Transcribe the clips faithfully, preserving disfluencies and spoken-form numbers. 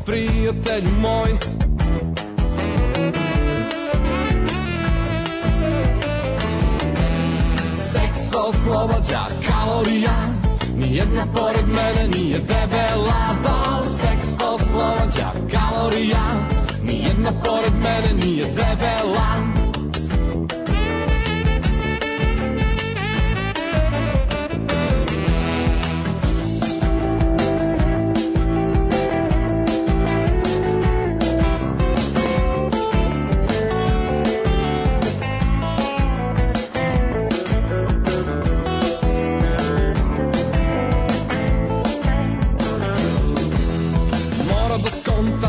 prijatelju moj. Seks oslobađa kalorija, nijedna pored mene nije debela. Da, seks oslobađa kalorija, nijedna pored mene nije debela.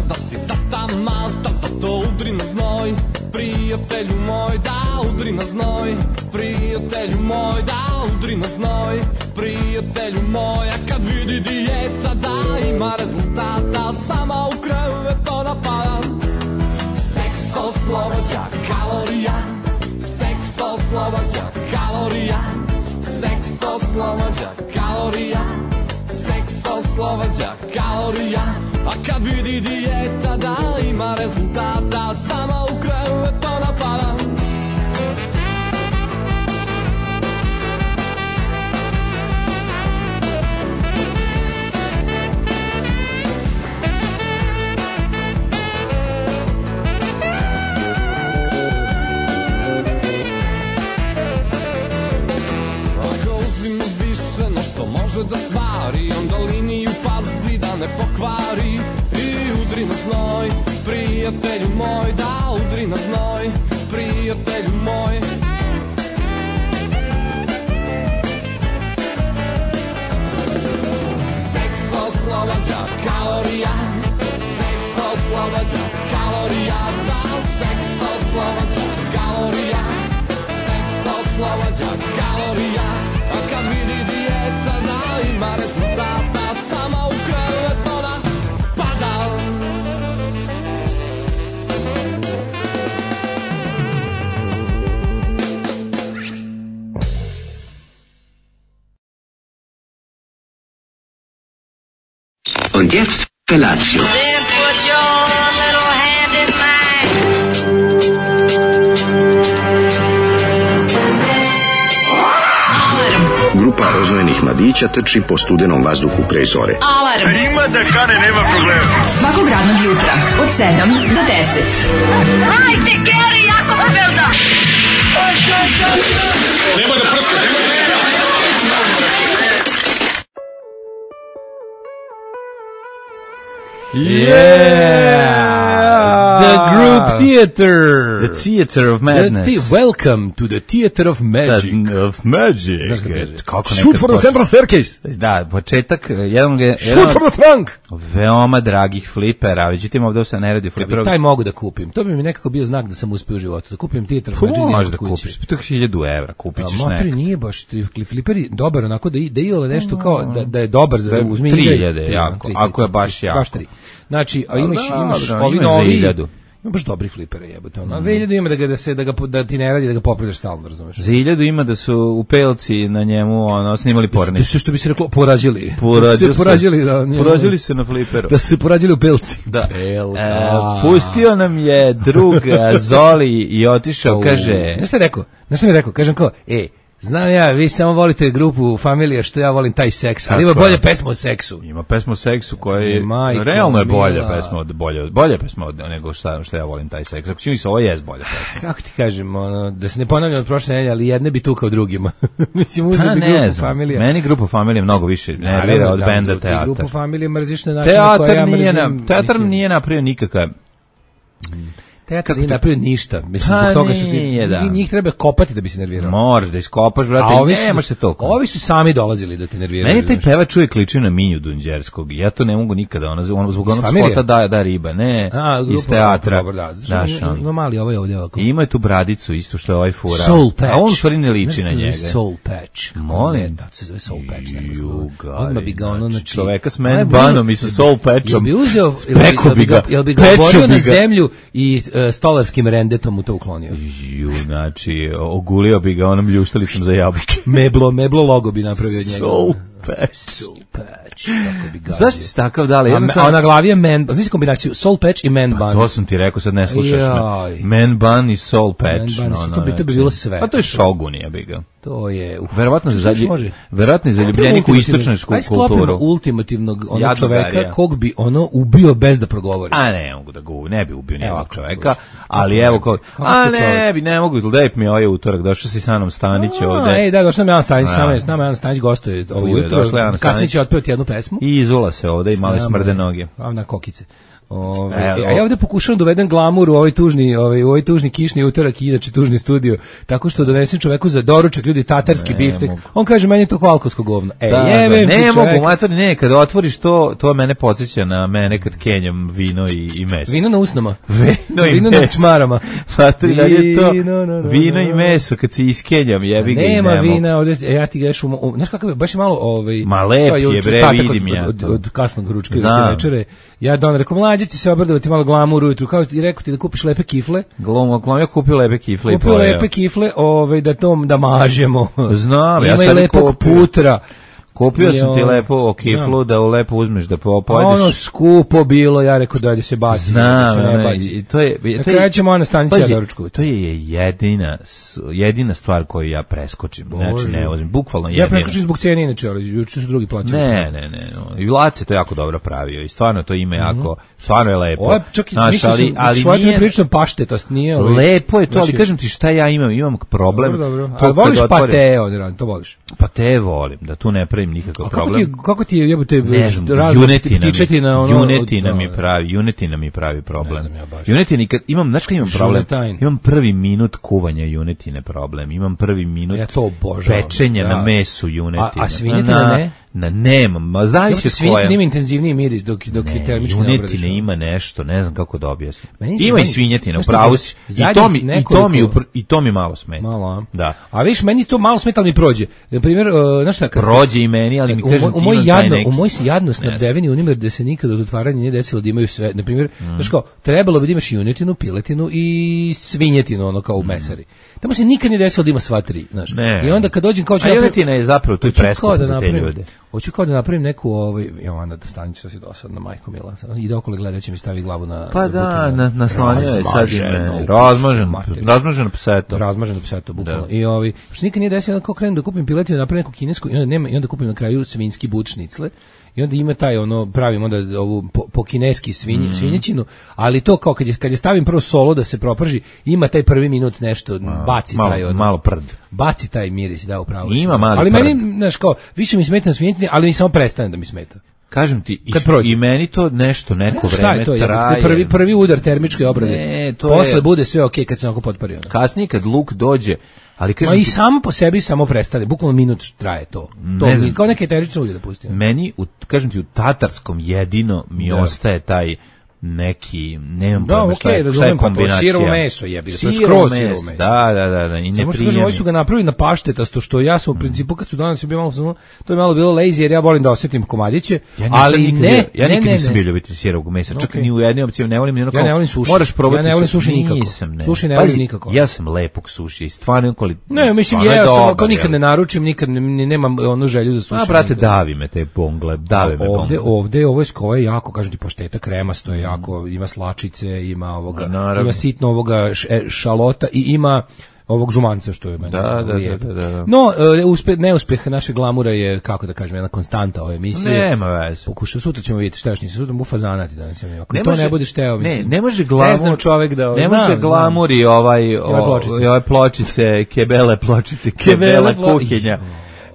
Da si tata Malta, zato udri na znoj, prijatelju moj, da udri na znoj, prijatelju moj, da udri na znoj, prijatelju moj. A kad vidi dijeta da ima rezultata, sama u krevet ona pada. Seks oslobađa kalorija, seks oslobađa kalorija, seks oslobađa kalorija, seks oslobađa kalorija. A kad vidi dijeta da ima rezultata, sama u krevet ona pada. Ako uzim više no što može da stvari, onda liniju pazi da ne pokvari. I udri na znoj, prijatelju moj, da udri na znoj, prijatelju moj. Seks oslobađa kalorija, seks oslobađa kalorija, da, seks oslobađa kalorija, seks oslobađa kalorija. A kad vidi dijeta da ima rezultata, sama u krevet ona pada. Und jetzt Felatio. Then put your little hand in mine. Grupa rozvojenih mladića trči po studenom vazduhu pre zore. Alarm. Ima da kane, nema problema. Svakog radnog jutra od sedam do deset. Hajde, Geri, jako se velda. Nema da prska, nema da prska. Yeah! The group theater. The theater of madness. The the- welcome to the theater of magic. That, of magic. Kako Shoot for the central staircase. Da, početak, jedan, jedan Shoot for the trunk. veoma dragih flipera, vidite ovdje se ne radi flipera. Ja taj mogu da kupim. To bi mi nekako bio znak da sam uspio u životu. Da kupim theater of magic. Možeš da kupiš, to je hiljadu evra, kupit ćeš neka. neka. Nije baš, fliperi dobar, onako da, da je nešto kao, da, da je dobar za uzmi. tri hiljade, jako, ako je baš jako. Baš tri. Znači, a imaš, dobro, imaš ima ovi za novi, hiljadu. ima baš dobri flipere jebote. Ono. A za hiljadu ima da, ga, da, se, da, ga, da ti ne radi, da ga popravljaš stalno, razumeš? Za hiljadu ima da su u pelci na njemu ono, snimali pornić. Da su, što bi se reklo, porađili. Porađili se porađili, da, njemu, porađili se na fliperu. Da su se porađili u pelci. Da. Pelka. E, pustio nam je drug Zoli i otišao, kaže... Znaš šta je rekao? Znaš šta mi je rekao? Kažem kao, e, znam ja, vi samo volite grupu Familija, što ja volim taj seks, ali ima bolje pesma o seksu. Ima pesma o seksu koja je, Majko realno je bolja mila. pesma od bolje, bolje pesma od nego šta, što ja volim taj seks. Ako čini se, ovo je bolja pesma. Kako ti kažem, ono, da se ne ponavljam od prošle nedelje, ali jedne bi tu kao drugima. Mislim, uzeo Pa bi ne grupu znam, Familija. meni grupa Familija mnogo više nervira od benda Teatar. Grupu Familija mrziš na način na koji ja Teatar nije, mrzim. na, teatar mislim, nije napravio nikakav... Teatar nije napravio ništa. Mislim, Pa zbog toga što ti, nije, da. njih treba kopati da bi se nervirao. Moraš da iskopaš, brate, A ovi su, nemaš se toliko. ovi su sami dolazili da te nerviraju. Meni taj znaš. pevač uvijek liči na Minju Dunđerskog. Ja to ne mogu nikada, ona, ona zbog onog Familije? spota da, da riba, ne, A, grupa, iz teatra. Dobro, da, zato Znaš, što on. ima mali ovaj ovdje ovako. I ima je tu bradicu, isto što je ovaj fura. Soul Patch. A on stvari ne liči Znaš na se zove njega. Soul Patch. Kako Molim? ne, Da, se zove Soul Patch. nekako se Ju, zove. gari, Odmah bi ga ono, znači, znači... čoveka s Aj, man bi- banom i sa Soul Patchom. Jel bi uzeo, jel Peko jel bi ga, jel bi ga peču oborio bi na ga. zemlju i uh, stolarskim rendetom mu to uklonio. Ju, znači, ogulio bi ga onom ljuštalicom za jabuke. Meblo, meblo logo bi napravio od njega. Soul Patch. Soul Patch, kako bi gazio. Zašto si takav dali? A, a na glavi je man, znaš kombinaciju Soul Patch i man Pa bun. to sam ti rekao, sad ne slušaš Jaj. me. Man bun i Soul Patch. Man bun, no, no, to bi- to bi bilo sve. Pa to je Shogun, ja bi ga. To je... Uf, Verovatno za zadnji, može. verovatno je zaljubljenik u istočnu Aj sklopimo kulturu. ultimativnog onog Jadnog čoveka Darija. kog bi ono ubio bez da progovori. A ne mogu da ga u- ne bi ubio Evo, nijednog ako čoveka, slušaj. ali Kako evo ne kao, bi? Kako a ste ne čovek? bi, ne mogu, lep mi je ovaj utorak, došao si sa mnom Stanić A, ovde. ej, da, došao nam Jan Stanić, A. s nama je, s nama Jan Stanić gostuje ovo Tu je, jutro. došla Jan Kasnije Stanić. će otpevati jednu pesmu. I izula se ovde i malo S nama smrde je- noge. A na kokice. Ove, Evo. a ja ovde pokušavam da uvedem glamur u ovaj tužni, ovaj, u ovaj tužni kišni utorak i inače tužni studio, tako što donesem čoveku za doručak, ljudi, tatarski Ne biftek. mogu. On kaže, meni je to alkoholsko govno. E, Da, da, jebem ti ne čoveka. mogu, mater, ne, kad otvoriš to, to mene podsjeća na mene kad kenjam vino i, i meso. Vino na usnama. Vino i Vino na meso. čmarama. Mater, da je to Vino, no, no, vino i no. meso, kad se iskenjam, jebi ga i Nema ne mogu. vina, ovdje, e, ja ti gledeš, u, u, znaš kakav je, baš je malo, ovaj, Ma lep to je, juče bre, ostatak vidim od, ja od, to. od, od kasnog ručka do Znam. večere. Ja don rekao, mlađe će se obradovati malo glamur ujutru, kao ti rekao ti da kupiš lepe kifle, Glom, glom, ja kupio lepe kifle i kupio pojeo. lepe kifle, ovaj, da tom, da mažemo. Znam, ja Ima sam i tebi lepog kupio. putra. Kupio sam ti Jo. lepo kiflu da u lepo uzmeš da po, A pojedeš. ono skupo bilo, ja rekao da se baci. Znam, da se ne ono, baci. i to je, Na to je, kraju ćemo ona stanici pazi, ja doručkovati. to je jedina, s- jedina stvar koju ja preskočim. Znači, Bože. ne vozim, bukvalno Ja jedina. preskočim zbog cene inače, ali juče su drugi plaćali. Ne, ne, ne, no. I Lace to jako dobro pravio i stvarno to ime jako, stvarno je lepo. Ovo je čak i, Znaš, mislim, ali, ali, ali ali nije, prilično paštetost, nije ovaj. lepo je to, ali Znači- kažem ti šta ja imam, imam problem. Dobro, dobro. To A kad voliš otvorim- pate, ovdje radi, to voliš. Pa te volim, da tu ne pravim nikakav A kako problem. ti, kako ti je jebote Ne znam, razne junetina ptičetina, mi, ono, junetina da, mi da. pravi, junetina mi pravi problem. Ne znam ja baš. Junetina, kad imam, znaš kad imam problem? Žunetajn. Imam prvi minut kuvanja junetine problem. Imam prvi minut Ja to obožavam. pečenja Da. na mesu junetine. A- a svinjetina na, ne? Na, nemam, ma zavisi od Svinjetina koje. ima intenzivniji miris dok, dok je Ne, termički ne obradiš. junetine ima nešto, ne znam kako da objasnim. Meni se- Ima i meni- svinjetina, znaš šta, upravo si. I zadnjih to mi, i to mi, nekoliko- upr- i to mi malo smeta. Malo, a? Da. A viš, meni to malo smeta, ali mi prođe. Na primjer, uh, znaš šta, kad, Prođe i meni, ali mi u, kažem moj- u ti moj imam taj jadno, neki- u moj si jadno Ne snabdeveni univer gde se nikad od otvaranja nije desilo da imaju sve. Na primjer, znaš kao, trebalo bi da imaš junetinu, piletinu i svinjetinu, ono kao u mesari. Tamo se nikad nije desilo da ima sva tri, znaš. Ne. I onda kad dođem kao ću A napravim- junetina je zapravo tu i hoću kao preskupa da za te napravim- ljude. Hoću kao da napravim neku, ovaj, Jovana da stanić što si dosadna, majko mila. Ide okolo gledajući mi stavi glavu na... Pa da, bukvalno na, naslonjao je sad i razmaženo me. u Razmažen, materiju. razmažen pseto. Razmaženo pseto, bukvalno. Da. I ovi, što nikad nije desilo, onda kao krenem da kupim piletinu, napravim neku kinesku, i onda, nema, i onda kupim na kraju svinjski but šnicle, i onda ima taj, ono, pravim onda ovu po, po kineski svinj, svinjećinu, ali to kao kad je, kad je stavim prvo solo da se proprži, ima taj prvi minut nešto, baci malo, taj, ono, malo prd. baci taj miris, da, upravo. Ima si. mali ali prd. meni, znaš, kao, više mi smeta na svinjetini, ali mi samo prestane da mi smeta. Kažem ti, i, Kad prođe. i meni to nešto, neko Ne znam šta vreme je to, jebote, traje. prvi, prvi udar termičke obrade. Ne, to Posle je- bude sve okej kad se onako potpari. Ono. Kasnije kad luk dođe, ali Ma kažem i ti, samo po sebi samo prestane, bukvalno minut traje to. To Ne mi, znam. kao neke eterične ulje da pustim. meni, u, kažem ti, u tatarskom jedino mi Da. ostaje taj neki, nemam Da, pojma šta je, okej, šta je razumem, pa to je kombinacija. sirovo meso, jebi ga, to je Sirovo skroz meso, sirovo meso. Da, da, da, da, i ne Samo što kažem, prijemi. ovi su ga napravili na paštetasto, što ja sam u principu kad su danas bio malo, samo- to je malo bilo lazy jer ja volim da osetim komadiće, Ja nisam ali nikad ne, bio- ja ne, nikad ne, nisam ne. bio ljubitelj sirovog mesa, čak Okej. ni u jednoj opciji ne volim ni onako. Ja ne volim suši. Moraš probati. Ja ne volim suši nikako. Nisam, ne. Suši ne Pazi, volim nikako. Ja sam lepog suši i stvarno kvali. Ne, mislim, stvarno je ja sam, dobar, ako nikad jel? ne naručim, nikad ne, ne- nemam onu želju za suši. A brate, nikad. davi me te bongle, dave me Ovde, bongle. ovde, ovo je skoje je jako, kažem ti, pošteta kremasto je jako, ima slačice, ima ovoga, Ma, naravno. ima sitno ovoga š- e, šalota i ima ovog žumanca što je meni Da, da, lijep. da, da, da. No, e, uspe, neuspeh naše glamura je, kako da kažem, jedna konstanta ove emisije. Nema veze. Pokušao, sutra ćemo vidjeti šta još nisam, sutra mu fazanati danas. Ako Ne to može- ne budeš teo, ne, mislim. ne može glamur, Ne znam čovek da... ne znam, može znam. glamur i ovaj, o, pločice. i ove pločice, kebele pločice, Kebele kebele plo- kuhinja.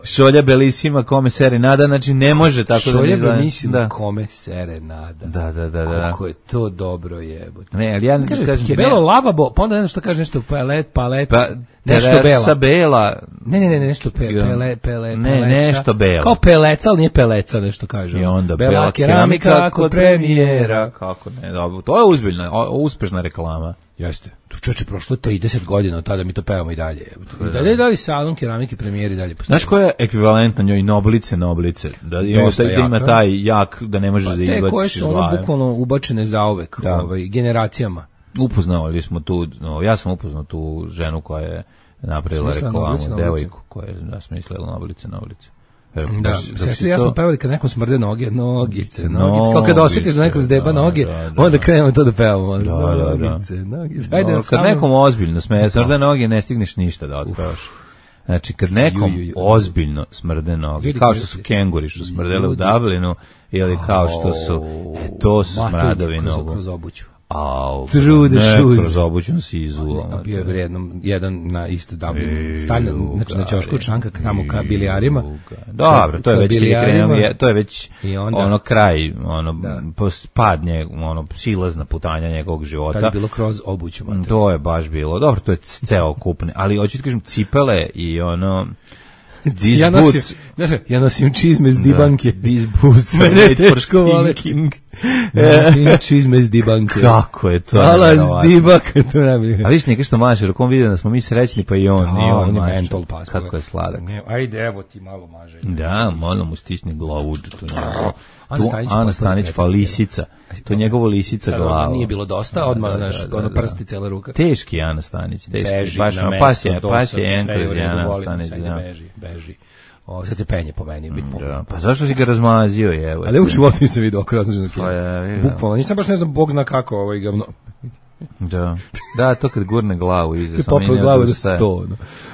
Šolja Belisima, kome serenada, znači ne može tako da... Šolja izgleda- mislim da. kome serenada. Da, da, da, da. Kako je to dobro jebote. Ne, ali ja ne Kaže, kažem... kebelo ne- lavabo, pa onda ne znam šta kaže, nešto palet, palet, Pa, nešto Teresa bela. Bela. Ne, ne, ne, ne, nešto pe, Ja. pele, pele, Ne, peleca. nešto belo. Kao peleca, ali nije peleca, nešto kaže. I onda bela, bela keramika kod premijera. Kako ne, dobro. To je uzbiljna, o- uspešna reklama. Jeste. Tu čoče, prošlo je trideset godina od tada mi to pevamo i dalje. I dalje da li salon keramike premijeri dalje postoji. Znaš koja je ekvivalent na njoj? Noblice, noblice. Da, ima, Dosta da ima jaka. taj jak, da ne možeš Pa da te koje izbaciš iz su ono glave. bukvalno ubačene zauvek, Da. ovaj, generacijama. Upoznali smo tu, no, ja sam upoznao tu ženu koja je napravila Smislila reklamu, Noblice, Noblice. devojku koja je da, smislila Noblice, Noblice. Da, sestri ja smo pevali kad nekom smrde noge, nogice, nogice, kao kad osjetiš da nekom zdeba noge, onda krenemo to da pevamo. Nogice, nogice, ajde kad nekom ozbiljno smrde noge, ne stigneš ništa da otpevaš. Znači, kad nekom ozbiljno smrde noge, kao što su kenguri što smrdele u Dublinu, ili kao što su, e, to su smradovi nogu. Kroz obuću. Au, True the shoes. Kroz obuću si izuo. Bio je jednom, jedan na isto Dublinu. Stavljen, znači na ćošku članka kramo ka bilijarima. Dobro, to je već krenuo, to je već ono kraj, ono, padnje, ono, silazna putanja njegovog života. Tad je bilo kroz obuću. To je baš bilo. Dobro, to je ceo kupne, ali hoću ti kažem, cipele i ono... Ja nosim, znaš, ja nosim čizme s dibanke. These boots are made for stinking. Nosim čizme s dibanke. Kako je to? Hvala s dibanke. A viš neka što maše, rukom vidio da smo mi srećni, pa i on. A, i on, on je maše. mentol pas. Kako je sladak. Ne, ajde, evo ti malo maže. Da, malo mu stisne glavu. Tu Ana Stanić, Ana Stanić pa lisica. To je njegovo lisica glava. Nije bilo dosta, odmah naš, ono prsti, cela ruka. Teški Ana Stanić. Beži baš na mesto, pas je, pas je enkroz Ana Stanić. Beži, beži. O, sad se penje po meni, biti da. Pa zašto si ga razmazio, je? Ali u životu nisam vidio oko razloženo pa je, bukvalno, nisam baš ne znam, Bog zna kako ovaj ga... Da, da, to kad gurne glavu iza, sam popao glavu da sto.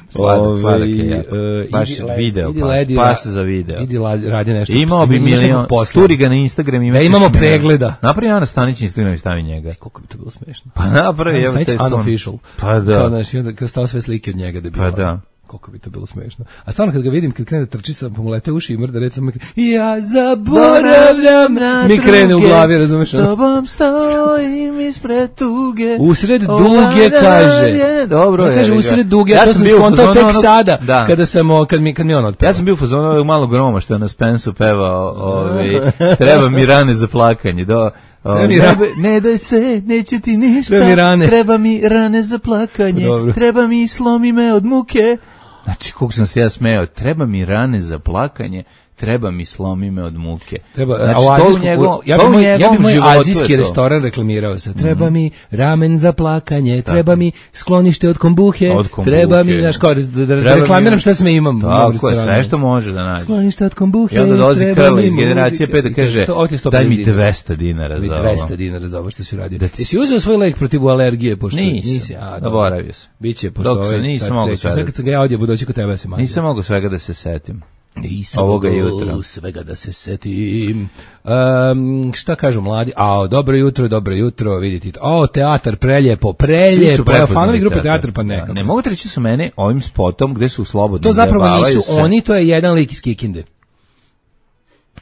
Sladak, sladak je jako. Baš video, pas za video. Idi radi nešto. Imao bi milion, sturi ga na Instagram. Da imamo pregleda. Napravi Ana Stanić Instagram i stavi njega. Koliko bi to bilo smešno. Pa napravi, evo te unofficial. Pa da. Kao naš, kao stao sve slike od njega da bi... Pa da. Koliko bi to bilo smešno. A stvarno kad ga vidim, kad krene da trči sa pomolete uši i mrda, recimo, ja zaboravljam, mi krene u glavi, razumeš? Tobom stojim ispred tuge. Usred duge, kaže. Dobro je. Kaže, usred duge, ja to sam skontao tek sada, da. kada sam, kad mi, kad mi on otpeva. Ja sam bio u fazonu ovog malog groma, što je na Spensu pevao, ovi, treba mi rane za plakanje, do... O, ne, ne daj se, neće ti ništa, treba mi, treba mi rane za plakanje, dobro. Treba mi slomi me od muke. Znači, koliko sam se ja smeo, treba mi rane za plakanje, treba mi slomi me od muke. Treba, znači, a to azijsku, u njegov, ja bi moj, ja bi moj azijski restoran reklamirao se. Treba mm-hmm. mi ramen za plakanje, tako. Treba mi sklonište od kombuhe, od kombuhe. Treba mi, znaš, kao, da, da, da reklamiram mi, šta sve imam. Tako je, sve što može da nađe. Sklonište od kombuhe. I onda dolazi Krla iz generacije pet da kaže, daj mi dvesta dinara za ovo. dvesta dinara za ovo što si uradio. Da ti si uzeo svoj lek protiv alergije? Pošto nisam, nisi, a, zaboravio sam. Biće, pošto ovaj, nisam mogu sve. Kad sam ga ja odjebo doći kod tebe, se mađe. Nisam mogu svega da se setim. Nisam ovoga jutra. Svega da se setim. Um, šta kažu mladi? A, dobro jutro, dobro jutro, vidite. O, teatar, preljepo, preljepo. Evo, fanovi grupe teatar, pa neka. Ne mogu te reći su mene ovim spotom gde su slobodni. To zapravo nisu se. Oni, to je jedan lik iz Kikinde.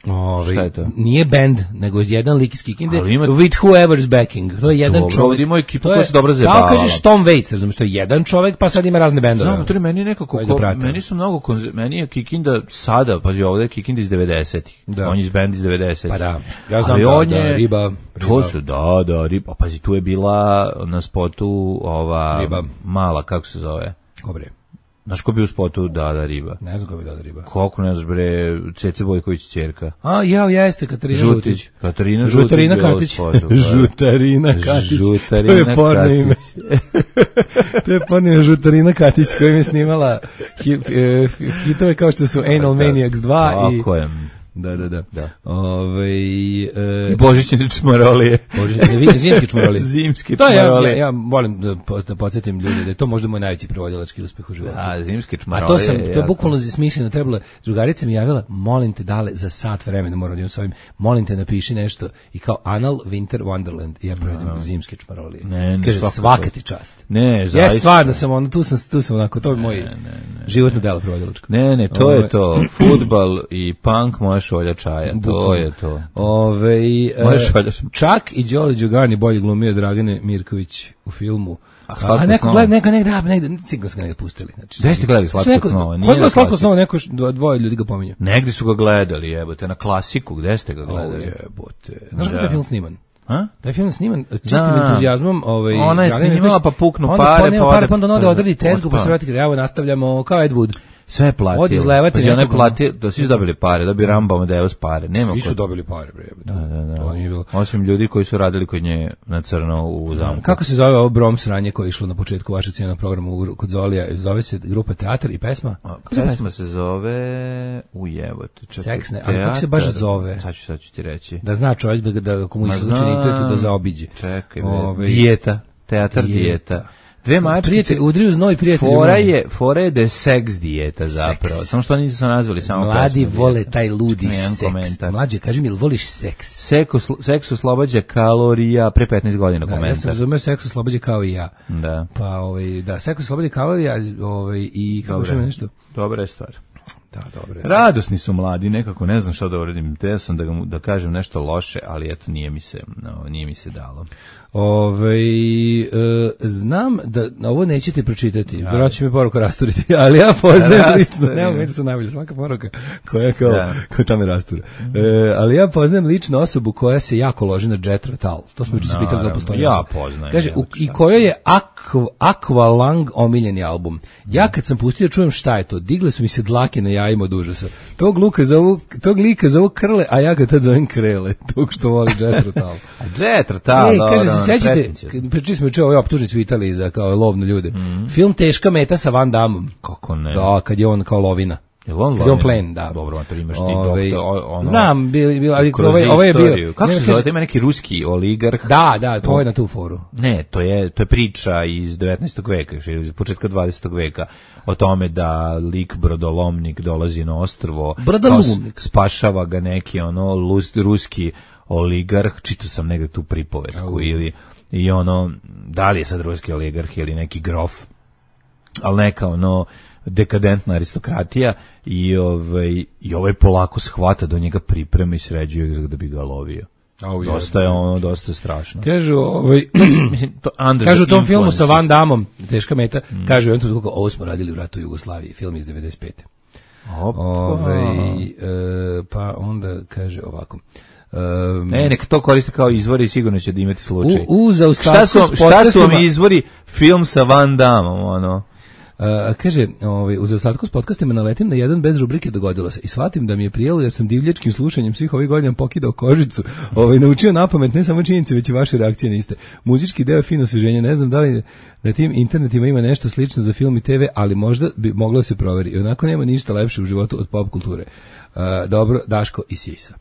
Ove, šta je to? Nije band, nego jedan lik iz Kikinde with whoever's backing. To je jedan dobro, čovjek. Ima ekipu koja se dobro zabavala. Kao kažeš Tom Waits, razumiješ, to je jedan čovjek, pa sad ima razne bendove. Znam, to je meni nekako, ko, meni su mnogo, konze, meni je Kikinda sada, pazi ovdje je Kikinda iz devedesetih. Da. On je iz band iz devedesetih. Pa da, ja znam da, on je, da, riba, riba. To su, da, da, riba. Pazi, tu je bila na spotu ova riba. Mala, kako se zove? Kobre. Znaš ko bi u spotu Dada riba? Ne znam ko bi Dada riba. Koliko ne znaš bre, Cece Bojković ćerka. A, jao, jeste, Katarina Žutić. Katarina Žutić. Žutarina Katić. Žutarina Katić. Žutarina Katić. To je porno ime. To je porno ime Žutarina Katić kojim je snimala hitove kao što su Anal Maniacs dva i... Tako je. Da, da, da. da. Ove, e, I božićne čmarolije. Božićne, zimske čmarolije. Zimske čmarolije. Ja, ja, ja volim da, da podsjetim ljude da je to možda moj najveći prevodilački uspeh u životu. Da, zimske čmarolije. A to sam, to je bukvalno smišljeno trebalo. Drugarica mi javila, molim te dale za sat vremena, moram da imam s ovim, molim te napiši nešto i kao Anal Winter Wonderland i ja prevodim no. zimske čmarolije. Ne, ne, kaže, svaka ti čast. Ne, zaista. Ja stvarno sam ono, tu sam, tu sam onako, to je moj ne, ne, ne, životno delo prevodilačko. Ne, ne, to Ove, je to. Fudbal i punk, moja šolja čaja. To je to. Ove, čak i Đole Đugani bolje glumio Dragane Mirković u filmu. A, a neko gleda, neko negdje, negdje, sigurno su ga negdje pustili. Znači, gde ste gledali Slatko snova? Kod je Slatko snova, neko dvoje ljudi ga pominju. Negdje su ga gledali, jebote, na klasiku, gde ste ga gledali? O, jebote. Znaš kako je film sniman? A? Taj film sniman čistim entuzijazmom, ovaj ona je snimala pa puknu onda pare, pa onda pare, pa onda ode odredi tezgu, pa se vrati, evo nastavljamo kao Ed Wood. Sve je platio. Od izlevati znači, nekog... platio, da svi su dobili pare, da bi Rambo Amadeus pare. Nema svi su kod... dobili pare, bre. Da, da, da. To nije bilo. Osim ljudi koji su radili kod nje na crno u zamku. Kako se zove ovo Brom sranje koje je išlo na početku vašeg cijenog programa kod Zolija? Zove se grupa Teatar i pesma? A, pesma se zove Ujevote. Seksne, ali kako se baš zove? Sad ću, sad ću ti reći. Da zna čovjek da, da komu je slučajno da zaobiđe. Čekaj, Ove... dijeta. Teatar dijeta. dijeta. Dve mačkice. Prijatelj, udriju znoj prijatelju. Fora je, fora je da je seks dijeta zapravo. Seks. Samo što oni su nazvali samo mladi pesmu vole dijeta. taj ludi seks. Komentar. Mlađe, kaži mi, ili voliš seks? Seko, seks oslobađa kalorija pre petnaest godina da, komentar. Ja sam razumio seks oslobađa kao i ja. Da. Pa, ovaj, da, seks oslobađa kalorija ovaj, i kako što ima nešto? Dobra je stvar. Da, dobro. Radosni su mladi, nekako ne znam šta da uradim. Te sam da, ga, da kažem nešto loše, ali eto nije mi se, no, nije mi se dalo. Ove, e, znam da ovo nećete pročitati, vjerojatno će mi poruka rasturiti, ali ja poznajem lično, nema mi da sam najbolje svaka poruka koja kao, ja. kao tamo rastura. E, ali ja poznajem lično osobu koja se jako loži na Jet Rotal, to smo juče se pitali da postoji. Ja poznajem. Kaže, u, i kojoj je Aqu, Aqualung omiljeni album. Ja kad sam pustio čujem šta je to, digle su mi se dlake na jajima od užasa. Tog, luka zovu, tog lika zovu Krle, a ja ga tad zovem Krele, tog što voli Jet Rotal. Jet Rotal, e, kaže, se sećate, pričali smo juče o ovoj optužnici u Italiji za kao lovno ljude. Mm. Film Teška meta sa Van Dammom. Kako ne? Da, kad je on kao lovina. Je on kad je on plen, da. Dobro, to imaš ti Ove, doktor, ono... Znam, bil, bil, ali ovaj, ovaj je bio... Kako se zove, ima neki ruski oligarh. Da, da, to je na tu foru. Ne, to je, to je priča iz devetnaestog veka, ili iz početka dvadesetog veka, o tome da lik brodolomnik dolazi na ostrvo, spašava ga neki ono lus, ruski oligarh, čitao sam negde tu pripovetku, oh. ili i ono, da li je sad ruski oligarh ili neki grof, ali neka ono dekadentna aristokratija i ovaj, i ovaj polako shvata do njega priprema i sređuje ga da bi ga lovio. Oh, dosta je ono, dosta strašno. Kažu, ovaj, mislim, to kažu u tom filmu sa Van Dammom, Teška meta, mm. kažu, on to ovo smo radili u ratu u Jugoslaviji, film iz devedeset pete. Ove, e, pa onda kaže ovako. Um, ne, neka to koriste kao izvori i sigurno će da imati slučaj. U, u šta su, šta su vam izvori? Film sa Van Dammom, ono. Uh, kaže, ovaj, u zaostatku s podcastima naletim na jedan bez rubrike dogodilo se i shvatim da mi je prijelo jer sam divljačkim slušanjem svih ovih godina pokidao kožicu, ovaj, naučio napamet ne samo činjenice, već i vaše reakcije niste. Muzički deo fino osveženje, ne znam da li na tim internetima ima nešto slično za film i te ve, ali možda bi moglo se proveri. I onako nema ništa lepše u životu od pop kulture. Uh, dobro, Daško i Sisa.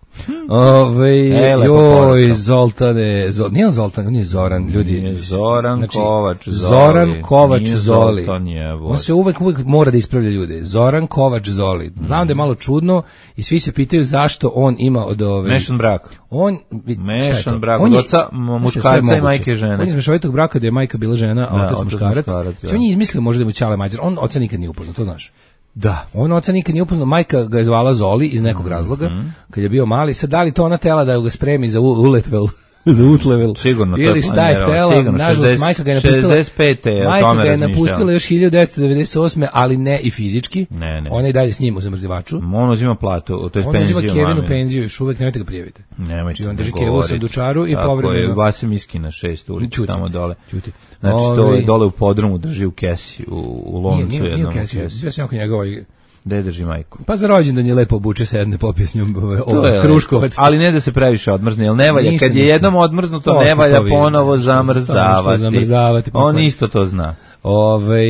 Ove, e, joj, Zoltane, Zol, nije on Zoltan, on je Zoran, ljudi. Nije Zoran znači, Kovač Zoli. Zoran Kovač nije Zoli. Zoltan je, on se uvek, uvek mora da ispravlja ljude. Zoran Kovač Zoli. Znam mm. da je malo čudno i svi se pitaju zašto on ima od ove... Mešan brak. On, Mešan brak, od oca muškarca i majke žene. On je iz mešovitog braka da je majka bila žena, a otac muškarac. Znači, on je izmislio možda da mu Ćale Mađar. On oca nikad nije upoznao, to znaš. Da. On oca nikad nije upoznao, majka ga je zvala Zoli iz nekog razloga, mm-hmm. kad je bio mali. Sad da li to ona tela da ga spremi za uletvel, za utlevel? Sigurno, ili šta je tela, nažalost, majka ga je napustila, šezdeset pete, majka ga je napustila još hiljadu devetsto devedeset osme, ali ne i fizički. Ne, ne. Ona je dalje s njim u zamrzivaču. On uzima platu, to je penziju. On uzima Kevinu penziju, još uvek nemojte ga prijaviti. Nemojte znači, on drži Kevu u sandučaru i povremeno. Tako je, Vasim Iskina, šest ulica, tamo dole. Čuti. Znači, to je dole u podrumu, drži u kesi, u loncu jednom. Nije u kesi, ja sam oko njega ovaj... Gde drži majku? Pa za rođendan je lepo obuče se jedne popije s njom ovaj, Kruškovac. Ali ne da se previše odmrzne, jer ne valja. Kad je jednom odmrznuto, to ne valja ponovo zamrzavati. zamrzavati on isto to zna. Ove,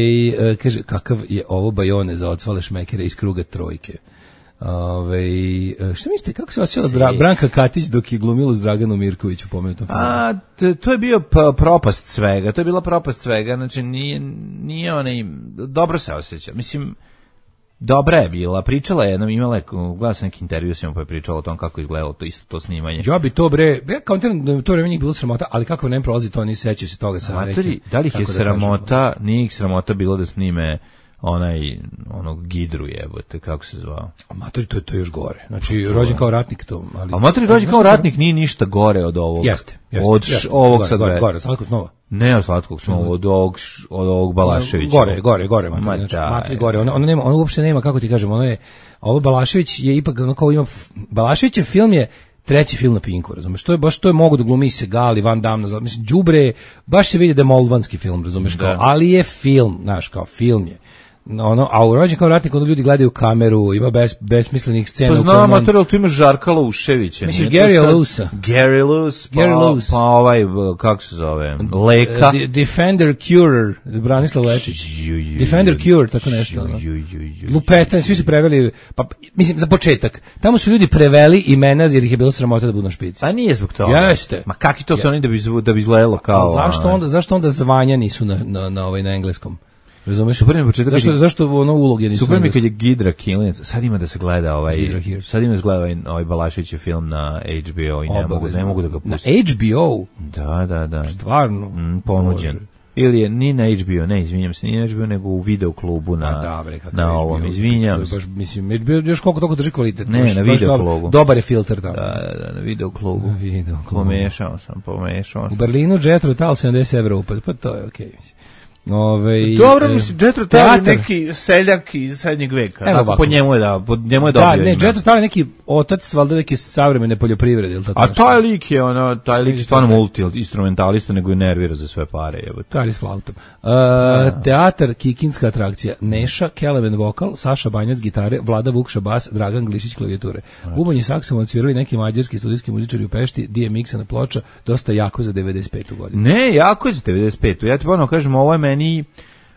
kaže, kakav je ovo bajone za ocvale šmekere iz kruga trojke. Ove, šta mislite, kako se osjećala Branka Katić dok je glumila s Draganom Mirkoviću pomenutom filmu? A, to je bio propast svega, to je bila propast svega, znači nije, nije onaj, dobro se osjeća, mislim, dobra je bila, pričala je jednom, imala je, gledala sam neki intervju s njom pa je pričala o tom kako izgledalo to isto to snimanje. Ja bi to bre, ja kao da to vreme njih bilo sramota, ali kako ne prolazi to, ni sećaju se toga sa Amatori, nekim. Da li ih je sramota, da nije ih sramota bilo da snime onaj, onog Gidru jebote, kako se zvao? Amatori, to je to još gore. Znači, rođen kao ratnik to. Ali, Amatori, rođen kao ratnik nije ništa gore od ovog. Jeste, jeste. Od jeste, ovog gore, sad gore, gore, Slatkog snova. Ne od Slatkog snova, od ovog, od ovog Balaševića. Gore, gore, gore, Matri, znači, Matri gore. Ona, ona, nema, ona uopšte nema, kako ti kažem, ono je, ovo Balašević je ipak, ono kao ima, Balaševićev film je treći film na Pinku, razumeš? To je baš to je mogu da glumi Segal, Van Damme, mislim đubre, baš se vidi da je moldvanski film, razumeš, kao, ali je film, znaš, kao film je. ono, a u Rođen kao ratnik, ono ljudi gledaju kameru, ima bes, besmislenih scena. Pa znam, mater, ali tu ima Žarka Uševića. Misliš Gary Lusa? Gary Lus, pa, Lus. pa ovaj, kako se zove, Leka. Uh, Defender Curer, Branislav Lečić. Defender Cure, tako nešto. Ono. Lupetan, svi su preveli, pa, mislim, za početak, tamo su ljudi preveli imena jer ih je bilo sramota da budu na špici. A nije zbog toga. Jeste. Ma kakvi to su oni da bi, da bi izgledalo kao... A zašto onda, zašto onda zvanja nisu na, na, na, ovaj, na engleskom? Razumeš? Super mi početak. Zašto, zašto ono uloge nisu? Super mi kad je Gidra Kilinac. Sad ima da se gleda ovaj sad ima da se gleda ovaj, ovaj Balaševićev film na H B O i ne mogu, ne mogu da ga pustim. Na H B O? Da, da, da. Stvarno? Mm, ponuđen. Bože. Ili je ni na H B O, ne, izvinjam se, ni na H B O, nego u video klubu na, A, dobre, na ovom, izvinjam se. Baš, mislim, H B O još koliko toliko drži kvalitet. Ne, baš, na baš video dobar, klubu. Dobar je filter tamo. Da, da, na video klubu. Na video klubu. Pomešao sam, pomešao sam. U Berlinu Jethro Tull sedamdeset evra upad, pa to je okej. Okay. Ove, dobro, mislim, Jethro Tull je neki seljak iz srednjeg veka. Tako, po njemu je da, po njemu je dobio. Da, ne, Jethro Tull je neki otac, valjda neke savremene poljoprivrede, ili tako. A taj lik je, ono, taj lik je stvarno multi-instrumentalista, nego je nervira za sve pare, jebote. Kari s flautom. Uh, teatar, kikinska atrakcija, Neša, Kelemen vokal, Saša Banjac gitare, Vlada Vukša bas, Dragan Glišić klavijature. Bubanj i saksofon odsvirali neki mađarski studijski muzičari u Pešti, D M X-a na ploča, dosta jako za devedeset petu godinu. Ne, jako je za devedeset petu. Ja ti ponovno kažem, ovo je meni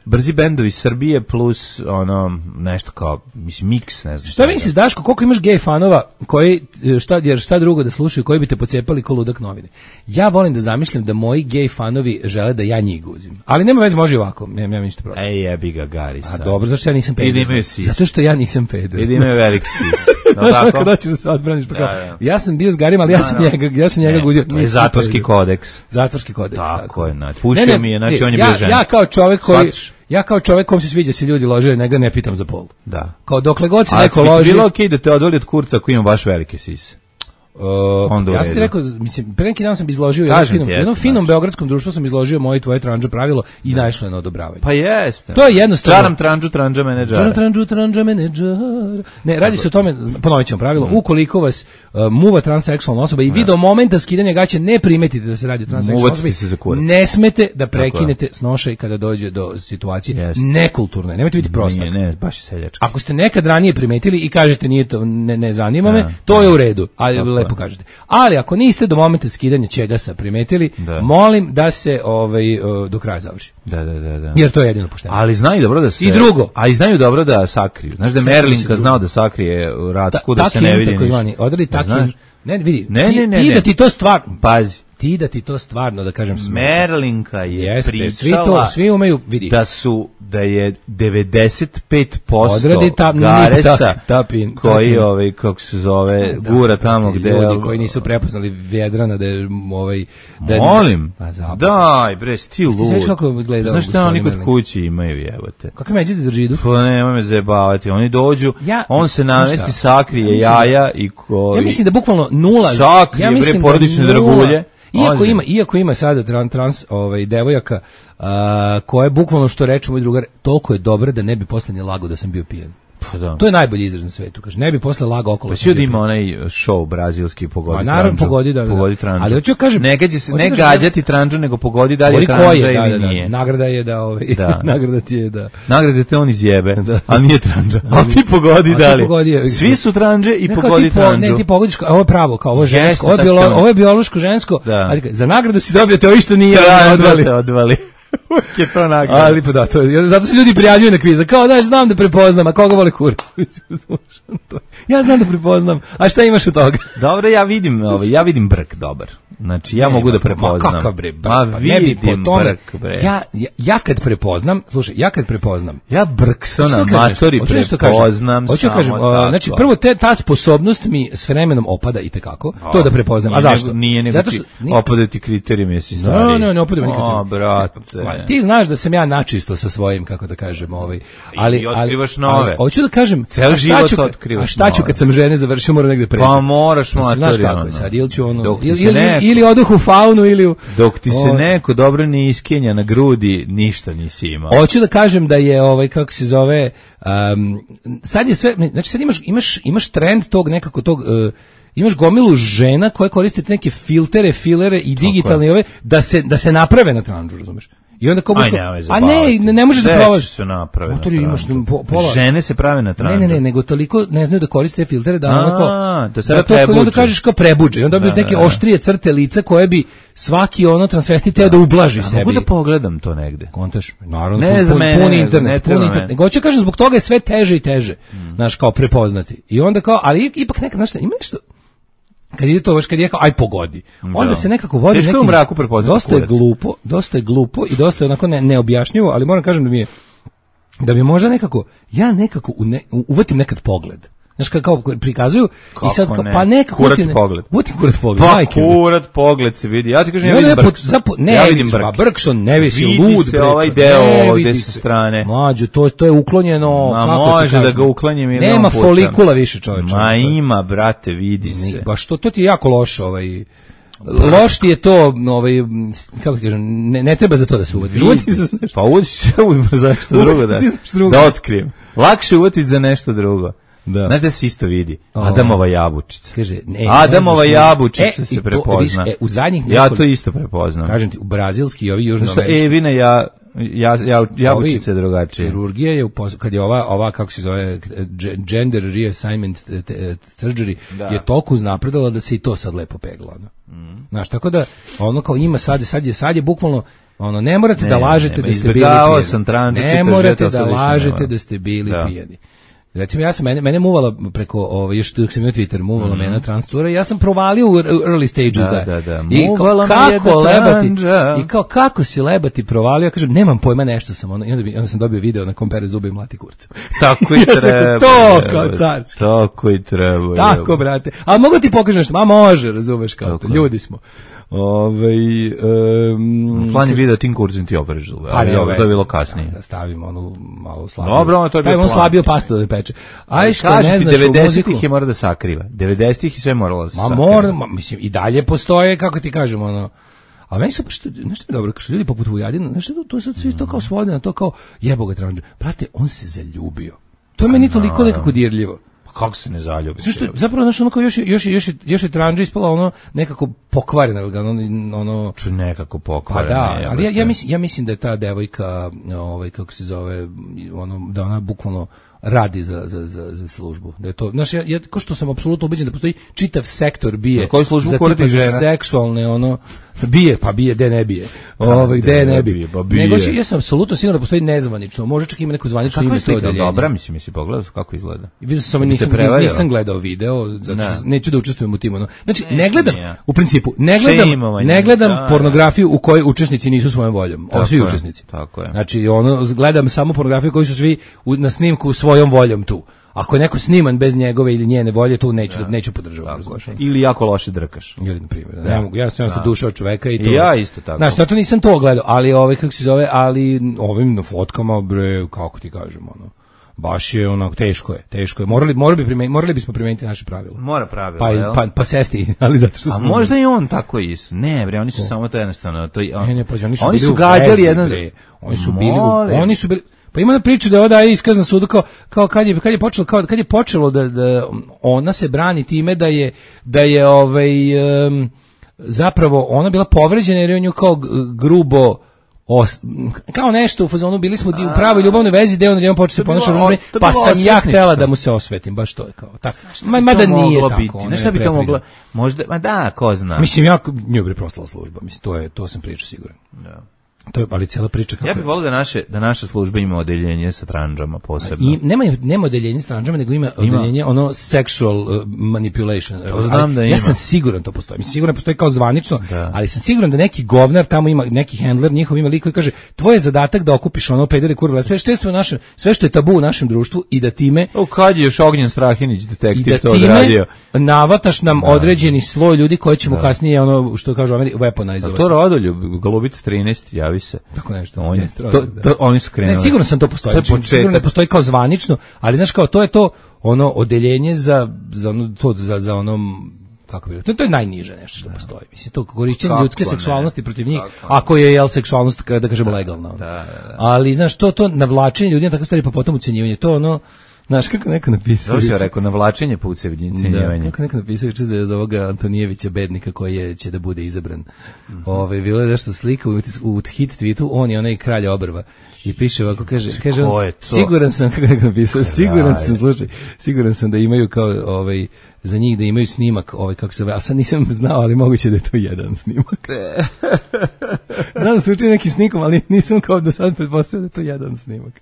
brzi bendovi Srbije plus ono nešto kao mislim miks, ne znam. Šta misliš, Daško, koliko imaš gej fanova koji šta jer šta drugo da slušaju, koji bi te pocepali ko ludak novine? Ja volim da zamišljam da moji gej fanovi žele da ja njih guzim. Ali nema veze, može ovako. Nemam ja ništa protiv. Ej, jebi ga Gari sad. A dobro, zašto ja nisam peder? Zato što ja nisam peder. Idi me veliki sis. No tako. Kada ćeš da se odbraniš pa kao. Da, da. Ja sam bio s Garima, ali ja sam no, no. njega, ja sam njega guzio. To je zatvorski kodeks. Zatvorski kodeks, tako. Tako je, znači. Pušio mi je, znači on je ja, bio ženski. Ja kao čovjek koji Ja kao čovjek kom se sviđa se ljudi lože, nego ne pitam za pol. Da. Kao dokle god se neko loži. A bilo okej okay da te odvoli od kurca koji ima baš velike sise. Uh, ja sam ti rekao, mislim, pre neki dan sam izložio jednom finom, jednom znači. finom beogradskom društvu sam izložio moje i tvoje tranđa pravilo i da. naišlo je na odobravanje. Pa jeste. To je jednostavno. Čaram tranđu, tranđa menedžera. Čaram tranđu, tranđa menedžera. Ne, radi se o tome, ponovit ćemo pravilo, mm. ukoliko vas uh, muva transseksualna osoba i vi do momenta skidanja gaće ne primetite da se radi o transseksualnoj osobi, ne smete da prekinete snošaj kada dođe do situacije yes. nekulturne. Nemojte biti prostak. Ne, ne, baš seljački. Ako ste nekad ranije primetili i kažete nije to, ne, ne zanima me, to je u redu, ali lepo kažete. Ali ako niste do momenta skidanja čegasa primetili, da. molim da se ovaj do kraja završi. Da, da, da, da. Jer to je jedino pošteno. Ali znaju dobro da se I drugo, a i znaju dobro da sakriju. Znaš da Merlinka znao da sakrije Racku da se ne vidi ništa. Takozvani, odredi takin. Ne, vidi. Ne, ne, ne. Ti da ti to stvarno, pazi. Ti da ti to stvarno da kažem smeta. Merlinka je Jeste, pričala svi to, svi umeju, vidi. Da su da je devedeset pet posto ta, Garesa ta, ta pin, koji ovaj kako se zove da, gura tamo gde ljudi koji nisu prepoznali Vjedrana da je ovaj da molim daj bre sti lud znaš šta oni kod kući imaju jebote kako međe da držidu pa nemoj me zajebavati oni dođu ja, on se namesti sakrije ja jaja i koji ja mislim da bukvalno nula sakrije ja bre porodične dragulje. Iako ima, iako ima sada trans, trans ovaj, devojaka uh, koje bukvalno što reče moj drugar, toliko je dobra da ne bi posle ni lago da sam bio pijen. Pa da. To je najbolji izraz na svetu, kaže. Ne bi posle lago okolo. Pa svi da ima onaj show brazilski pogodi tranđu. Naravno pogodi da, da. Pogodi tranđu. Ali hoću kažem, ne gađa se, ne gađati tranđu, nego pogodi da li je tranđa ili nije. Nagrada je da ovaj da. nagrada ti je da. Nagrada te on izjebe, a nije tranđa. Al ti pogodi da li. Svi su tranđe i pogodi tranđu. Ne, ti pogodiš, ovo je pravo, kao ovo žensko, ovo je bilo, ovo je biološko žensko. Za nagradu si dobio te što nije odvali. Uvijek je to nagrada. Ali pa da, to je, zato se ljudi prijavljuju na kviza. Kao, daš, znam da prepoznam, a koga voli kurac? Ja znam da prepoznam, a šta imaš od toga? Dobro, ja vidim, ovaj, ja vidim brk dobar. Znači, ja ne, mogu da prepoznam. Ma kakav bre, brk, ma vidim po tome, brk, bre. Ja, ja, ja kad prepoznam, slušaj, ja kad prepoznam. Ja brk sa na matori prepoznam. Hoću da kažem, znači, prvo te, ta sposobnost mi s vremenom opada i tekako, to da prepoznam. A zašto? Nije nego ti opadati kriterijum, jesi stari. No, no, ne opadaju nikad. O, brate. Ti znaš da sam ja načisto sa svojim, kako da kažem, ovaj, ali i otkrivaš nove. Hoću da kažem, ceo život otkrivaš. A šta ću kad sam žene završio, moram negde preći. Pa moraš matori. Znaš kako je sad, ili ću ono, ili oduh u faunu, ili dok ti se neko dobro ne iskenja na grudi, ništa nisi imao. Hoću da kažem da je ovaj, kako se zove, sad je sve, znači sad imaš, imaš, imaš trend tog nekako tog, imaš gomilu žena koje koriste neke filtere, filere i digitalne ove da se da se naprave na tranđu, razumeš? I onda kao Aj, a ne, ne, ne možeš da probaš. Se naprave. Motori imaš po, pola. Žene se prave na tranđu. Ne, ne, ne, nego toliko ne znaju da koriste filtere da onako da se to i onda kažeš kao prebuđe. Onda bi neke oštrije crte lica koje bi svaki ono transvestit teo da ublaži sebi. Mogu da pogledam to negde. Kontaš? Naravno, pun internet, pun internet. Nego hoću kažem zbog toga je sve teže i teže. Znaš, kao prepoznati. I onda kao, ali ipak neka, znaš, ima nešto kad ide to baš kad je kao aj pogodi. Onda da. Se nekako vodi neki u mraku prepoznati. Dosta je glupo, dosta je glupo i dosta je onako ne, neobjašnjivo, ali moram kažem da mi je da mi možda nekako ja nekako ne, uvatim nekad pogled. Znaš kao prikazuju kako i sad kao, ne? Pa nekako kurat utim, pogled. Utim kurat pogled. Pa Majke, kurat pogled se vidi. Ja ti kažem ja vidim Brkson. Ne, ja vidim Brkson. Brkson ne visi lud. Vidi se ovaj deo ovdje sa strane. Mlađo, to, to je uklonjeno. Ma kako može da ga uklanjem milion Nema puta. folikula više čoveče. Ma ima, brate, vidi se. Ne, baš to, to ti je jako loše ovaj... Loš ti je to, ovaj, kako ti kažem, ne, ne treba za to da se uvatiš. Pa uvatiš se uvatiš za nešto drugo, da, da otkrijem. Lakše uvatiti za nešto drugo. Da. Znaš da se isto vidi? Adamova jabučica. Kaže, ne, Adamova ne jabučica e, se prepozna. To, e, u zadnjih nekoliko, ja to isto prepoznam. Kažem ti, u brazilski i ovi južnoamerički. Evina ja, ja, ja, jabučica je drugačije. Kirurgija je, upos, kad je ova, ova, kako se zove, gender reassignment surgery, da. Je toliko uznapredala da se i to sad lepo pegla. Mm. Znaš, tako da, ono kao ima sad, sad je, sad je bukvalno, ono, ne morate ne, da lažete ne, da ste bili pijeni. Sam tranđu, ne morate da lažete da ste bili da. Pijeni. Recimo ja sam mene mene muvala preko ovaj još dok sam imao Twitter muvala mm-hmm. mene transcura i ja sam provalio u early stages da, da, da. I kao, kako lebati i kao kako si lebati provalio ja kažem nemam pojma nešto sam ono i onda, bi, onda sam dobio video na kompere zube i mlati kurca. Tako i treba. To kao carski. Tako i treba. Tako brate. A mogu ti pokažem nešto? Ma može, razumeš kao to. Ljudi smo. Ovaj um, plan je video tim kurzin ti opereš zube, ali ovo to je bilo kasnije. Da stavimo onu malo slabiju. Dobro, to je bilo. Stavimo slabiju pastu da peče. Aj što ne znaš, devedesetih je mora da sakriva. devedesetih i sve moralo da se sakriva. Ma mora, mislim i dalje postoje, kako ti kažemo, ono. A meni su što nešto mi dobro, što ljudi poput Vujadina, znači to to sad svi to kao svode na to kao jebo ga tranđe. Brate, on se zaljubio. To je meni toliko nekako dirljivo. Kako se ne zaljubi? Zašto zapravo znači ono kao još još još još je tranđa ispala ono nekako pokvarena, ono ono čo nekako pokvarena. Pa da, ali ja, ja mislim ja mislim da je ta devojka ovaj kako se zove ono da ona bukvalno radi za, za, za, za službu. Da je to, znaš, ja, ja ko što sam apsolutno ubeđen da postoji čitav sektor bije za tipa za seksualne, ono, bije, pa bije, de ne bije. Ovaj, de ne bije. Pa nego, ja sam apsolutno siguran da postoji nezvanično, može čak ima neko zvanično ime to odeljenje. Dobra, mislim, misli pogledao kako izgleda. Vidio sam, nisam, nisam gledao video, zato neću da učestvujem u tim. Ono. Znači, ne gledam, u principu, ne gledam, ne gledam pornografiju u kojoj učesnici nisu svojom voljom. Ovo svi učesnici. Tako je. Znači, ono, gledam samo pornografiju koji su svi na snimku svojom voljom tu. Ako je neko sniman bez njegove ili njene volje, tu neću ja. neću podržavati. Ili jako loše drkaš. Ili na primjer, ja. ne mogu, ja sam jednostavno duša od čoveka i to. I ja isto tako. Znaš, to nisam to gledao, ali ovaj kako se zove, ali ovim na fotkama bre, kako ti kažemo, ono. Baš je onako teško je, teško je. Morali morali bi primeniti, morali bismo primeniti naše pravila. Mora pravila, pa, pa pa sesti, ali zato što A možda i on tako isto. Ne, bre, oni su o. samo to jednostavno, to on, ne, ne, pa oni su, oni su bili gađali jedan, oni su bili, u, oni su bili Pa ima na priču da je oda iskaz na sudu kao, kao kad je kad je počelo kao kad je počelo da, da ona se brani time da je da je ovaj um, zapravo ona bila povređena jer je on nju kao grubo os, kao nešto u fazonu bili smo u pravoj ljubavnoj vezi da on je on počeo se ponašati pa sam ja htela da mu se osvetim baš to je kao tako ma mada nije tako znaš šta bi to moglo možda ma da ko zna mislim ja nju bi proslala služba mislim to je to sam pričao siguran da. To je ali cijela priča kako. Ja bih volio da naše da naša služba ima odeljenje sa tranđama posebno. I nema nema odeljenje sa tranđama, nego ima, ima. odeljenje ono sexual uh, manipulation. To znam da ima. Ja sam siguran to postoji. Mislim siguran postoji kao zvanično, da. Ali sam siguran da neki govnar tamo ima neki handler, njihov ima lik koji kaže tvoj je zadatak da okupiš ono pedere kurve, sve što je sve naše, sve što je tabu u našem društvu i da time O kad je još Ognjen Strahinić detektiv to odradio. Navataš nam da. određeni sloj ljudi koji ćemo da. kasnije ono što kažu Ameri weaponizovati. To Rodoljub Golubica trinaest javi se. Tako nešto. On, to, to, oni su krenuli. Ne, sigurno sam to postoji. To znači, sigurno ne postoji kao zvanično, ali znaš kao to je to ono odeljenje za za ono to za za onom kako bi to, to je najniže nešto što da. postoji. Mislim to korišćenje ljudske ne? seksualnosti protiv njih, kako ako je jel seksualnost da kažemo da, legalna. Da, da, da. Ali znaš to to navlačenje ljudi na takve stvari pa potom ucenjivanje to ono Znaš kako neko napisao? Dobro si rekao, navlačenje pa ucenjivanje. Da, kako neko napisao juče za, za ovoga Antonijevića bednika koji je, će da bude izabran. Mm-hmm. Ove, bilo je nešto slika u, u hit tweetu, on je onaj kralj obrva. I piše ovako, kaže, kaže on, siguran sam, kako neko napisao, siguran sam, slušaj, siguran sam da imaju kao, ovaj, za njih da imaju snimak, ovaj, kako se zove, a sad nisam znao, ali moguće da je to jedan snimak. Znam da se uči neki snikom, ali nisam kao do sad pretpostavio da je to jedan snimak.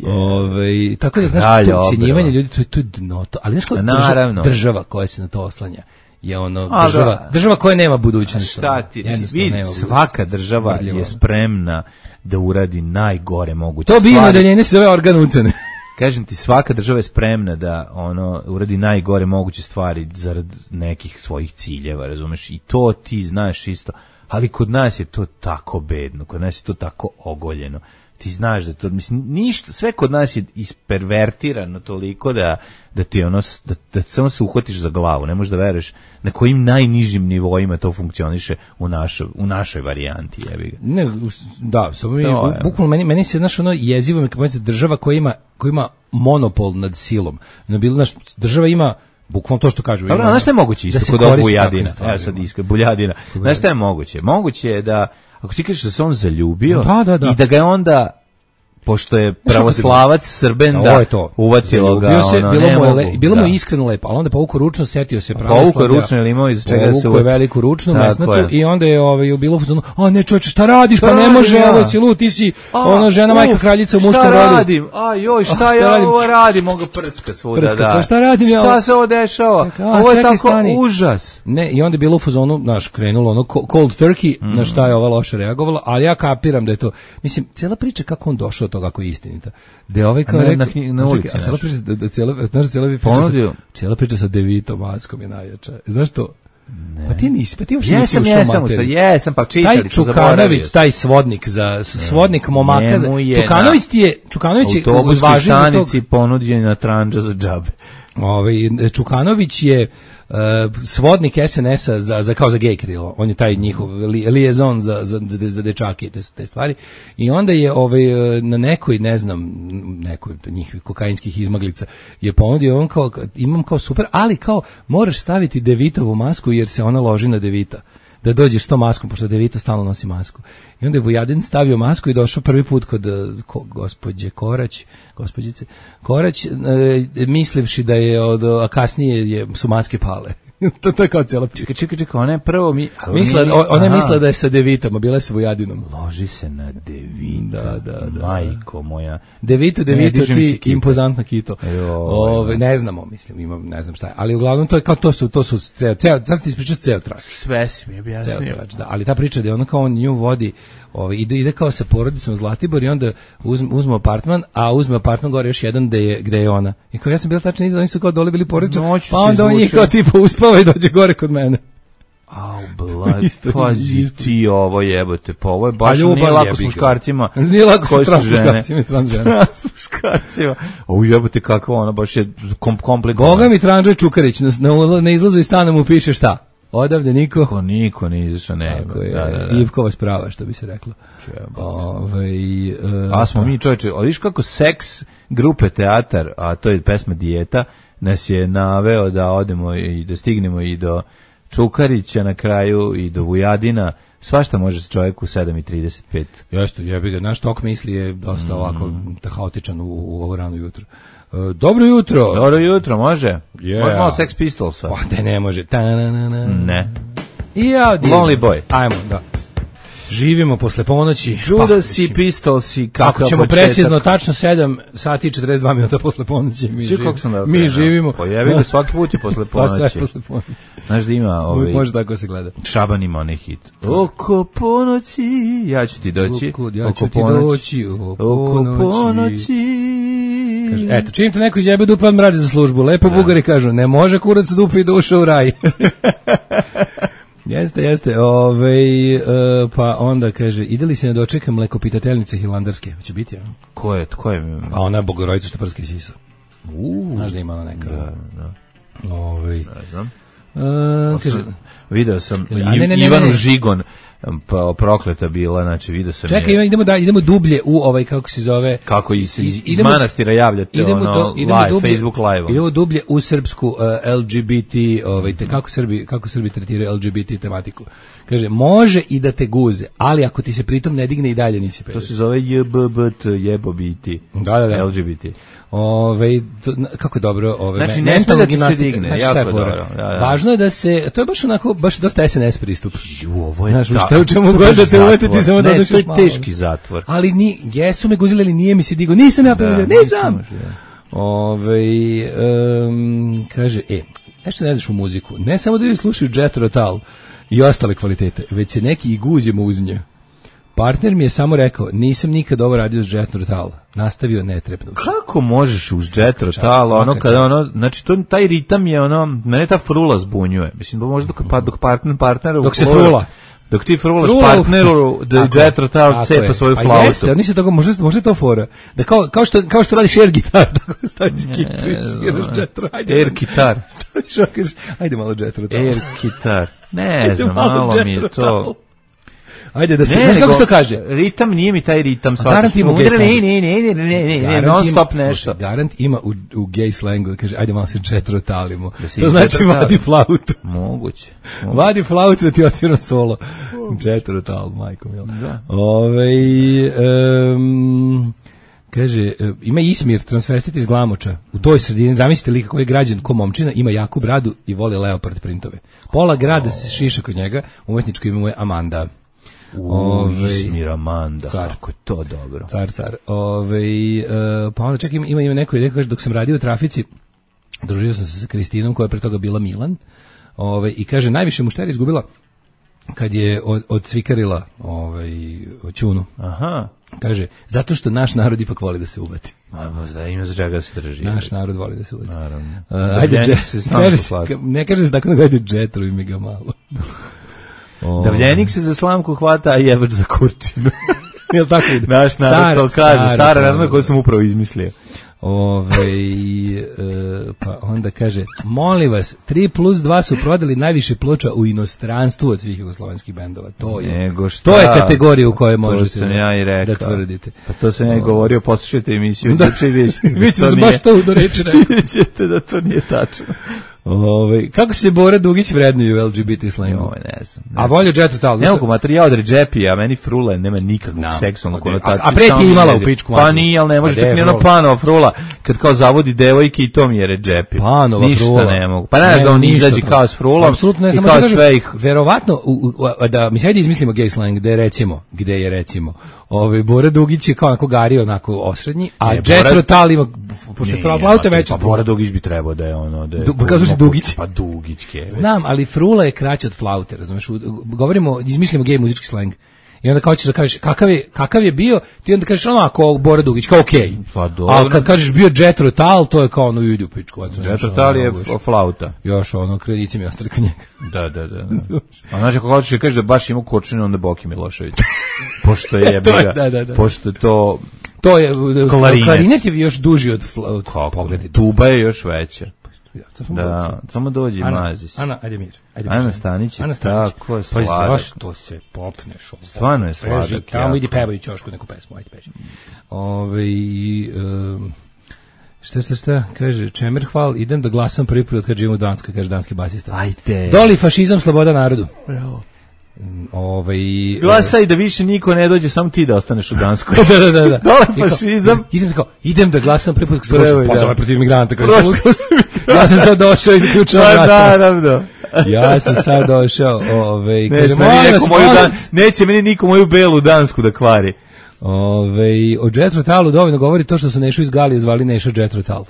Ove, tako da, znaš, to ucenjivanje ljudi, to je, to je dno, to, ali znaš kao država, država koja se na to oslanja je ono, a, država, da. država koja nema budućnosti. Šta ti, vidi, svaka država je spremna da uradi najgore moguće to stvari. To bi odeljenje se zove organ ucene. Kažem ti, svaka država je spremna da ono uradi najgore moguće stvari zarad nekih svojih ciljeva, razumeš? I to ti znaš isto. Ali kod nas je to tako bedno, kod nas je to tako ogoljeno. Ti znaš da to, mislim, ništa, sve kod nas je ispervertirano toliko da, da ti ono, da, da samo se uhvatiš za glavu, ne možeš da veruješ na kojim najnižim nivoima to funkcioniše u našoj, u našoj varijanti, jebi ga. Ne, da, samo mi, bukvalno meni, meni se, znaš, ono jezivo mi kao država koja ima, koja ima monopol nad silom. No, bilo, znaš, država ima bukvalno to što kažu. Dobro, znaš šta je moguće isto kod ovog Buljadina? Evo sad iskre, Buljadina. Znaš šta je moguće? Moguće je da, ako ti kažeš da se on zaljubio da, da, da. i da ga je onda, pošto je pravoslavac Srben, da uvatilo ga, se, ono, bilo ne mu je mogu. Le, bilo da. mu je iskreno lepo, ali onda povukao ručno, setio se pravoslavlja. Povukao ručno, ili imao iz čega se uvati. Veliku ručnu mesnatu i onda je ovaj, bilo fuzonu, a ne čoveče, šta radiš, šta pa ne može, ja. Ovo si lud, ti si a, ono žena, uf, majka, kraljica u muškom rodu. Šta radim, a joj, šta, a, šta ja radim? Ovo radim, mogu prska svuda, prska, da. Pa šta radim ja? Šta se ovo dešava? Čeka, a, ovo je tako stani. Užas. Ne, i onda je bilo u fuzonu, naš, krenulo ono cold turkey, mm. na šta je ova loše reagovala, ali ja kapiram da je to, mislim, cela priča kako on došao do toga, kako je istinita. Da ovaj kao rekao, na, na ulici, a cela priča, da, da cela, znaš, cela priča, sa, cela priča sa Devitom Maskom je najjača. Znaš to? Ne. Pa ti nisi, pa ti uopšte jesam, nisi ušao jesam, materiju. Jesam, pa čitali, taj Čukanović, taj svodnik, za, svodnik momaka, za, Čukanović ti je, Čukanović je uzvaži za tog... ponuđena tranđa za džabe. Ovaj, Čukanović je uh, svodnik es en es-a za, za, kao za gej krilo. On je taj njihov li, lijezon za, za, za dečake i te, te stvari. I onda je ovaj, na nekoj, ne znam, nekoj njihovih kokainskih izmaglica je ponudio, on kao, imam kao super, ali kao moraš staviti Devitovu masku jer se ona loži na Devita. Da dođeš s tom maskom, pošto Devito stalno nosi masku. I onda je Vujadin stavio masku i došao prvi put kod ko, gospođe Korać, gospođice Korać, e, mislivši da je od, a kasnije je, su maske pale. to, to je kao cijela priča. Čekaj, čekaj, čekaj, ona je prvo mi... Misla, mi ona je mislila da je sa Devitom, a bila je sa Vujadinom. Loži se na Devita, da, da, da. Majko moja. Devito, Devito, ne, ti impozantna kito. Ove, ne znamo, mislim, imam, ne znam šta je. Ali uglavnom to je kao to su, to su ceo, ceo, sad ste ispričao ceo trač. Sve si mi objasnio. Da, ali ta priča da je ono kao on nju vodi, ovaj, ide, ide kao sa porodicom Zlatibor i onda uzme, uzme apartman, a uzme apartman gore još jedan gde je, gde je ona. I kao ja sam bila tačno iza, oni su kao dole bili porodično, pa onda on njih kao tipa uspava i dođe gore kod mene. Au, blad, pazi ti ovo jebote, pa ovo je baš nije lako s muškarcima. Nije lako s transmuškarcima i transženama. S muškarcima. Ovo jebote kako ona, baš je kom, komplikovano. Boga mi Tranđe Čukarić, na, na, na izlazu iz stana mu piše šta? Odavde niko? Ko niko ne izašao, ne. Tako je, da, da, da. Ivkova sprava, što bi se reklo. Ove, uh, a smo mi čovječe, a viš kako seks grupe teatar, a to je pesma Dijeta, nas je naveo da odemo i da stignemo i do Čukarića na kraju i do Vujadina. Svašta može se čovjek u sedam i trideset pet. Jeste, jebi ga, naš tok misli je dosta mm. ovako haotičan u, u ovo rano jutro. Uh, dobro jutro. Dobro jutro, može? Yeah. Može malo Sex Pistolsa? Pa da ne može. Ta-na-na-na. Ne. I ja, Lonely Boy. Ajmo, da. Živimo posle ponoći. Judas i Pistolsi. Ako ćemo početak. Precizno, tačno sedam sati i četrdeset dva minuta posle ponoći. Mi, živ... da mi živimo. Pa jebi ga, svaki put je posle ponoći. Pa sve posle ponoći. Znaš da ima ovaj... Može tako se gleda. Šaban ima onaj hit. Oko ponoći, ja ću ti doći. Oko, ja ću ti doći. Oko ponoći. Kaže, eto, čim te neko izjebe dupe, on radi za službu. Lepo Bugari kažu, ne može kurac dupe i duša u raj. Jeste, jeste. Ove, uh, pa onda kaže, ide li se ne dočeka mlekopitateljnice hilandarske? Hoće biti, ja? Ko je, ko je? A ona je Bogorodica što prski sisa. Uuu. Znaš da ima ona neka. Da, da. Ove, ne znam. Uh, kaže, video sam kaže, a, ne, ne, ne, Ivanu ne, ne. Žigon uh, pa prokleta bila, znači vidio sam. Čekaj, je. idemo da idemo dublje u ovaj kako se zove kako iz, iz, iz manastira javljate idemo ono do, idemo live, dublje, Facebook live. Idemo dublje u srpsku uh, L G B T, ovaj te kako Srbi kako Srbi tretiraju L G B T tematiku. Kaže može i da te guze, ali ako ti se pritom ne digne i dalje nisi peder. To se zove J B B T, jebobiti. Da, da, da. L G B T. Ove, to, kako je dobro, ove, znači, me, mentalna gimnastika, znači, jako je dobro. Da, da. Važno je da se, to je baš onako, baš dosta S N S pristup. Ju, ovo je znaš, ta, šta u čemu god da te uvetiti, samo da odeš malo. Ne, to je teški zatvor. Ali ni, jesu me guzili, ali nije mi se digo, nisam ja povedio, nisam. Ove, um, kaže, e, nešto ne znaš u muziku, ne samo da ljudi slušaju Jethro Tull i ostale kvalitete, već se neki i guzimo uz nje. Partner mi je samo rekao, nisam nikad ovo radio s Jethro Tull. Nastavio netrepno. Kako možeš uz Jethro Tull, ono kada ono, znači to taj ritam je ono, mene ta frula zbunjuje. Mislim da možda dok pa dok partner partneru dok se frula. Dok ti frulaš frula partneru da Jethro Tull cepa svoju flautu. Pa jeste, oni se toga možda možda to fora. Da kao kao što kao što radiš air gitar, tako staviš kitu i sviraš Jethro. Air gitar. Staviš, ajde malo Jethro Tull. Air gitar. Ne znam, malo mi je to. Ajde da se, znaš kako se to kaže? Ritam nije mi taj ritam svaki. Garant ima u gay slangu. Ne, ne, ne, ne, ne, non stop nešto. Garant ima u, u gay slangu da kaže, ajde malo se Jethro Tullimo. To znači vadi flautu. Moguće. Vadi flautu da ti odsviram solo. Jethro Tull, majko mila. Ove, um, kaže, ima Ismir, transvestit iz Glamoča. U toj sredini, zamislite lika koji je građan ko momčina, ima jaku bradu i voli leopard printove. Pola grada se šiša kod njega, umetničko ime mu je Amanda. Ove, Ismir Amanda, car. Kako je to dobro. Car, car. Ove, uh, pa onda čak ima, ima, ima neko i dok sam radio u trafici, družio sam se sa Kristinom koja je pre toga bila Milan. Ove, i kaže, najviše mušteri izgubila kad je od, odsvikarila ovaj, Ćunu. Aha. Kaže, zato što naš narod ipak voli da se uvati. A, možda ima za čega se drži. Naš narod voli da se uvati. Naravno. Uh, ajde, dže, kaže, ne kaže se tako da gledaju Jetro i mi ga malo. Oh. Davljenik se za slamku hvata, a jebač za kurčinu. Jel tako ide? Naš narod to kaže, stara narodna koju sam upravo izmislio. Ove, e, pa onda kaže, molim vas, tri plus dva su prodali najviše ploča u inostranstvu od svih jugoslovenskih bendova. To je, Nego šta, to je kategorija u kojoj možete da, ja da tvrdite. Pa to sam ja i govorio, poslušajte emisiju. Da, vi ćete se baš to do reči rekao. Vidite da to nije tačno. Ove, kako se Bora Dugić vrednuju u L G B T slangu? Joj, ne znam. Ne a volio Jethro Tull. Ne mogu materijal od Redžepi, a meni frula nema nikakvog no, seksualnog konotaciju. A, a pre ti imala u pičku. Pa nije, ali ne može, čak ni ono Panova frula, kad kao zavodi devojke i to mi je Redžepi. Panova ništa frula. ne mogu. Pa ne, da on izađe kao s frulom apsolutno, ne, i kao sve ih. Verovatno, u, u, da mi se ajde izmislimo gay slang, gde je recimo, gde je recimo, ovaj Bora Dugić je kao onako gari, onako osrednji, a Jethro Tull ima, pošto je flauta veća. Pa Bora Dugić bi trebao da je ono, da je... Kako se Dugić? Pa Dugić ke. Znam, ali frula je kraća od flaute, razumeš? Govorimo, izmislimo gej muzički slang. I onda kao ćeš da kažeš kakav je, kakav je bio, ti onda kažeš ono ako Bora Dugić, kao okej. Okay. Pa dobro. A kad kažeš bio Jethro Tull, to je kao ono idu pičku. Jethro Tull je ono, flauta. Još ono, kredici mi ostali kod njega. Da, da, da. da. A znači ako hoćeš da kažeš da baš ima kurčinu, onda Boki Milošević. Pošto je biga, da, da, da. Pošto to... To je, klarinet, klarinet je još duži od flauta. Pogledaj. Tuba je još veća. Da, samo dođi mazi se. Ana, ajde mir. Ajde Ana Stanić, Ana Stanić. Tako je sladak. Pa zašto se popneš? Stvarno je sladak. Tamo idi pevaj ćošku neku pesmu, ajde peši. Ove, um, šta, šta, šta, kaže, Čemer hval, idem da glasam prvi put kad živim u Danskoj, kaže danski basista. Ajde. Doli fašizam, sloboda narodu. Bravo. Ovaj glasaj da više niko ne dođe, samo ti da ostaneš u Danskoj. da, da, da, da. Dole fašizam. Idem tako, idem da glasam prvi put kad se pozove protiv migranta, kaže. Ja sam sad došao i zaključio vrata. Naravno. Ja sam sad došao, ovaj, neće meni niko moju dan, neće meni niko moju belu dansku da kvari. Ovaj, o Jethro Tullu dovoljno govori to što su Nešu iz Galije zvali Neša Jethro Tull.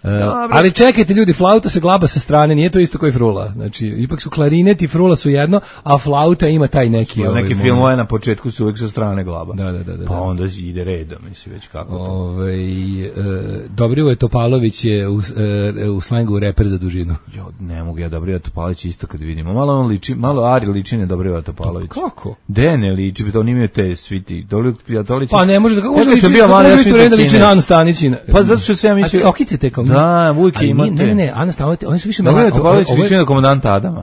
Uh, ali čekajte ljudi, flauta se glaba sa strane, nije to isto kao i frula. Znači, ipak su klarinet i frula su jedno, a flauta ima taj neki... Ovaj, neki filmove na početku su uvijek sa strane glaba. Da, da, da, da. Pa onda ide redom, misli već kako to. Ovaj, uh, Dobrivoje Topalović je u, uh, u slangu reper za dužinu. Jo, ne mogu ja Dobrivoje Topalović isto kad vidimo. Malo on liči, malo Ari liči ne Dobrivoje Topalović. Kako? De ne liči, bi to on imaju te sviti. Dobrivoje Topalović. Pa ne može, kako može liči, kako može liči da liči na Anu Stanić. Pa zato što se ja mislio... Okice te kao... Da, Vujke imate. Ne, ne, ne, Ana Stanić, oni su više... Dobrivoje Topalović liči na komandanta Adama.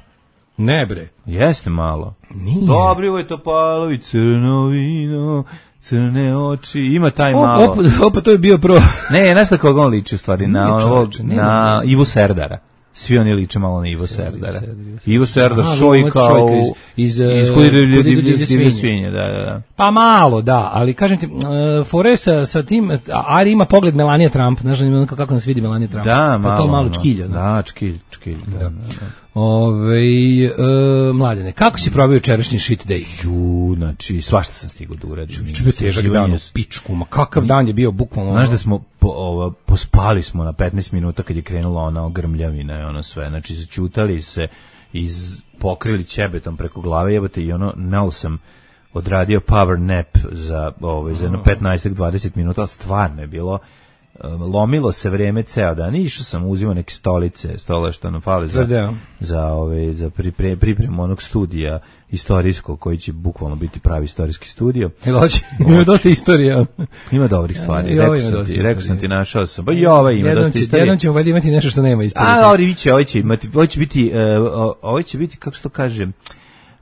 Ne bre. Jeste malo. Nije. Dobrivoje Topalović, crno vino, crne oči, ima taj O, malo. Opa, opa, to je bio pro. Ne, znaš na koga on liči u stvari, na, Nije, ono, čoveče, nema, na nema. Ivu Serdara. Svi oni liče malo na Ivo Serdara. Ivo Serdar Aha, Šojka Šojka u... iz, iz, iz uh, Kudi Kudi divlje divlje svinje. svinje, da, da, da. Pa malo, da, ali kažem ti, uh, fore sa, sa tim, Ari ima pogled Melania Trump, znaš da kako nas vidi Melania Trump. Da, pa malo. to malo ono. čkilja. Da, Da, čkilj, čkilj. Da, da, da. Ove, uh, mladene, kako si probao jučerašnji shit day? Ju, znači, svašta sam stigao da uradim. Čubi težak dan u pičku, ma kakav dan je bio bukvalno. Znaš da smo, po, ovo, pospali smo na petnaest minuta kad je krenula ona grmljavina i ono sve, znači začutali se, iz, pokrili ćebetom preko glave, jebote, i ono, nal sam odradio power nap za, ovo, za jedno petnaest do dvadeset minuta, ali stvarno je bilo, lomilo se vreme ceo dan, išao sam, uzimao neke stolice, stole što nam fali za, za, ove, za pripre, pripremu onog studija istorijskog, koji će bukvalno biti pravi istorijski studio. Ima dosta istorija. Ima dobrih stvari, I rekao sam ti, rekao sam ti, našao sam, pa i ovaj ima jednom dosta će, istorije. Jednom ćemo valjda imati nešto što nema istorije. A, ovdje će, ovdje će imati, ovdje će biti, uh, ovdje će biti, kako se to kaže,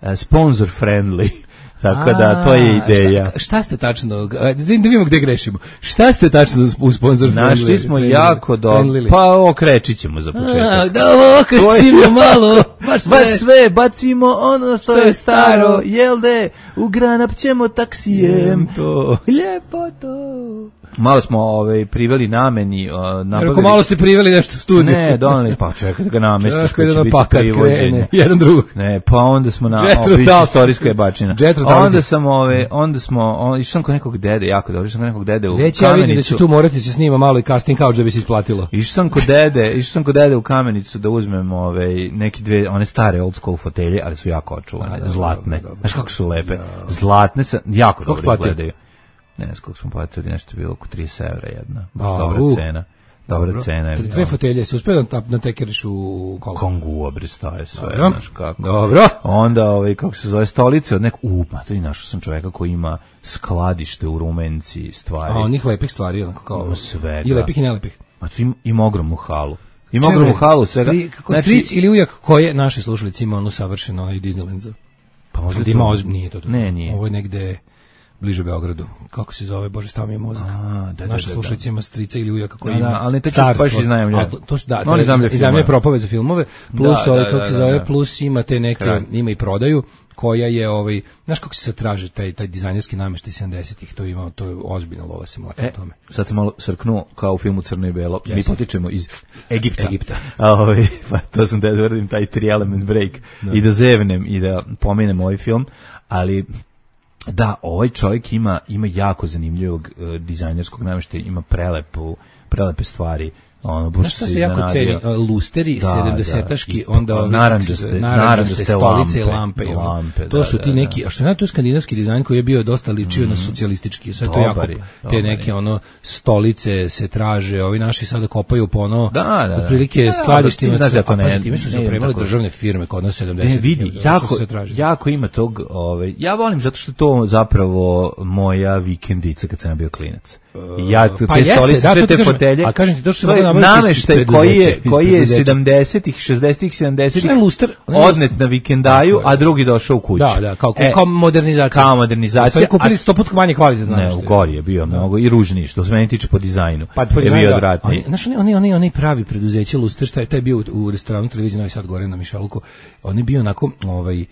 uh, sponsor friendly. Tako da, to je ideja. Šta, šta ste tačno, da vidimo gde grešimo, šta ste tačno u sponsor friendly? Našli smo jako dobro, pa okrećit ćemo za početak. Da okrećimo malo, baš sve. Baš sve, bacimo ono što je staro, jel de, u Granap ćemo taksijem to. Lijepo to. Malo smo ovaj, priveli nameni. Uh, Rekao, malo ste priveli nešto u studiju. Ne, donali, pa čekaj da ga namestiš. Čekaj da na pakat krene, jedan drugog. Ne, pa onda smo na istorijska je bačina. Onda sam, ove, onda smo, on, išao sam kod nekog dede, jako dobro, išao sam kod nekog dede u Već Kamenicu. Ja vidim da će tu morati se snima malo i casting couch da bi se isplatilo. Išao sam kod dede, išao sam kod dede u Kamenicu da uzmem ove, neki dve, one stare old school fotelje, ali su jako očuvane, da, zlatne. Dobro, dobro. Znaš kako su lepe? Ja. Zlatne, sa, jako Skog dobro izgledaju. Ne znam koliko smo platili, nešto bilo oko trideset evra jedna. Baš A, dobra u. cena. Dobra Dobro. cena je. Dve fotelje, se uspio da na tekeriš u koliko? Kongu obristaje sve, Dobro. znaš kako. Dobro. Onda, ovaj, kako se zove, stolice od nekog, u, ma to i našao sam čoveka koji ima skladište u Rumenci stvari. A onih lepih stvari, onako kao sve, i lepih i nelepih. Ma to ima, ima ogromnu halu. Ima ogromnu halu svega. Stri, kako znači, stric ili ujak koje naši slušalici ima ono savršeno onaj Disneyland. Pa možda ima ozb... nije to, to. Ne, nije. Ovo je negde bliže Beogradu. Kako se zove, Bože, stav mi je mozak. A, da, naša da, slušalica ima strica ili ujaka koji da, ima da, ali ne te carstvo. baš iznajemlja. To, to su, da, Oni iznajemlja propove za filmove, plus da, ovaj, da, kako da, se da, zove, da. plus ima te neke, Kraj. ima i prodaju, koja je, ovaj, znaš kako se sad traži taj, taj dizajnerski nameštaj sedamdesetih, to ima, to je ozbiljna lova se mlaka e, o tome. Sad sam malo srknuo kao u filmu Crno i Belo. Yes. Mi potičemo iz Egipta. Egipta. A, ovaj, pa to sam da uradim taj tri element break da. I da zevnem i da pomenem ovaj film, ali da, ovaj čovjek ima ima jako zanimljivog uh, dizajnerskog namještaja, ima prelepu, prelepe stvari. Ono, baš što se jako ceni, lusteri da, sedamdesetaški, da, onda ovi naranđaste, naranđaste stolice i lampe, lampe. lampe to da, su ti da, neki, da. a što je na to skandinavski dizajn koji je bio dosta ličio mm. na socijalistički, sve to jako, je, te neke ono stolice se traže, ovi naši sada kopaju po ono, da, da, da. otprilike da, skladištima, znaš da to ne, time su se opremale državne firme kod nas sedamdesetih. Ne, vidi, jako, jako ima tog, ovaj, ja volim zato što to zapravo moja vikendica kad sam bio klinac. Ja te pa stolice, da, sve te kažem, fotelje. A kažem ti to što to je nameštaj koji je koji je sedamdesetih, šezdesetih, sedamdesetih odnet na vikendaju, a drugi došao u kuću. Da, da, kao e, kao modernizacija. Kao modernizacija. Stvari kupili sto puta manje kvalitetno. Ne, u gori je bio mnogo i ružniji, što se meni tiče po dizajnu. Pa po je bio odvratniji. Znaš, oni oni oni oni pravi preduzeće Luster, šta je taj bio u restoranu televizije Novi Sad gore na Mišaluku. On je bio onako ovaj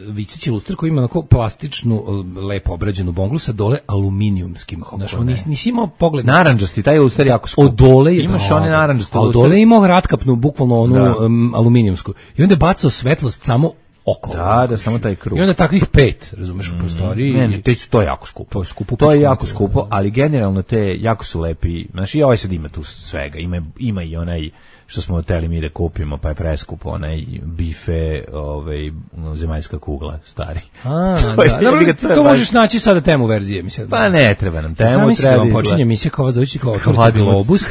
Vičić luster koji ima onako plastičnu, lepo obrađenu bonglu sa dole aluminijumskim. Znaš, on nisi, nisi imao pogled. Naranđasti, taj luster jako skup. Od dole je imaš one naranđaste luster. Od dole je imao ratkapnu, bukvalno onu um, aluminijumsku. I onda je bacao svetlost samo okolo. Da, da, samo taj krug. I onda takvih pet, razumeš, u prostoriji. Ne, ne, to je jako skupo. To je skupo. To je jako skupo, ali generalno te jako su lepi. Znaš, i ovaj sad ima tu svega. Ima, ima i onaj što smo hteli mi da kupimo, pa je preskupo, onaj bife, ovaj, zemaljska kugla, stari. A, to, da. Dobro, to, to možeš naći sada temu verzije, mislim. Pa ne, treba nam temu, Zamisli treba. Zamisli da počinje emisija kao vas doći kao otvorite globus,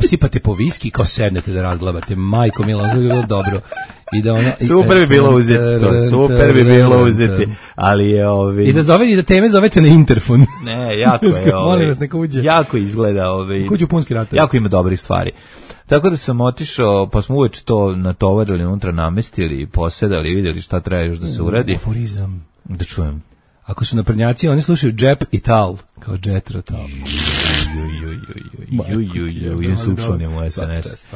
sipate po viski, kao sednete da razglabate. Majko mila, to je bilo dobro. I da ona super bi bilo uzeti to, super bi bilo uzeti, ali je ovi... I da zove, i da teme zovete na interfon. Ne, jako je ovi... Molim vas, neka uđe. Jako izgleda ovi... Kuđu punski ratovi. Jako ima dobrih stvari. Tako da sam otišao, pa smo uveč to natovarili, unutra namestili, posedali, vidjeli šta treba još da se uradi. Aforizam. Da čujem. Ako su naprednjaci, oni slušaju džep i tal, kao džetro tal. Jesu učlani u S N S.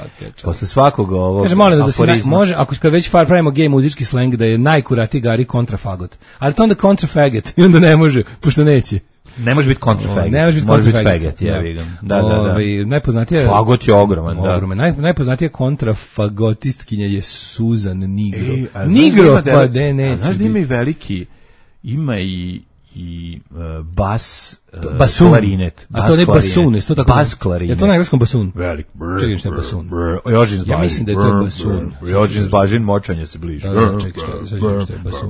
Posle svakog ovog kaže, molim vas da se naj, može, ako kad već far pravimo gej muzički sleng, da je najkuratiji Gari kontrafagot. Ali to onda kontrafagot i onda ne može, pošto neće. Ne može biti kontrafagot. Ne može biti kontrafagot, ja vidim. Da, da, da. Najpoznatija fagot je ogroman, da. Ogroman. Naj, najpoznatija kontrafagotistkinja je Susan Nigro. E, Nigro, pa de neće. Znaš da ima i veliki, ima i i uh, bas uh, basun. Klarinet. A to ne basun, je to tako? Bas klarinet. Je to na engleskom basun? Velik. Čekaj, što je basun? Jožin zbažin. Ja mislim da je to basun. Jožin zbažin, močanje se bliže. Da, da, čekaj, što je basun?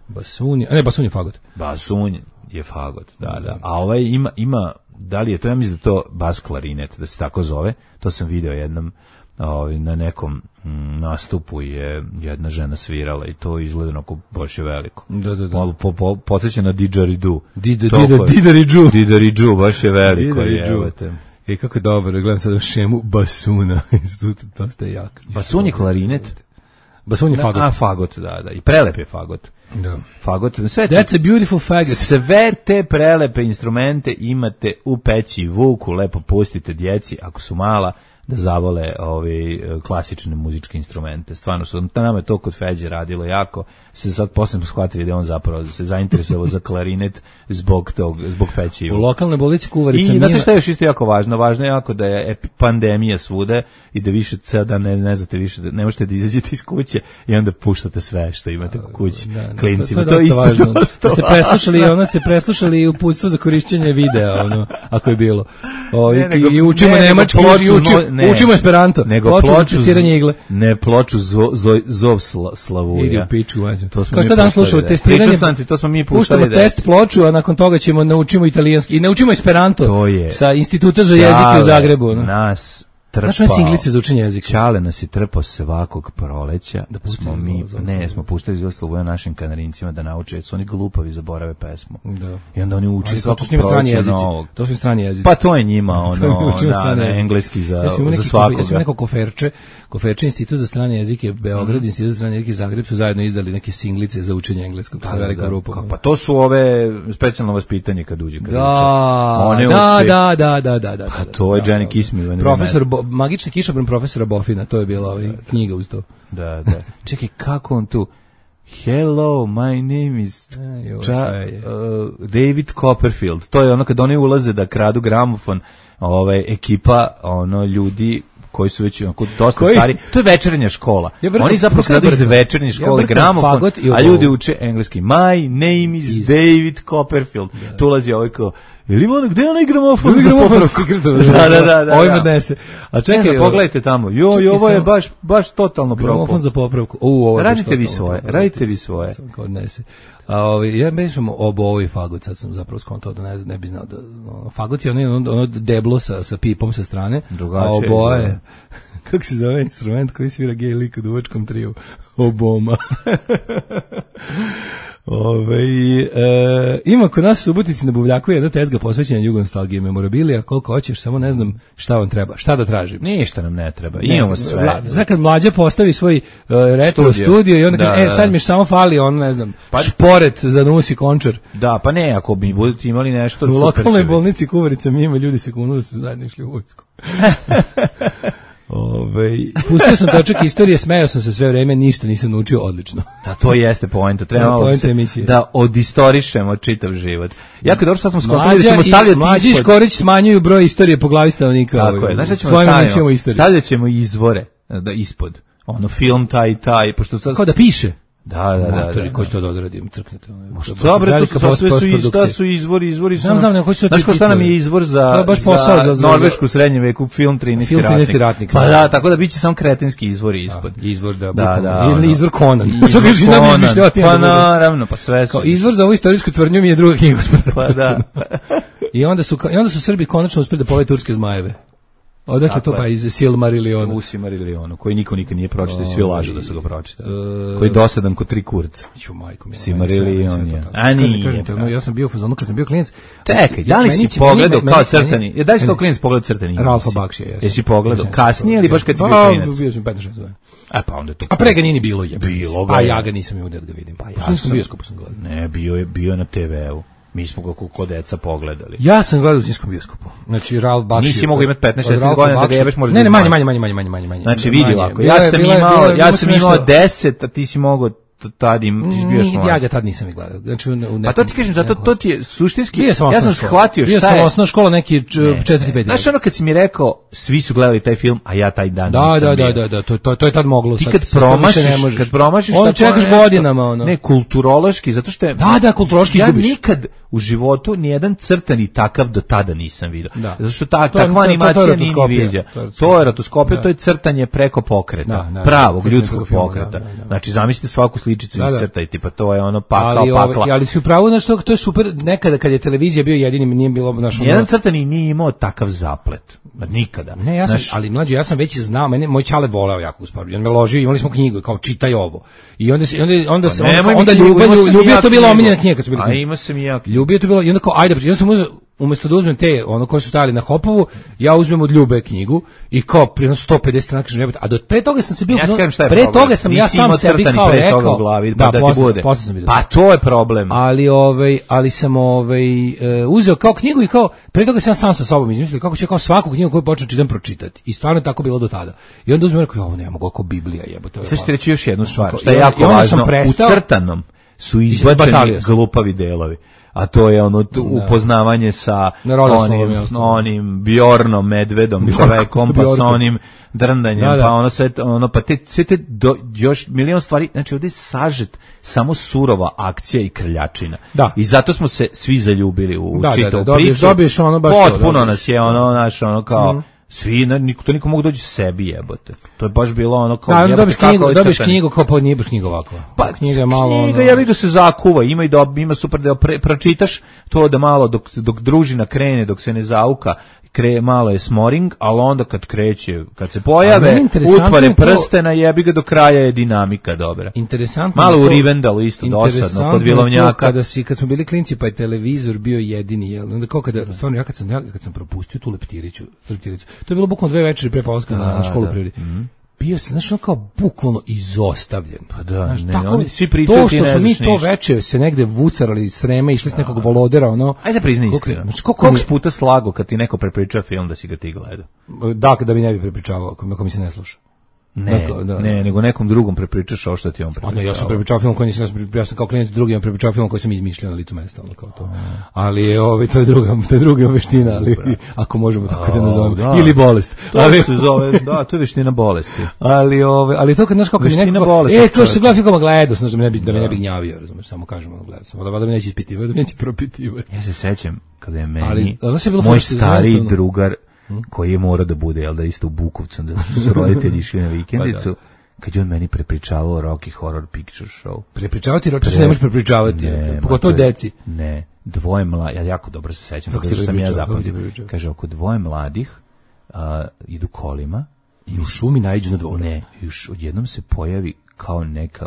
Basun je, a ne, basun je fagot. Basun je fagot, da, da. A ovaj ima, ima, da li je to, ja mislim da to bas klarinet, da se tako zove, to sam video jednom, Ovi, na nekom m, nastupu je jedna žena svirala i to izgleda onako baš je veliko. Da, da, da. Malo po, po, podsjeća na didgeridoo. Didgeridoo. Didgeridoo, baš je veliko. Je, I kako je dobro, gledam sad šemu basuna. To ste jak. Basun je klarinet. Basun je fagot. A, fagot, da, da. I prelep je fagot. Da. Fagot. Sve te, That's a beautiful fagot. Sve te prelepe instrumente imate u peći Vuku, lepo pustite djeci, ako su mala, da zavole ovi klasične muzičke instrumente. Stvarno su, nama je to kod Feđe radilo jako, se sad posebno shvatili da on zapravo se zainteresovao za klarinet zbog tog, zbog peći. U lokalnoj bolnici Kuvarica. I znate šta je još isto jako važno? Važno je jako da je pandemija svude i da više sada ne, ne znate više, da ne možete da izađete iz kuće i onda puštate sve što imate u kući. Da, klincima. To, to je dosta važno. Dosta ste preslušali, ono ste preslušali uputstvo za korišćenje videa, ono, ako je bilo. O, ne, i, nego, i učimo ne, nemački, i učimo, ne, učimo esperanto. Nego ploču, ploču za testiranje igle. Ne, ploču zo, zo, zov sla, Slavuja. Idi u piču, vađu. To smo Kao šta dan slušamo testiranje. Ti, to smo mi puštali. Puštamo da test ploču, a nakon toga ćemo naučimo italijanski. I naučimo esperanto. To je. Sa Instituta za jezike u Zagrebu. No. Nas trpao. Znaš one singlice za učenje jezika? Čale nas je trpao svakog proleća. Da smo mi, ne, smo puštali iz Slavuja našim kanarincima da nauče, jer su oni glupavi, zaborave pesmu. Da. I onda oni uči svakog proleća novog. To su strani jezici. Pa to je njima, ono, da, na engleski za, ja za svakoga. Ja sam neko koferče, koferče Institut za strane jezike Beograd, mm. Institut za strane jezike Zagreb su zajedno izdali neke singlice za učenje engleskog sa velikom rupom. Pa to su ove specijalno vaspitanje kad uđe. Kad da, uče. Da, da, da, da, da, da. Pa to je Jenny Kismi. Profesor, magični kišobran profesora Bofina, to je bila ovaj knjiga uz to. Da, da. Čekaj, kako on tu? Hello, my name is Ča, uh, David Copperfield. To je ono kad oni ulaze da kradu gramofon, ovaj, ekipa, ono, ljudi koji su već onako dosta koji? stari. To je večernja škola. Ja brkam, oni zapravo kradu iz večernje škole ja gramofon, a ljudi uče engleski. My name is, is. David Copperfield. Da. Tu ulazi ovaj kao, ili ima gde je onaj gramofon za popravku? Da, da, da, da. Ovim odnese. A čekaj, pogledajte tamo. Joj, ovo je baš baš totalno propao. Gramofon za popravku. U, ovo je radite vi svoje, radite vi svoje. Odnese. A ovi, ja mislim oboji fagot, sad sam zapravo skontao da ne, ne bi znao da ono, fagot je ono, ono deblo sa, sa pipom sa strane, drugačije, a oboje, kako se zove instrument koji svira gej lik u duvačkom triju? Oboma. Ove, e, ima kod nas u Subotici na Buvljaku jedna tezga posvećena jugonostalgiji i memorabilija, koliko hoćeš, samo ne znam šta vam treba, šta da tražim. Ništa nam ne treba, ne, imamo sve. Vla, znači kad mlađa postavi svoj uh, retro studio, studio i onda da, kaže, e sad mi samo fali on, ne znam, pa, šporet za nos i končar. Da, pa ne, ako bi budete imali nešto u lokalnoj bolnici Kuvarica mi ima ljudi se kunu da su zajedno išli u vojsku. Ove, pustio sam točak istorije, smejao sam se sve vreme, ništa nisam naučio odlično. Da, to jeste poenta, treba se, da odistorišemo čitav život. Jako dobro, sad smo skontali da ćemo stavljati Mlađi i Škorić smanjuju broj istorije po glavi stanovnika. Tako je, znaš šta ćemo stavljamo? Stavljat ćemo izvore da, ispod, ono film taj i taj. Pošto sad... Kao da piše. Da, da, da. Matori, da, ko će to da odradim, crknete. Dobre, to su, sve su, šta su izvori, izvori su... Znam, znam, ne, ko će to... Znaš ko šta nam je izvor za, baš posao, za, za Norvešku srednje veku, film trinaesti ratnik. ratnik. Pa da, tako da biće samo kretenski izvori ispod. Da, izvor, da, da, da, ili izvor Conan. Izvor Conan, pa naravno, pa sve su. Izvor za ovu istorijsku tvrdnju mi je druga knjiga, gospodara. Pa da. I onda su, i onda su Srbi konačno uspeli da povede turske zmajeve. Odakle to pa iz Silmarilliona? U Silmarillionu, koji niko nikad nije pročitao i svi lažu da su ga pročitali. Uh, koji je dosadan kod tri kurca. Ću majko mi. Silmarillion je. A nije. Kažete, no, ja sam bio u fazonu kad sam bio klinac. Čekaj, da li si pogledao kao crtani? Je da li si kao klinac pogledao crtani? Ralfa Bakšija, jesam. Jesi pogledao kasnije ili baš kad si bio klinac? Bio sam petnaest šesnaest godina. A pa onda to. A pre ga nije ni bilo je. Bilo ga. A ja ga nisam imao da ga vidim. Pa ja sam bio bioskopu sam gledao. Ne, bio je bio na te veu. Mi smo ga kod deca pogledali. Ja sam gledao u zimskom bioskopu. Znači Ralf Bakši. Nisi mogao imati petnaest šesnaest godina da ga jebeš možda. Ne, ne, manje, manje, manje, manje, manje, manje. Znači vidi ovako. Ja sam imao, ja sam imao deset, a ti si mogao tad im ti bio što. Ja ga tad nisam ni gledao. Znači u A to ti kažem, zato to ti je suštinski. Ja sam shvatio šta je. Bio sam osnovna škola neki četvrti peti. Znaš ono kad si mi rekao svi su gledali taj film, a ja taj dan da, nisam. Da, da, da, da, to to to je tad moglo. Ti kad promašiš, kad promašiš onda čekaš godinama ono. Ne, kulturološki, zato što je Da, da, kulturološki izgubiš. Ja nikad u životu ni jedan crtani takav do tada nisam video. Da. Zato što ta takva animacija nije viđa. To je rotoskopija, to je crtanje preko pokreta, pravog ljudskog pokreta. Znači zamislite svaku sličicu iscrtajte, pa to je ono pakao pakla. Ali si upravo na što to je super, nekada kad je televizija bio jedini, nije bilo našo. Jedan crtani nije imao takav zaplet. Nikada. Ne, ja sam, Naš... ali mlađi, ja sam već znao, mene moj ćale voleo jako usporo. On me ložio, imali smo knjigu, kao čitaj ovo. I onda se onda onda se onda, onda ljubav, ljubio to bilo omiljena knjiga kad su bili. A ima sam i ja. Ljubio to bilo i onda kao ajde, ja sam uzeo umesto da uzmem te ono koji su stajali na Hopovu, ja uzmem od Ljube knjigu i kao prije sto pedeset strana kažem jebote, a do pre toga sam se bio ja pre problem. Toga sam ja sam sebi kao rekao u glavi, da, da ti posle, bude. Posle pa to je problem. Ali ovaj ali sam ovaj uh, uzeo kao knjigu i kao pre toga sam sam sa sobom izmislio kako će kao svaku knjigu koju počnem čitam pročitati. I stvarno je tako bilo do tada. I onda uzmem rekao ovo ne mogu kao Biblija jebote. Sad ću ti reći još jednu stvar, što je jako važno, u crtanom su izbačeni glupavi delovi. A to je ono tu, upoznavanje sa onim, onim Bjornom, medvedom, čovekom, pa sa onim drndanjem, da, da. pa ono sve, ono, pa te, sve te do, još milion stvari, znači ovdje je sažet samo surova akcija i krljačina. Da. I zato smo se svi zaljubili u da, čitavu da, da, dobiješ, priču. Dobiješ ono baš potpuno to, nas je ono, naš, ono kao, mm. svi, niko, to niko mogu doći sebi jebote. To je baš bilo ono kao da, jebote, dobiš knjigu, dobiš knjigu kao pa nije baš knjiga ovako. Pa knjiga je malo knjiga, ono... ja vidio se zakuva, ima i da ima super da pre, pročitaš to da malo dok dok družina krene, dok se ne zauka, kre malo je smoring, ali onda kad kreće, kad se pojave utvare prstena, jebi ga do kraja je dinamika dobra. Interesantno. Malo u Rivendalu isto dosadno kod Vilovnjaka. Kada si kad smo bili klinci pa je televizor bio jedini, jel? Onda kao kada stvarno ja kad sam ja kad sam propustio tu leptiriću, leptiriću. To je bilo bukvalno dve večeri pre polaska na, na školu prirode. Mm. Bio sam znači kao bukvalno izostavljen. Pa da, znaš, ne, tako, oni svi pričaju to što smo mi to veče se negde vucarali Sreme, išli s nekog volodera, ono. Ajde da priznaj iskreno. Znači koliko puta slago kad ti neko prepriča film da si ga ti gledao? Da, da bi ne bi prepričavao, ako mi se ne sluša. Ne, dakle, da, ne, nego nekom drugom prepričaš ovo što ti on prepričao. Ne, ja sam prepričao film koji nisam, ja sam kao klijent drugim prepričao film koji sam izmišljao na licu mesta, ono kao to. Ali je ovaj to je druga, to je druga veština, ali ako možemo tako da nazovemo, ili bolest. Ali se zove, da, to je veština bolesti. Ali ovaj, ali to kad znaš kako je neko, e, to se gleda film gledao, znači da me ne bi da me ne bi gnjavio, razumeš, samo kažemo ono gledao sam, da valjda me neće ispitivati, da me neće propitivati. Ja se sećam kada je meni moj stari drugar koji je morao da bude, jel da isto u Bukovcu, da su roditelji išli na vikendicu, kad je on meni prepričavao Rocky Horror Picture Show. Prepričavati, Rocky, to se ne može prepričavati, pogotovo deci. Ne, dvoje mladih, ja jako dobro se sećam, kako sam ja zapamtio. Kaže, oko dvoje mladih uh, idu kolima. I u šumi naiđu na dvorac. Ne, još odjednom se pojavi kao neka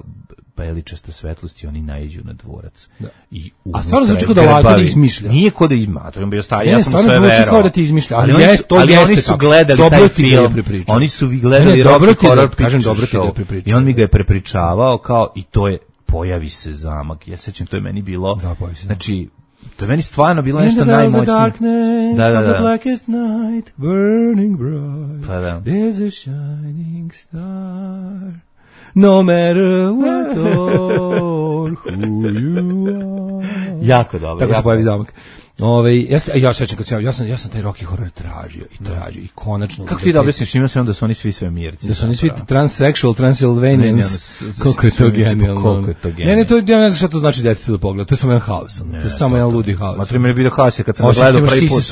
beličasta svetlost i oni naiđu na dvorac. Da. I a stvarno zvuči kao da Vlada izmišlja. Nije kao da izmišlja, to je bio stari, ja sam sve verao. Stvarno zvuči kao da ti izmišlja, ali, ali, oni, jest, to ali jeste oni su tako. gledali dobro taj film. Oni su vi gledali ne, Rocky Horror da, kažem, dobro ti da Show. I on mi ga je prepričavao kao, i to je, pojavi se zamak. Ja sećam, to je meni bilo, da, znači, to je meni stvarno bilo nešto najmoćnije. Da, da, da. Blackest night, burning bright, pa da. There's a shining star. No matter what or who you are. Jako dobro. Tako se pojavi zamak. Ove, ja se ja sećam kad sam ja sam ja sam taj Rocky Horror tražio i tražio i konačno. Kako ti da objasniš, ima se onda da su oni svi svemirci. Da su oni svi transsexual Transylvanians. Kako je to genijalno. Ne, ne, to ja ne znam šta to znači detetu da pogleda. To je samo jedan haos. To je samo jedan ludi haos. Ma primjer bio haos kad sam gledao prvi put.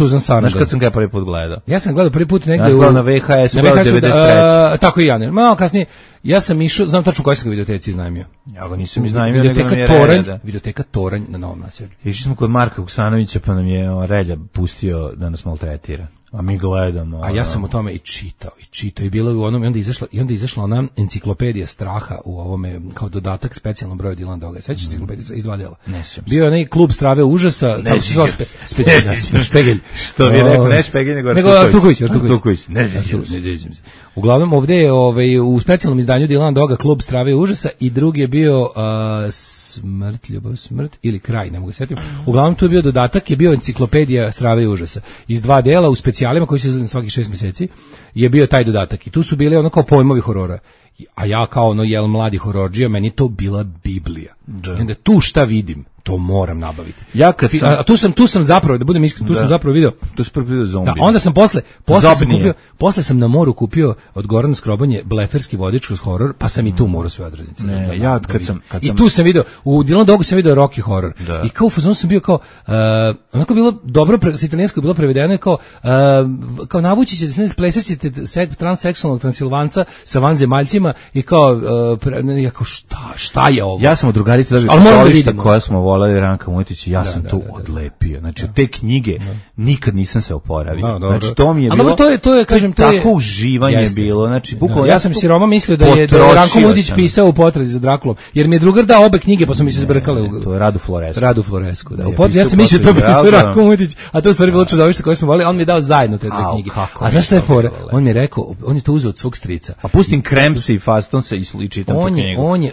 Znaš kad sam ga prvi put gledao? Ja sam gledao prvi put negde u na V H S-u devedeset treće. Tako i ja, ne. Malo kasnije ja sam išao, znam tačno koji sam ga videoteci iznajmio. Ja ga nisam iznajmio, nego nam je Toranj, videoteka Toranj na Novom Naselju. Išli smo kod Marka Vuksanovića, pa nam je Relja pustio da nas maltretira. A mi gledamo. A ja sam o tome i čitao, i čitao, i bilo je u onom, i onda izašla, i onda izašla ona enciklopedija straha u ovome, kao dodatak specijalnom broju Dylan Doga. Sećaš se enciklopedija iz dva dela? Ne sjećam se. Bio je onaj klub strave užasa, Ne tamo se zove spe, spe, spe, Špegelj. Što bi rekao, ne Špegelj, nego nego Artuković. Artuković. Artuković. Ne sjećam se. Uglavnom, ovde je ovaj, u specijalnom izdanju Dylan Doga klub strave užasa i drugi je bio uh, smrt, ljubav, smrt ili kraj, ne mogu se setiti. Uglavnom, tu je bio dodatak, je bio enciklopedija strave užasa. Iz dva dela u specijalima koji se izgleda svakih šest mjeseci je bio taj dodatak i tu su bile ono kao pojmovi horora. A ja kao ono jel mladi horordžija, meni to bila Biblija. Da. I onda tu šta vidim, to moram nabaviti. Ja kad sam, a tu sam tu sam zapravo da budem iskren, tu da. sam zapravo video. Tu sam video zombi. Da, onda sam posle posle sam kupio, posle sam na moru kupio od Gorana Skrobanje bleferski vodič kroz horor, pa sam i tu morao sve odradnice. Ne, da, ja kad sam kad i sam tu sam video u Dylan Dogu sam video Rocky horor. Da. I kao fazon sam bio kao uh, onako bilo dobro pre, sa italijanskog bilo prevedeno kao uh, kao navući ćete se plesaćete transseksualnog Transilvanca sa vanzemaljcima i kao uh, pre, ja kao šta šta je ovo? Ja sam od drugarice dobio koja smo volali Ranka Mujtić i ja da, sam da, to da, da, odlepio. Znači, da. te knjige da. nikad nisam se oporavio. Da, znači, to mi je bilo... A to je, to je, kažem, to je... Tako uživanje jeste. bilo. Znači, bukvalno... Ja sam siroma mislio da je, da je Ranko Mujtić pisao u potrazi za Drakulom, jer mi je drugar dao obe knjige, pa su mi se zbrkale u... To je Radu Floresku. Radu Floresku, da. Pot, ja sam mislio to pisao Ranko Mujtić, a to je stvari bilo čudovište koje smo volili, a on mi je dao zajedno te dve knjige. A znaš šta je fora? On mi je rekao, on je to uzeo od svog strica. A pustim Kremsi i Faston se i čitam tu knjigu. On je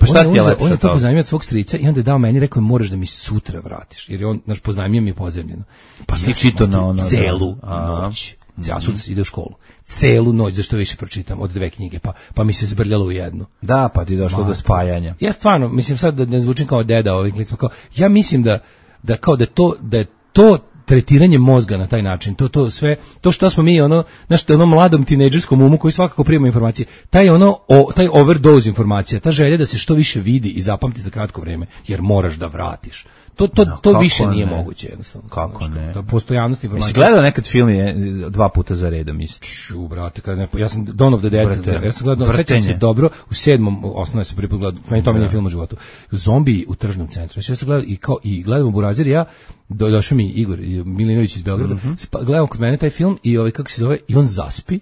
on je to pozajmio od svog strica i onda je dao meni, rekao moraš da mi sutra vratiš, jer je on naš pozajmio mi je pozajmljeno. Pa ti čitao na ono celu noć. Ja sutra ide u školu. Celu noć, zašto više pročitam od dve knjige, pa pa mi se zbrljalo u jednu. Da, pa ti došlo do spajanja. Ja stvarno, mislim sad da ne zvučim kao deda ovih klicima, kao ja mislim da da kao da to da je to tretiranje mozga na taj način, to to sve, to što smo mi ono, znači ono mladom tinejdžerskom umu koji svakako prima informacije, taj ono o, taj overdose informacija, ta želja da se što više vidi i zapamti za kratko vrijeme, jer moraš da vratiš. To to no, to više nije ne? moguće jednostavno. Kako znači, ne? Da postojanost informacije. Jesi gledao nekad film je dva puta za redom, misliš? Ču, brate, kad ne, ja sam Dawn of the Dead, Vrte, ja sam gledao, sećam se dobro, u sedmom osnovnoj sam prvi put gledao, meni to mi je film u životu. Zombi u tržnom centru. Ja sam gledao i kao i gledamo Burazir, ja do, došao mi Igor Milinović iz Beograda. Mm -hmm. Gledamo kod mene taj film i ovaj kako se zove, i on zaspi.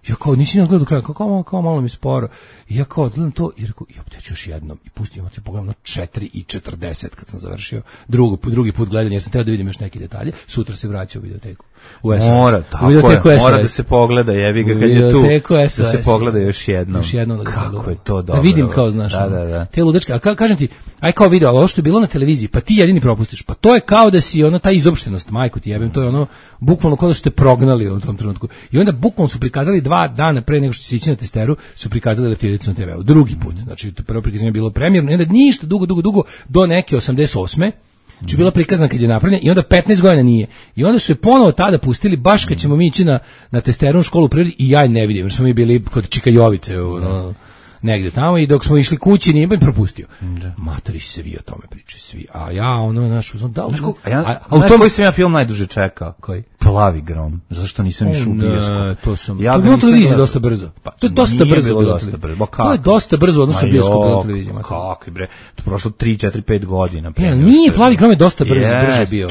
Ja kao, nisi nas gledao do kraja, kao, kao, kao malo mi sporo. I ja kao, gledam to, i rekao, ja ću još jednom. I pustim, ja ti pogledam na četiri i četrdeset kad sam završio drugi, drugi put gledanje, jer sam trebao da vidim još neke detalje. Sutra se vraća u videoteku. U S O S. Mora, tako je, mora da se pogleda, jebi ga kad je tu. Da se pogleda još jednom. Još jednom da kako je to dobro. Da vidim kao, znaš, da, da, da. te ludačke. A ka, kažem ti, aj kao video, ali ovo što je bilo na televiziji, pa ti jedini propustiš. Pa to je kao da si ono, ta izopštenost, majku ti jebem, to je ono, bukvalno kao da su te prognali u tom trenutku. I onda bukvalno su prikazali dva dana pre nego što će ići na testeru, su prikazali Leptiricu na te veu. Drugi put, znači to prvo prikazanje je bilo premijerno, i onda ništa dugo, dugo, dugo, do neke osamdeset osme Znači bila prikazana kad je napravljena i onda petnaest godina nije. I onda su je ponovo tada pustili baš kad ćemo mi ići na, na testernu školu u prirodi i ja ne vidim, jer smo mi bili kod Čika Jovice u, no, negde tamo i dok smo išli kući nije bi propustio. Da. Matori svi o tome pričaju, svi. A ja ono naš uzmem da li. A, ja, a, a u tom koji sam ja film najduže čekao. Koji? Plavi grom. Zašto nisam išao u bioskop? To sam. Ja to je bilo televizija dosta brzo. Pa to je dosta brzo bilo dosta brzo. To je dosta brzo odnosno bioskop na televiziji. Kako bre? To prošlo tri, četiri, pet godina. Ja, nije Plavi grom je dosta brzo, brže bio.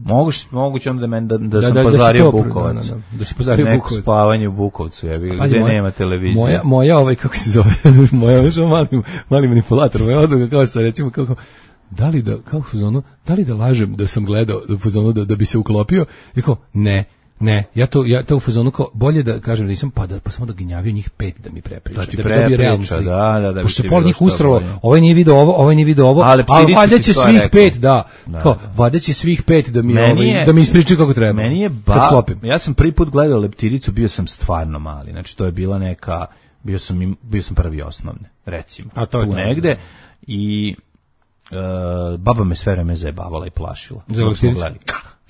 Moguće, moguće onda da men da, da, da sam da, pozario da Bukovac. Da, da, da si pozario Bukovac. Neko spavanje u Bukovcu, je bilo gdje nema televizije. Moja moja ovaj kako se zove, moja još mali mali manipulator, moja odluka kao sa recimo kako da li da kako u zonu, da li da lažem da sam gledao u zonu da da bi se uklopio, rekao ne. Ne, ja to ja to u fazonu kao bolje da kažem da nisam pa da pa samo da ginjavio njih pet da mi prepriča. Da ti prepriča, da, da, da. Pošto se pol njih usralo, ovaj nije video ovo, ovaj nije video ovo, ali valjda će svih pet, da. Kao, valjda će svih pet da mi ovaj da mi ispričaju kako treba. Meni je ba, ja sam prvi put gledao Leptiricu, bio sam stvarno mali. Znači to je bila neka bio sam bio sam prvi osnovne, recimo. A to je negde i baba me sve vreme zajebavala i plašila.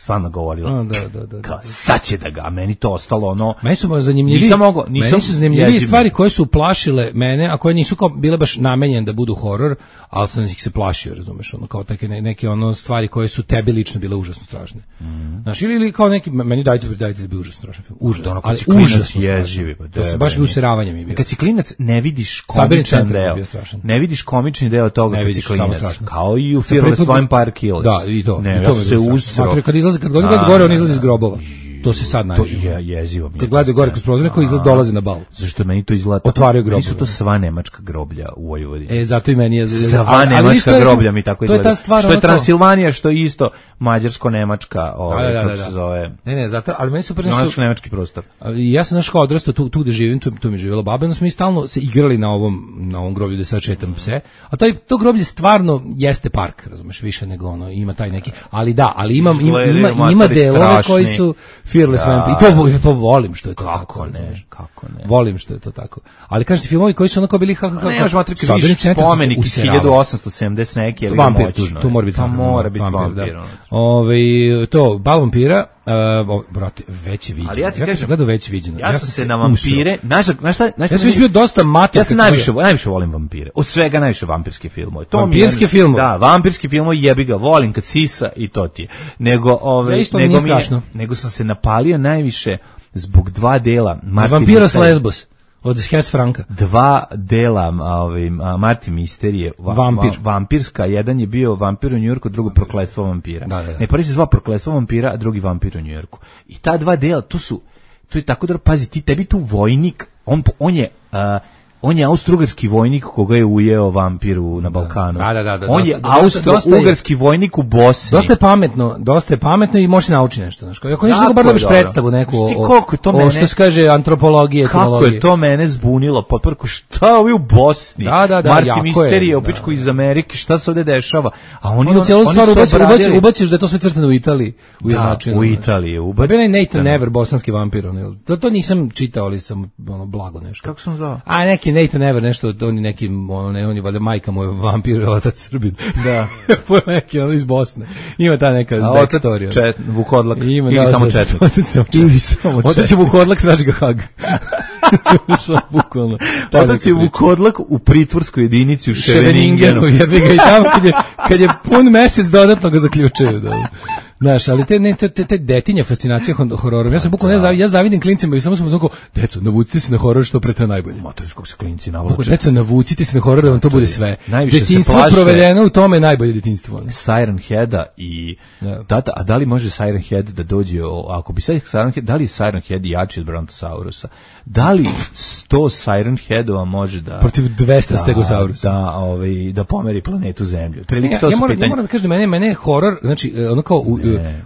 Stvarno govorila. A, da, da, da, kao, sad će da ga, a meni to ostalo ono... Meni su zanimljivi, nisam mogo, nisam meni su zanimljivi stvari koje su plašile mene, a koje nisu kao bile baš namenjene da budu horor, ali sam ih se plašio, razumeš, ono, kao take neke ono stvari koje su tebi lično bile užasno strašne. Mm. Znaš, ili, ili kao neki, meni dajte, dajte da bi užasno strašan film. Užasno, ono, ali užasno jezivi. To su baš useravanje mi je bilo. Kad si klinac, ne vidiš komičan deo. Ne vidiš komični deo toga kad si klinac. Kao i u filmu Svojim Par Kills. Da, i to. Ne, ja se usro. Kad izlazi, kad god gore, on izlazi iz grobova. To se sad najviše. To je jezivo. Kad gledaju gore kroz prozor, koji izlaz dolazi na bal. Zašto meni to izgleda? Otvaraju groblje. Nisu to sva nemačka groblja u Vojvodini. E, zato i meni je... Sva ali, nemačka ali groblja mi tako izgleda. Stvar, što je Transilvanija, što je isto mađarsko-nemačka, ovaj, da, da, da, kako se zove. Ne, ne, zato, ali meni super nešto... nemački prostor. Ja sam naš kao odrastao tu, tu gde živim, tu, tu mi je živjela baba, no smo mi stalno se igrali na ovom, na ovom groblju da sad šetam pse. A taj, to groblje stvarno jeste park, razumeš, više nego ono, ima taj neki, ali da, ali imam, ima, ima, ima delove koji su fearless da. Vampire. I to, ja to volim što je to kako tako. Ne, razumeš. kako ne. Volim što je to tako. Ali kažete filmovi koji su onako bili ha ha ha. Ne, možemo trikati više spomenik iz hiljadu osamsto sedamdeset neki, ali vampir, moćno. To mora biti, mora biti vampir. vampir da. Ovaj to bal vampira, uh, brate, već je viđeno. Ali ja ti kažem, gledao već viđeno. Ja, ja sam se na vampire, znaš, znaš šta, znaš ja sam bio dosta mator. Ja sam najviše, najviše volim vampire. Od svega najviše vampirske filmove. To vampirske filmove. Da, vampirski filmovi jebi ga, volim kad sisa i to ti je. Nego ove, nego mi nego sam se napalio najviše zbog dva dela Martin Vampiros Lesbos od Hes Franka. Dva dela ovaj Martin Misterije, va, Vampir. va, vampirska, jedan je bio Vampir u Njujorku, drugo Prokletstvo vampira. Da, da, da. Ne, prvi se zvao Prokletstvo vampira, a drugi Vampir u Njujorku. I ta dva dela, to su to je tako da pazi, ti tebi tu vojnik, on on je uh, on je austrougarski vojnik koga je ujeo vampir na Balkanu. Da, da, da, da, on dosta, je austrougarski vojnik u Bosni. Dosta je pametno, dosta je pametno i može se naučiti nešto, znači. Ako nešto da bar dobiš predstavu neku o, o, o što se kaže antropologije, etnologije. Kako je to mene zbunilo, potprko šta ovi u Bosni? Da, da, da, Martin Misterije, opičko iz Amerike, šta se ovde dešava? A oni on, celu stvar ubaciš, ubaciš da je to sve crtano u Italiji, u jednačinu. U Italiji, ubaciš. Bio je Nathan Never, bosanski vampir, on. To to nisam čitao, ali sam ono blago nešto. Kako sam zvao? A neki Nathan Never nešto, on je neki, ono, ne, on je valjda majka moja vampir, otac Srbin. Da. Po neki, ono iz Bosne. Ima ta neka backstory. A otac Vukodlak, ili da, samo četnik. Ili samo četnik. Otac je Vukodlak, traži ga Hag. Bukvalno. Otac je Vukodlak u pritvorskoj jedinici u Ševeningenu. Jebi ga i tamo kad je, kad je pun mesec dodatno ga zaključaju. Da. Znaš, ali te, ne, te, te, te detinja fascinacija hororom. Ja sam bukvalno, ja, zav, ja zavidim klincima i samo sam znao, deco, navucite se na horor što pre to je najbolje. Matoriš kako se klinci navlače. Deco, navucite se na horor da vam to bude sve. Detinjstvo provedeno u tome je najbolje detinjstvo. Siren Heada i ja. Tata, a da li može Siren Head da dođe, o, ako bi sad Siren Head, da li je Siren Head jači od Brontosaurusa? Da li sto Siren Headova može da... Protiv dvesta da, Stegosaurusa. Da, ovaj, da pomeri planetu Zemlju. Prilike ja, to ja, su moram, pitanje. Ja moram da kažem da mene, mene je horor, znači ono kao... U,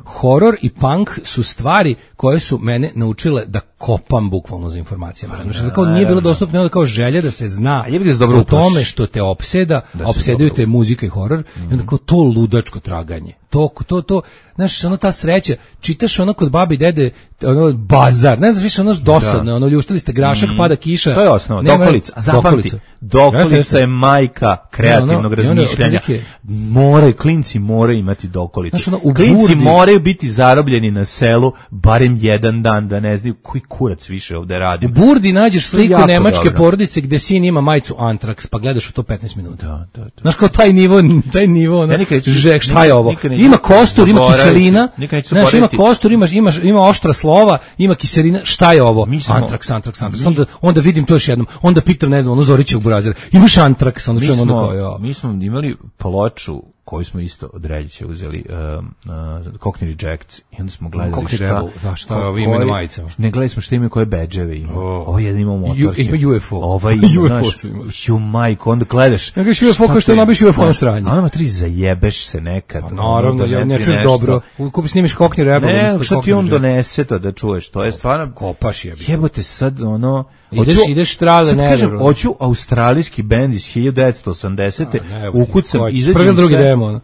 horor i punk su stvari koje su mene naučile da kopam bukvalno za informacijama. Znači, da kao nije bilo dostupno, onda kao želja da se zna dobro o tome što te opseda, da opsedaju te muzika i horor, mm. i onda kao to ludačko traganje. To, to, to, znaš, ono ta sreća, čitaš ono kod babi i dede, ono bazar, ne znaš više ono dosadno, da. Ono ljuštili ste grašak, mm. pada kiša. To je osnova, dokolica, zapamti, dokolica jeste, je majka kreativnog ono, razmišljanja. Otprilike, moraju, klinci moraju imati dokolicu. Znaš, ono, klinci burdi, moraju biti zarobljeni na selu barem jedan dan, da ne znaju koji kurac više ovde radi. U Burdi nađeš sliku nemačke dobro. Porodice gde sin ima majicu Antrax, pa gledaš u to petnaest minuta. Da, da, da. Znaš, kao taj nivo, taj nivo, ono, ja žek, šta je ovo? Ima kostur, ima kiselina, znaš, ima kostur, ima, ima, ima oštra slova, ima kiselina, šta je ovo? Antrax, Antrax, Antrax. Onda, onda vidim to još jednom, onda pitam, ne znam, ono Zorićevog burazira, imaš Antrax, onda čujem onda kao, ja. Mi smo imali ploču koju smo isto od Reljića uzeli, um, uh, Cockney Rejects, i onda smo gledali Cockney šta... Rebel, da, šta je ovo ime na majicama? Ne, gledali smo šta imaju koje bedževe ima. Oh. Ovo jedan imao motorke. Ima U F O. Ova ima, znaš, ju majko, onda gledaš... Ja kažeš U F O kao što je nabiš U F O na sranje. A nama tri zajebeš se nekad. Pa, naravno, ja ne čuješ dobro. Kupi snimiš Cockney Rebel. Ne, što ti on donese to da čuješ, to je stvarno... Kopaš je. Jebote sad, ono... Ideš, ideš trale, ne, kažem, hoću australijski bend iz hiljadu devetsto osamdesete, ukucam, izađem prvi drugi demo.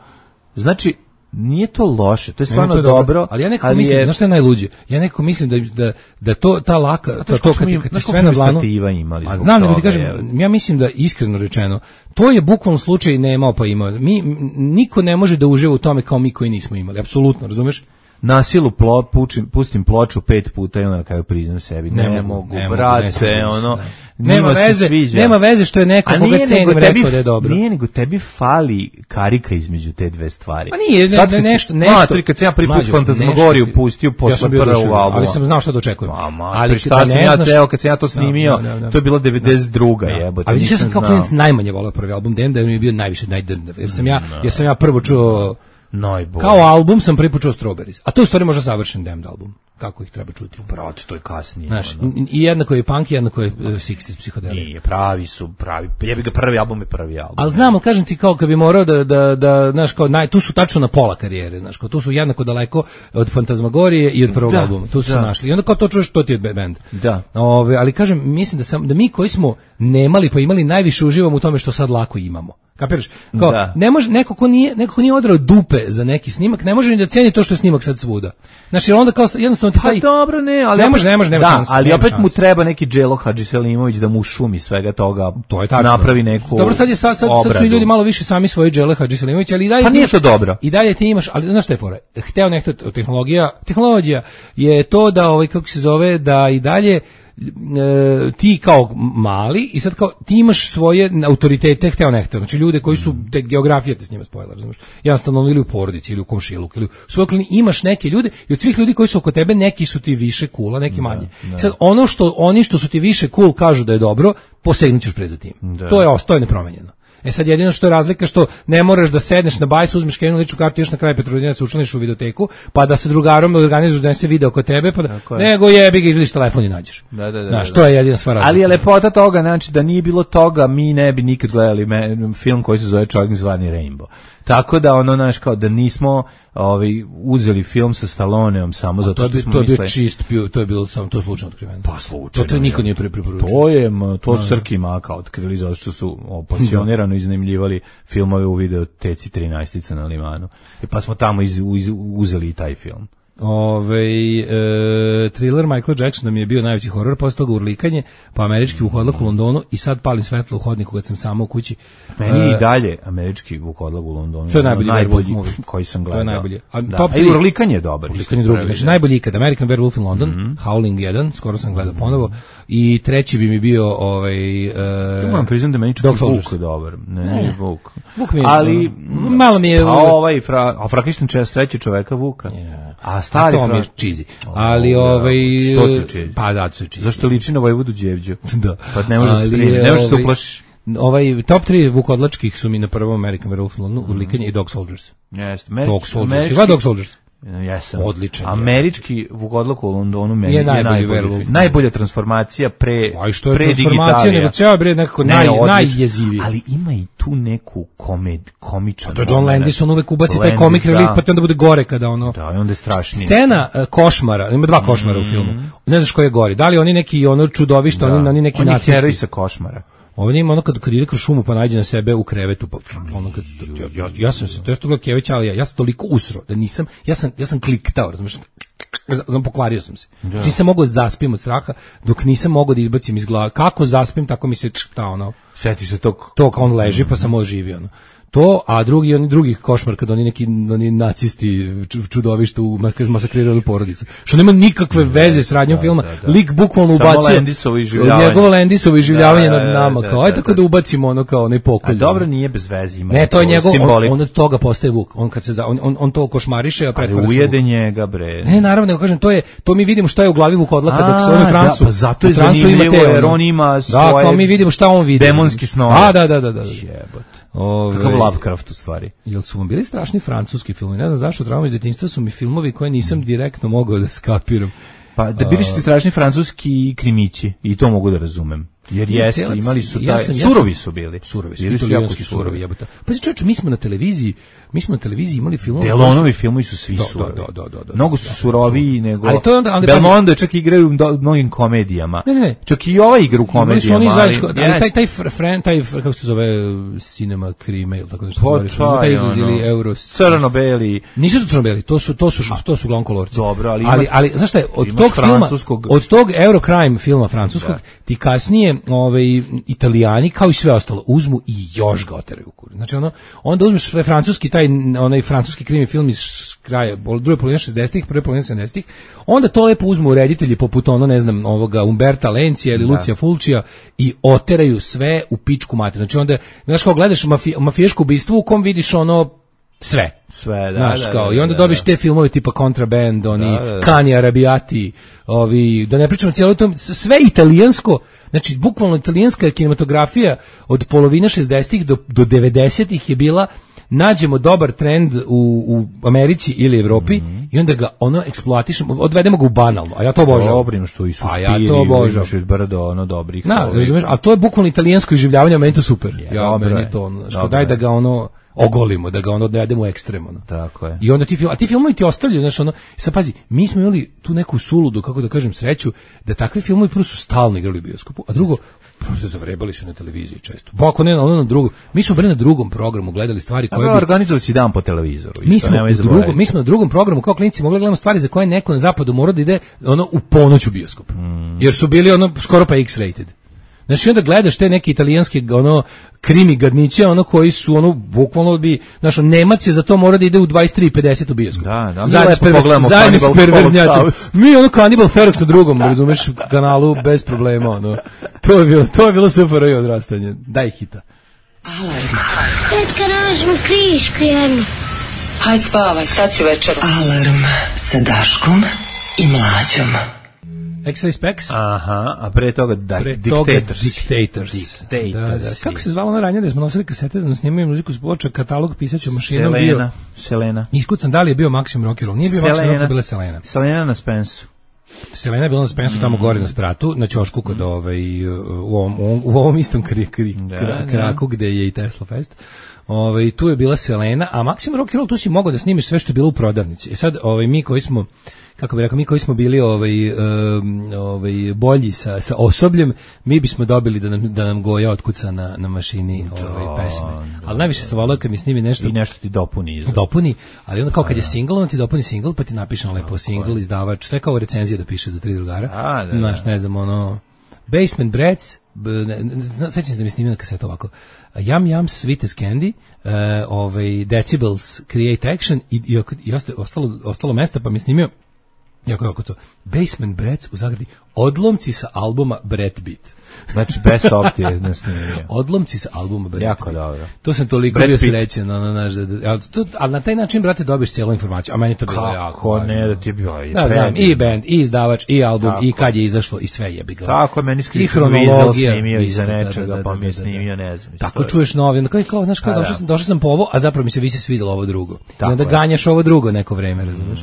Znači, nije to loše, to je stvarno to je dobro, dobro, ali ja nekako mislim, je... znaš što je najluđe? Ja nekako mislim da da da to ta laka, to to kad ti kad sve na dlanu imali. A znam, nego ti kažem, je... ja mislim da iskreno rečeno, to je bukvalno slučaj nemao pa imao. Mi niko ne može da uživa u tome kao mi koji nismo imali, apsolutno, razumeš? Na silu plo, pučim, pustim ploču pet puta i onda na kraju priznam sebi. Ne, ne mogu, ne brate, ne ono... Ne nema veze, nema veze što je neko koga cenim rekao da je dobro. Nije, nego tebi fali karika između te dve stvari. Pa nije, ne, sad, ne, nešto, nešto. Matri, kad sam ja prvi put Fantasmagoriju pustio posle ja prvog albuma. Ali sam znao šta da očekujem. Ali šta sam ja teo kad sam ja to snimio, no, no, no, to je bila devedeset druga no. jebote. Ali ja sam kao klinac najmanje voleo prvi album, da mi je bio najviše najdrndav. Jer sam ja, jer sam ja prvo čuo najbolje. Kao album sam prvi put čuo Strawberries. A to je u stvari možda savršen Damned album. kako ih treba čuti. Brate, to je kasnije. Znaš, ono. i jednako je punk, jednako je uh, šezdesetih psihodelija. Nije, pravi su, pravi. Jebi ga, prvi album je prvi album. Ali znam, ali kažem ti kao kad bi morao da, da, da znaš, kao, naj, tu su tačno na pola karijere, znaš, kao tu su jednako daleko od Fantazmagorije i od prvog da, albuma, tu su da. se našli. I onda kao to čuješ, to ti je band. Da. Ove, ali kažem, mislim da, sam, da mi koji smo nemali pa imali najviše uživamo u tome što sad lako imamo. Kapiraš? Kao, da. ne može, neko ko nije, neko ko nije odrao dupe za neki snimak, ne može ni da ceni to što je snimak sad svuda. Znači, onda kao jednostavno ti taj... Pa dobro, ne, ali... Ne može, ne može, nema da, šanse. ali nema opet šanse. mu treba neki Đelo Hadžiselimović da mu šumi svega toga, to je tačno. Napravi neku Dobro, sad, je, sad, sad, sad su i ljudi malo više sami svoji Đele Hadžiselimović, ali i dalje... Pa nije imaš, to dobro. I dalje ti imaš, ali znaš šta je fora? Hteo nekto, tehnologija, tehnologija je to da, ovaj, kako se zove, da i dalje E, ti kao mali i sad kao ti imaš svoje autoritete hteo ne hteo, znači ljude koji su te geografija te s njima spojila, razumiješ, jednostavno ili u porodici ili u komšiluku ili u svoj okolini imaš neke ljude i od svih ljudi koji su oko tebe neki su ti više cool, neki manje. Da, da. Sad ono što oni što su ti više cool kažu da je dobro, posegnućeš pre za tim. Da. To je ostalo nepromenjeno. E sad jedino što je razlika što ne moraš da sedneš na bajs, uzmeš jednu ličnu kartu, još na kraj Petrovaradina se učlaniš u videoteku, pa da se drugarom organizuješ da ne se video oko tebe, pa da, nego jebi ga izvadiš telefon i nađeš. Da, da, da. Znaš, da, to je jedina stvar. Ali je lepota toga, znači da nije bilo toga, mi ne bi nikad gledali me, film koji se zove Čovjek zvani Rainbow. Tako da ono, znaš, kao da nismo ovaj, uzeli film sa Stalloneom samo zato što bi, smo to mislili... To je bio čist, to je bilo samo, to slučajno otkriveno. Pa slučajno. To, to niko nije preporučio. To je, to su Srki i Maka otkrili zato što su pasionirano iznajmljivali filmove u videoteci trinaestica na Limanu. I pa smo tamo iz, uz, uzeli i taj film. Ove, e, thriller Michael Jacksona mi je bio najveći horor, posle toga Urlikanje, pa Američki vukodlak u Londonu i sad Palim svetlo u hodniku kad sam samo u kući. Meni e, i dalje Američki vukodlak u Londonu. To je najbolji, najbolji Werewolf koji sam gledao. To je najbolje. A da. top A i Urlikanje je dobar. Urlikanje je drugi. Znači, najbolji ikad. American Werewolf in London, mm-hmm. Howling jedan, skoro sam gledao ponovo. I treći bi mi bio ovaj... E, ja moram priznam da meni čak Vuk je dobar. Ne, ne, Vuk. Vuk mi je... Ali... Malo mi je... Pa ovaj, fra, a Frankenstein čest treći čoveka Vuka. Yeah. A stari to mi je cheesy. Ali ovaj... Što ti je cheesy? Pa da, to je cheesy. Zašto liči na Vojvodu Đevđu? Da. Pa ne možeš se primiti, ne možeš se uplašiš. Ovaj top tri vukodlačkih su mi na prvom American Werewolf in London, Urlikanje i Dog Soldiers. Jeste. Dog Soldiers. Dva Dog Soldiers. Jesam. Odličan. Američki vukodlak u Londonu meni je, je najbolji, najbolji najbolja transformacija pre Aj što je pre transformacija nego ceo bre nekako naj ne, najjeziviji. Ali ima i tu neku komed komičan. To je John Landis, on uvek ubaci taj comic relief, pa te onda bude gore kada ono. Da, i onda je strašnije. Scena uh, košmara, ima dva košmara mm. u filmu. Ne znaš ko je gori. Da li oni neki ono čudovišta, da. oni, oni neki nacisti. Oni heroj sa košmara. Ovdje ima ono kad, kad ide kroz šumu pa nađe na sebe u krevetu pa ono kad ja, ja, ja sam se to je što Kević ali ja, ja sam toliko usro da nisam ja sam ja sam kliktao razumiješ znam pokvario sam se. Da. Nisam mogao da zaspim od straha dok nisam mogao da izbacim iz glave. Kako zaspim tako mi se ta ono. Seti se tog to kao on leži pa sam oživio ono. To, a drugi oni drugih košmar kad oni neki oni nacisti čudovište u masakrirali porodicu. Što nema nikakve veze s radnjom da, filma. Da, da. Lik bukvalno ubacio Lendisovo iživljavanje. Njegovo Lendisovo iživljavanje da, da, nad nama. da, kao, da, aj tako da ubacimo ono kao onaj pokolj. A dobro nije bez veze. Ima ne, to je njegov, on, on od toga postaje Vuk. On kad se za, on, on, on to košmariše, a pretvara se ujede njega, bre. Ne, naravno, nego kažem, to je, to mi vidimo šta je u glavi Vukodlaka dok se on u transu. Da, pa zato je zanimljivo, jer on ima svoje... Da, kao mi vidimo šta on vidi. Demonski snove. A, da, da, da, da. Jebote. Ove, kakav Lovecraft u stvari. Jel su vam bili strašni francuski filmovi? Ne znam zašto, trauma iz detinjstva su mi filmovi koje nisam direktno mogao da skapiram. Pa da bili su ti strašni francuski krimići i to mogu da razumem. Jer jeste, imali su taj, ja sam, surovi su bili. Surovi su, italijanski surovi, jebote. Pa znači čovječe, mi smo na televiziji, mi smo na televiziji imali filmove. Delonovi filmovi su svi da, surovi. Da, da, da, da. Mnogo su suroviji nego... Ali to je onda... Ali Belmondo čak igraju u mnogim komedijama. Ne, ne. Čak i ova igra u komedijama. Ali, zajedničko, ali yes. taj, taj, fran, taj, kako se zove, Cinema Crime, ili tako nešto se zove, taj izlazili Euro... Crno-beli. Nisu to crno-beli, to su, to su, to su glonkolorci. Dobro, ali... Ali, ali, znaš šta je, od tog filma, od tog Eurocrime filma francuskog, ti kasnije, ovaj, Italijani, kao i sve ostalo, uzmu i još ga oteraju u kur. Znači, ono, onda uzmeš francuski, taj, onaj francuski krimi film iz kraja, druge polovine šezdesetih, prve polovine sedamdesetih, onda to lepo uzmu reditelji poput ono, ne znam, ovoga Umberta Lencija ili da. Lucija Fulcija i oteraju sve u pičku mater. Znači, onda, znaš, kao gledaš mafi, mafijaško ubistvo u kom vidiš ono, sve. Sve, da, znaš, da, kao, da, i onda da, dobiš da. te filmove tipa Contraband, oni, da, da, da. Cani Arrabbiati, ovi, da ne pričamo cijelo to, sve italijansko. Znači, bukvalno italijanska kinematografija od polovine šezdesetih do, do devedesetih je bila nađemo dobar trend u, u Americi ili Evropi mm-hmm. i onda ga ono eksploatišemo, odvedemo ga u banalno, a ja to obožavam. Dobrim što i Suspiri, a ja to obožavam. Brdo, ono dobrih. Na, razumeš, a to je bukvalno italijansko iživljavanje, meni to super. Je, ja, dobro meni je. to ono, što daj da ga ono ogolimo, da ga ono odvedemo u ekstrem. Ono. Tako je. I onda ti film, a ti filmovi ti ostavljaju, znaš, ono, sad pazi, mi smo imali tu neku suludu, kako da kažem, sreću, da takvi filmovi prvo su stalno igrali u bioskopu, a drugo, prosto zavrebali su na televiziji često. Pa ako ne na onom drugom, mi smo bre na drugom programu gledali stvari koje bi organizovali si dan po televizoru. Mi smo na drugom, mi smo na drugom programu kao klinci mogli gledamo stvari za koje neko na zapadu mora da ide ono u ponoć u bioskop. Mm. Jer su bili ono skoro pa X-rated. Znači onda gledaš te neke italijanske ono krimi gadniće, ono koji su ono bukvalno bi, znaš, Nemac je za to mora da ide u dvadeset tri pedeset u bioskop. Da, da. Zajedno s perver, zajedno s perverznjacima. Mi ono Cannibal Ferox na drugom, razumeš, kanalu bez problema, ono. To je bilo, to je bilo super i odrastanje. Daj hita. Alarm. Tetka, nađemo kriške jedno. Hajde spavaj, sad si večeru. Alarm sa Daškom i Mlađom. X-Ray Specs. Aha, a pre toga da, pre Dictators. Dictators. Dictators. Da, da. Kako se zvalo na ranije da smo nosili kasete da nas snimaju muziku s ploča, katalog pisaću mašinom Selena, bio. Selena. Iskucan da li je bio Maximum Rock and Roll. Nije bio Selena. Maximum Rock, bila Selena. Selena na Spensu. Selena je bila na Spensu mm. tamo gore na spratu, na ćošku kod mm. ovaj, u, ovom, u ovom istom kri, kri, da, kra, kraku da. Gde je i Tesla Fest. Ovaj, tu je bila Selena, a Maximum Rock and Roll tu si mogao da snimiš sve što je bilo u prodavnici. E sad, ovaj, mi koji smo kako bih rekao, mi koji smo bili ovaj, um, ovaj, bolji sa, sa osobljem, mi bismo dobili da nam, da nam Goja otkuca na, na mašini ovaj, pesme. Ali najviše se volao kad mi snimi nešto. I nešto ti dopuni. Izgled. Dopuni, ali onda kao kad je single, on ti dopuni single, pa ti napiše na lepo single, izdavač, sve kao recenzije da piše za tri drugara. A, da, da. Znaš, ne znam, ono, Basement Brats, sećam se da mi snimio na kasetu ovako, Yum Yum Sweet as Candy, uh, ovaj, Decibels Create Action i, i, i ostalo, ostalo mesta, pa mi snimio jako, jako to. Basement Brats u zagradi. Odlomci sa albuma Brat Beat. Znači, best of ti je snimio. Odlomci sa albuma Brat jako Beat. dobro. To sam toliko bio srećen. No, no, no, no, ali na taj način, brate, dobiješ cijelu informaciju. A meni to bilo kako jako. Kako ne, da ti je bilo i da, znam, i band, i izdavač, i album, tako. I kad je izašlo, i sve je bi ga. Tako, meni skričan Vizel snimio iza nečega, da, da, pa mi je snimio, ne znam. Tako čuješ novi, onda kao, kao, znaš, kao, došao sam, došao sam po ovo, a zapravo mi se vi se svidjelo ovo drugo. I onda ganjaš ovo drugo neko vreme, razumiješ.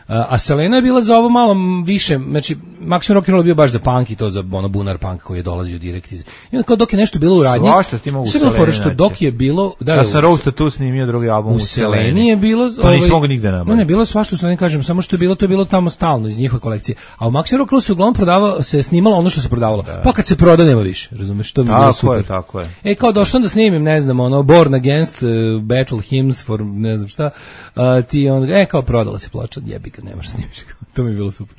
A Selena je bila za ovo malo više, znači Maximum Rock and Roll je bio baš za punk i to za ono bunar punk koji je dolazio direkt iz. I onda kao dok je nešto bilo u radnji. Svašta s tim mogu Selena. Što dok je bilo, da, ja sam Roasta tu snimio drugi album u Seleni je bilo, pa ovaj, nisam mogu nigde nabaviti. Ne, ne, bilo svašta što ne kažem, samo što je bilo to je bilo tamo stalno iz njihove kolekcije. A u Maximum Rock and Roll se uglavnom prodavalo, se snimalo ono što se prodavalo. Da. Pa kad se proda nema više, razumeš, što mi je bilo super. Tako je, tako je. E kao došao da snimim, ne znam, ono Born Against, uh, Battle Hymns for ne znam šta. Uh, ti on, e kao prodala se ploča, jebi ga, nemaš snimiš. To mi je bilo super.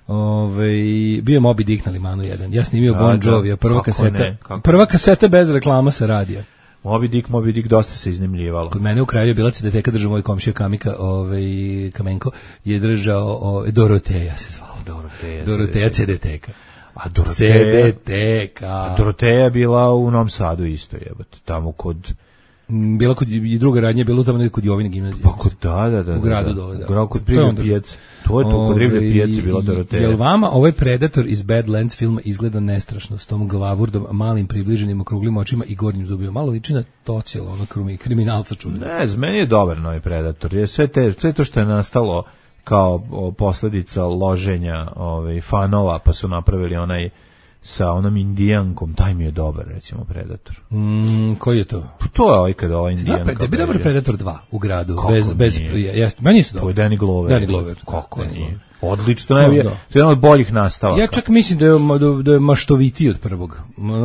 Ove, bio je Moby Dick na Limanu jedan. Ja snimio Bon Jovi, prva kaseta. Prva kaseta bez reklama sa radija. Moby Dick, Moby Dick dosta se iznajmljivalo. Kod mene u kraju je bila C D T-ka, držao moj komšija Kamika, ovaj Kamenko, je držao ovaj, Doroteja se zvao. Doroteja. Doroteja C D T-ka. A Doroteja, C D T-ka. A Doroteja je bila u Novom Sadu isto, jebote, tamo kod bila kod i druga radnja, bilo tamo kod Jovine gimnazije. Pa kod da, da, da. U gradu da, dole, da. U gradu kod Riblje pijace. To je to kod Riblje pijace bila Doroteja. Jel vama ovaj Predator iz Badlands filma izgleda nestrašno s tom glavurdom, malim približenim okruglim očima i gornjim zubima? Malo liči na Tocijela, ono krumi, kriminalca čudno. Ne, z meni je dobar novi Predator. Je sve, te, sve to što je nastalo kao posledica loženja ovaj, fanova, pa su napravili onaj sa onom indijankom, taj mi je dobar, recimo, Predator. Mm, koji je to? To je ovaj kada ova indijanka. Da, da bi dobar Predator dva u gradu. Kako bez, bez, jest, meni su dobro. To je Danny Glover. Danny Glover. Kako Danny nije? Odlično, ne, to je jedan od boljih nastavaka. Ja čak mislim da je, da je maštovitiji od prvog.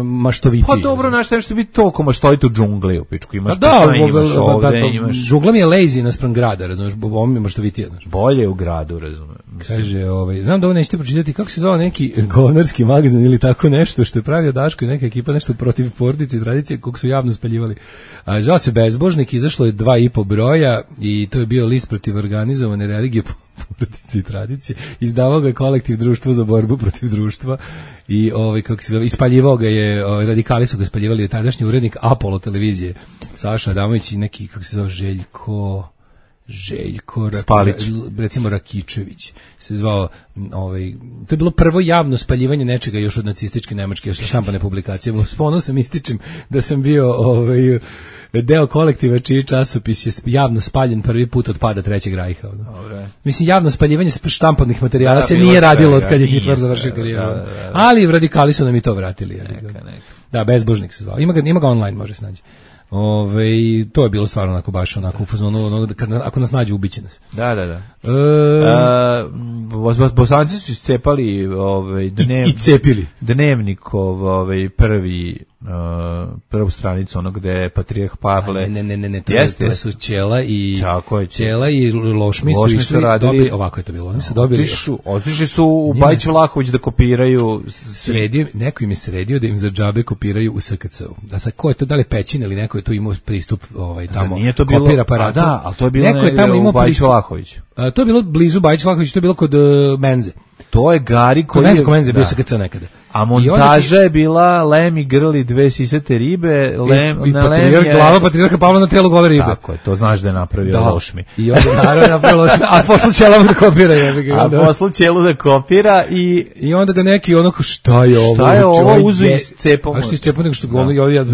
Maštovitiji. Pa dobro, znaš, nešto biti toliko maštoviti u džungli u pičku. Imaš da, da, imaš ba, ovde, ba, imaš... Džungla mi je lazy naspram grada, razumiješ, ovo mi je maštovitiji. Znaš. Bolje u gradu, razumiješ. Kaže, ovaj, znam da ovo nećete pročitati, kako se zvao neki govnarski magazin ili tako nešto što je pravio Daško i neka ekipa nešto protiv porodice i tradicije kog su javno spaljivali. A, zvao se Bezbožnik, izašlo je dva i po broja i to je bio list protiv organizovane religije porodice i tradicije. Izdavao ga je kolektiv Društvo za borbu protiv društva i ovaj kako se zove, ispaljivao ga je, ovaj, radikali su ga ispaljivali, je tadašnji urednik Apollo televizije Saša Adamović i neki, kako se zove, Željko Željko Spalić, recimo Rakičević se zvao, ovaj, to je bilo prvo javno spaljivanje nečega još od nacističke Nemačke, još štampane publikacije. S ponosom ističem da sam bio ovaj, deo kolektiva čiji časopis je javno spaljen prvi put od pada Trećeg rajha. Dobre. Mislim, javno spaljivanje štampanih materijala da, se nije radilo od kad je Hitler završio karijeru. Da, da, da. Ali radikali su nam i to vratili. Neka, neka. Da, Bezbožnik se zvao. Ima ga, ima ga online, može se naći. Ove, to je bilo stvarno onako baš onako u fazonu, ono, kad, ako nas nađe ubiće nas. Da, da, da. E, uh, Bosanci su iscepali ovaj, dnev, i, i cepili. Dnevnikov ovaj, prvi uh, prvu stranicu ono gde je Patrijarh Pavle. A, ne, ne, ne, ne, to, jest, to su Ćela i Čako je Ćela i Lošmi su Lošmi išli, su radili, dobili, ovako je to bilo, oni su dobili. Otišu, otišli su u Bajić Vlahović da kopiraju. Sredio, neko im je sredio da im za džabe kopiraju u S K C-u. Da sad, ko je to, da li Pećin ili neko je tu imao pristup ovaj, tamo, nije to bilo, kopira aparatu. Da, ali to je bilo neko je tamo imao u Bajić Vlahoviću. A, to je bilo blizu Bajić Vlahović, to je bilo kod uh, Menze. To je Gari koji je... Kod Menze bio S K C nekada. A montaža je bila Lemi grli dve sisate ribe, lem, i, i na Lem je... glava Patrijarha Pavla na telu gole ribe. Tako je, to znaš da je napravio da. Lošmi. I onda naravno je napravio Lošmi, a poslu Ćela da kopira. Je, a poslu Ćelu da kopira i... I onda ga neki onako, šta je ovo? Šta je ovo, uzu i cepom. A što je cepom nego što ga ono, ja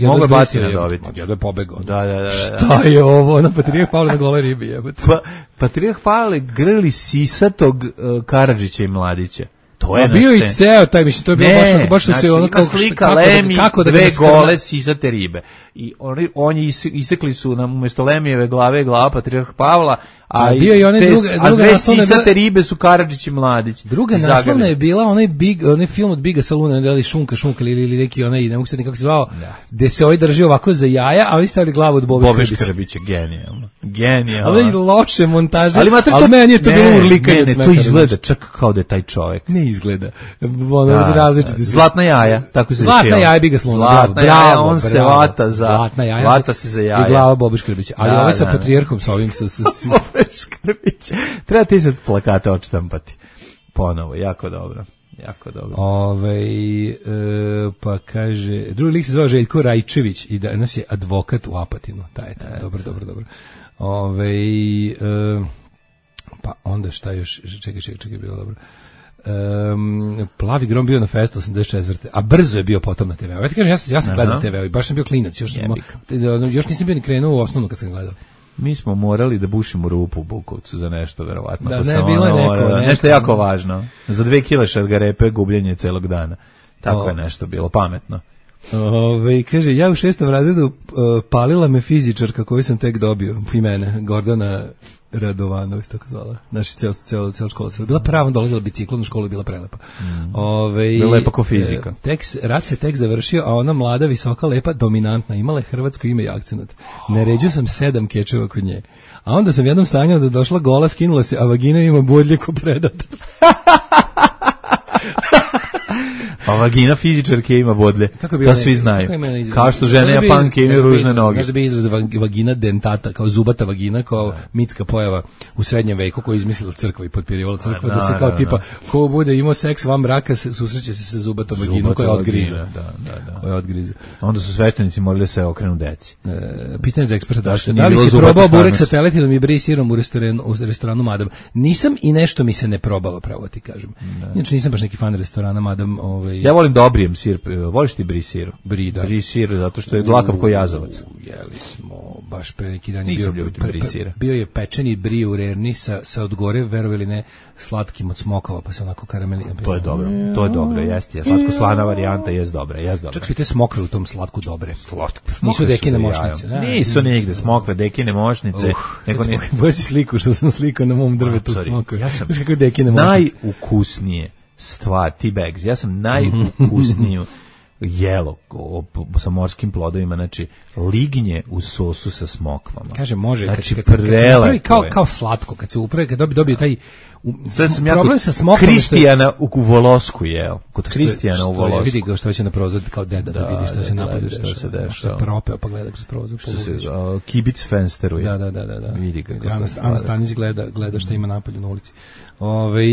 mogu baciti na dobiti. Ja da je pobegao. Da, da, da. Šta je ovo, na Patrijarha Pavla na gole ribi, jebote. Pa, Patrijarh Pavle grli sisatog Karadžića i Mladića. To je a bio i ceo taj, mislim, to je bilo ne, baš, baš znači, se ono kao slika kako, Lemi, kako da dve gole sisate ribe. I oni, oni isekli su nam umjesto Lemijeve glave glava Patrijarh Pavla, a, a, bio i one te, druga, a druga dve sisate bila, ribe su Karadžić i Mladić. Druga naslovna je bila onaj, big, onaj film od Biga Saluna, da li Šunka, Šunka ili, ili neki onaj, ne mogu se nekako se zvao, da. Gde se ovaj drži ovako za jaja, a ovi stavili glavu od Bobe Škrbića. Bobe Škrbića, genijalno. Genijalno. Ali loše montaže, ali, ali meni je to ne, bilo urlikanje. Ne, ne, to izgleda čak kao da je taj čovjek. Ne izgleda. Ono, da, različiti. Zlatna jaja, tako se Zlatna jaja Biga Saluna. Zlatna jaja, on se vata za... Zlatna jaja. Vata se za jaja. I glava Bobe Škrbića. Ali ovaj sa Patrijarhom, sa ovim, sa... Bobe Škrbića. Treba ti sad plakate odštampati. Ponovo, jako dobro. Jako dobro. Ove, e, pa kaže, drugi lik se zvao Željko Rajčević i danas je advokat u Apatinu. Taj je taj, dobro, dobro, dobro. Ove, e, pa onda šta još, čekaj, čekaj, čekaj, bilo dobro. Um, Plavi grom bio na festu osamdeset četvrte a brzo je bio potom na te ve u. Ja ti kažem, ja sam, ja sam gledao te ve u i baš sam bio klinac, još, sam, još nisam bio ni krenuo u osnovnu kad sam gledao. Mi smo morali da bušimo rupu u Bukovcu za nešto, verovatno. Da, ne, bilo je neko, neko. Nešto neko. jako važno. Za dve kile šargarepe gubljenje celog dana. Tako o. je nešto bilo, pametno. Ove, kaže, ja u šestom razredu uh, palila me fizičarka koju sam tek dobio, i mene, Gordana Radovanović, tako zvala. Naša cijela cijel, cijel škola se bila prava, dolazila biciklom, u školu bila prelepa. Mm. Ove, bila lepa ko fizika. E, tek, rat se tek završio, a ona mlada, visoka, lepa, dominantna, imala je hrvatsko ime i akcenat. Naređio sam sedam kečeva kod nje. A onda sam jednom sanjao da došla gola, skinula se, a vagina ima bodlje ko predator. Pa vagina fizičarke ima bodlje. Kako bi to svi znaju. Kao što žene Japanke imaju ružne noge. Možda bi izraz vagina dentata, kao zubata vagina, kao da. mitska pojava u srednjem veku koju je izmislila crkva i potpirivala crkva, da, da se kao da, tipa, ko bude imao seks van braka, se, susreće se sa zubatom vaginom koja odgriže. Da, da, da. Koja odgrize. Onda su sveštenici morali se okrenu deci. E, pitanje za eksperta, da, da li si probao burek sa teletinom i bri sirom u restoranu, u restoranu Madam? Nisam i nešto mi se ne probava, pravo ti kažem. Inače nisam baš neki fan restorana Madam. Ovaj... Ja volim dobrijem sir. Voliš ti bri sir? Bri, da. Bri sir, zato što je dlakav ko jazavac. Jeli smo baš pre neki dan. Nisam bio, ljubitelj bri sira. Bio je pečeni bri u rerni sa, sa odgore, verovali ili ne, slatkim od smokava, pa se onako karameli. To je dobro, to je dobro, jeste. Slatko slana varijanta jest dobra, jest dobra. Čak su i te smokve u tom slatku dobre. Slatko. Nisu dekine mošnice. Da, nisu nigde smokve, dekine mošnice. Uh, nego ne... Boja si sliku što sam slikao na mom drvetu smokve. Ja sam kako dekine mošnice. Najukusnije stvar, T-bags, ja sam najukusniju jelo sa morskim plodovima, znači lignje u sosu sa smokvama. Kaže, može, znači, kad, kad, kad se upravi kao, kao slatko, kad se upravi, kad dobije, dobije taj u, sam problem ja sa smokvom. Kristijana u, u Volosku jeo, kod Kristijana u Volosku. Vidi ga što će na prozor kao deda da, da vidi što da, se napade, što, što se dešava. Što se propeo, pa gleda kroz prozor. Što se uh, kibic fensteruje. Da, da, da, da, da. Vidi ga. Ana Stanić gleda, gleda što ima napolju na ulici. Ove,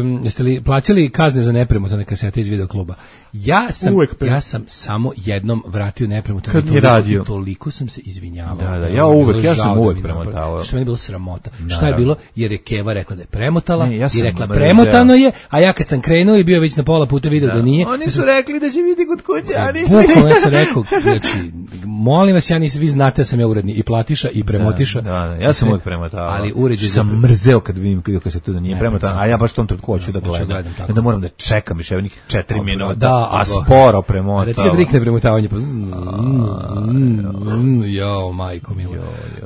um, jeste li plaćali kazne za nepremotane kasete iz videokluba? Ja sam uvek pet. Ja sam samo jednom vratio nepremotano. Kad nije radio. Toliko sam se izvinjavao. Da, da, ja uvek, ja sam uvek premotavao. Što meni je bilo sramota. Šta je bilo? Jer je Keva rekla da je premotala ne, ja i rekla mrzeo. Premotano je, a ja kad sam krenuo i bio već na pola puta video da, da nije. Oni su rekli da će biti kod kuće, a nisu. Bukvalno ja sam rekao, znači, molim vas, ja nisam, vi znate da sam ja uredni i platiša i premotiša. Da, da, da ja sam uvek premotavao. Ali uređaj sam mrzeo kad vidim kad se to da nije premotano, a ja baš tom trenutku hoću da gledam. Da moram da čekam još nekih četiri minuta, da, a sporo premotava. Recimo da rikne premotavanje, pa jao, majko milo.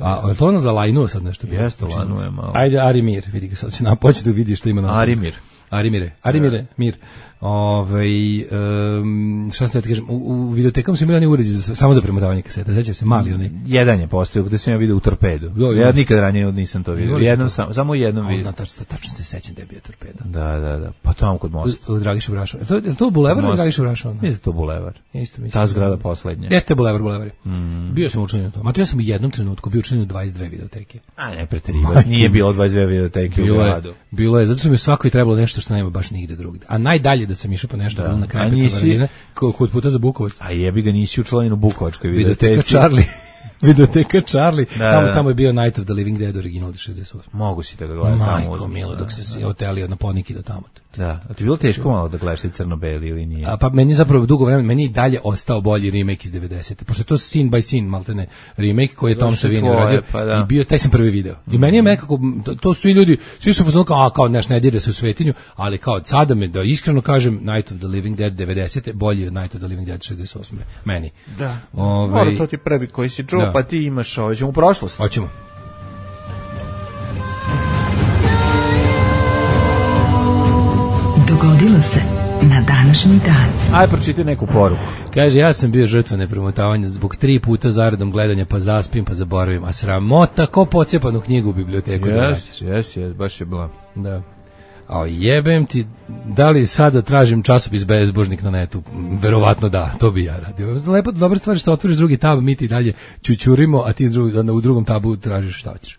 A to ono za lajnu sad nešto? Jeste, lajnu je malo. Ajde, Arimir, vidi ga sad, će napoći da vidiš što ima na... Arimir. Arimire, Arimire, mir. Ovaj um, šta ste da kažem, u, u videotekama su imali oni uređaji za, samo za premotavanje kaseta, sećaš se, mali onaj. Jedan je postojao gde sam ja video u Torpedu. Jo, ja nikad ranije nisam to vidio. Jednom sam, samo jednom vidio. Znam tačno, tačno se sećam da je bio Torpeda. Da, da, da. Pa tamo kod mosta. U, u Dragiša Brašova. To je to bulevar ili Dragiša Brašova? Mislim to bulevar. Isto mislim. Ta zgrada poslednja. Jeste bulevar, bulevar. Mm. Bio sam učlanjen u to. Ma ja sam u jednom trenutku bio učlanjen u dvadeset dve videoteke. A ne preterivaj. Nije bilo dvadeset dve videoteke u gradu. Bilo je, zato što mi svakoj trebalo nešto što nema baš nigde drugde. A najdalje da sam išao po nešto da. Na kraju Petrovaradina, kod puta za Bukovac. A jebi ga nisi učlanjen u Bukovačkoj videoteci. Videoteka Charlie. Videoteka Charlie. Da, tamo, da. tamo je bio Night of the Living Dead original šezdeset osam. Mogu si da ga gledam tamo. Majko milo, dok se si otelio na Poniki do tamo. Da, a ti bilo teško malo da gledaš crno-beli ili nije? A, pa meni zapravo dugo vremena, meni i dalje ostao bolji remake iz devedesete. Pošto je to scene by scene, maltene remake koji je Tom Savini uradio pa da. I bio, taj sam prvi video. I meni je nekako, to, to svi ljudi, svi su fazonu kao, a kao neš ne dire se u svetinju, ali kao sada me, da iskreno kažem, Night of the Living Dead devedesete bolji od Night of the Living Dead šezdeset osme meni. Da, Ove, mora to ti prvi koji si čuo, pa ti imaš, ovo ćemo u prošlost. Hoćemo. Dogodilo se na današnji dan. Aj, pročitaj neku poruku. Kaže, ja sam bio žrtva nepremotavanja zbog tri puta zaredom gledanja, pa zaspim, pa zaboravim. A sramota, ko pocepanu knjigu u biblioteku. Jes, jes, jes, baš je bila. Da. A jebem ti, da li sada tražim časopis Bezbožnik na netu? Verovatno da, to bi ja radio. Lepo, dobra stvar što otvoriš drugi tab, mi ti dalje čučurimo, a ti u drugom tabu tražiš šta hoćeš.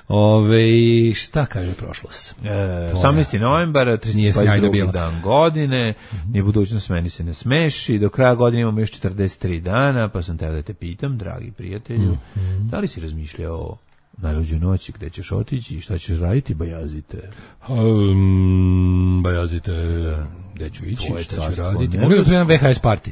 Ove, šta kaže prošlost? E, osamnaesti novembar, tristo dvadeset drugi dan godine, mm-hmm. Nije budućnost, meni se ne smeši, do kraja godine imamo još četrdeset tri dana, pa sam teo da te pitam, dragi prijatelju, mm-hmm. Da li si razmišljao o najluđoj noći, gde ćeš otići i šta ćeš raditi, Bajazite? Um, bajazite, gde ću ići, šta ću raditi? Mogu da primam ve ha es party?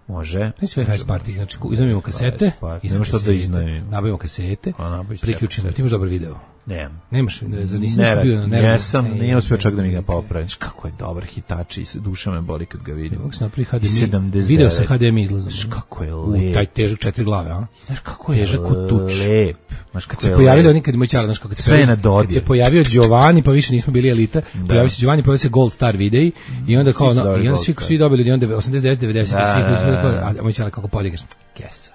Može. Sve ve ha es party, znači iznajmimo kasete, iznajmimo što da iznajmimo. Nabavimo kasete, priključimo, ti imaš dobar video. Nemam. Nemaš, za nisi nešto bio na Jesam, nije uspio čak da mi ga popraviš. Kako je dobar hitač i duša me boli kad ga vidim. Mogu se napraviti ha de emi, video sa ha de emi izlazom. Kako je lep. Taj težak četiri glave, a? Znaš kako je težak kod tuč. Lep. Znaš kako se pojavio nikad moj čala, znaš kako se sve na dodir. Kad se pojavio Giovanni, pa više nismo bili elita, pojavio se Giovanni, pojavio se Gold Star videi i onda kao, i onda svi svi dobili, onda osamdeset devet devedeset svi koji su rekao, a moj čala kako podigneš. Kesa.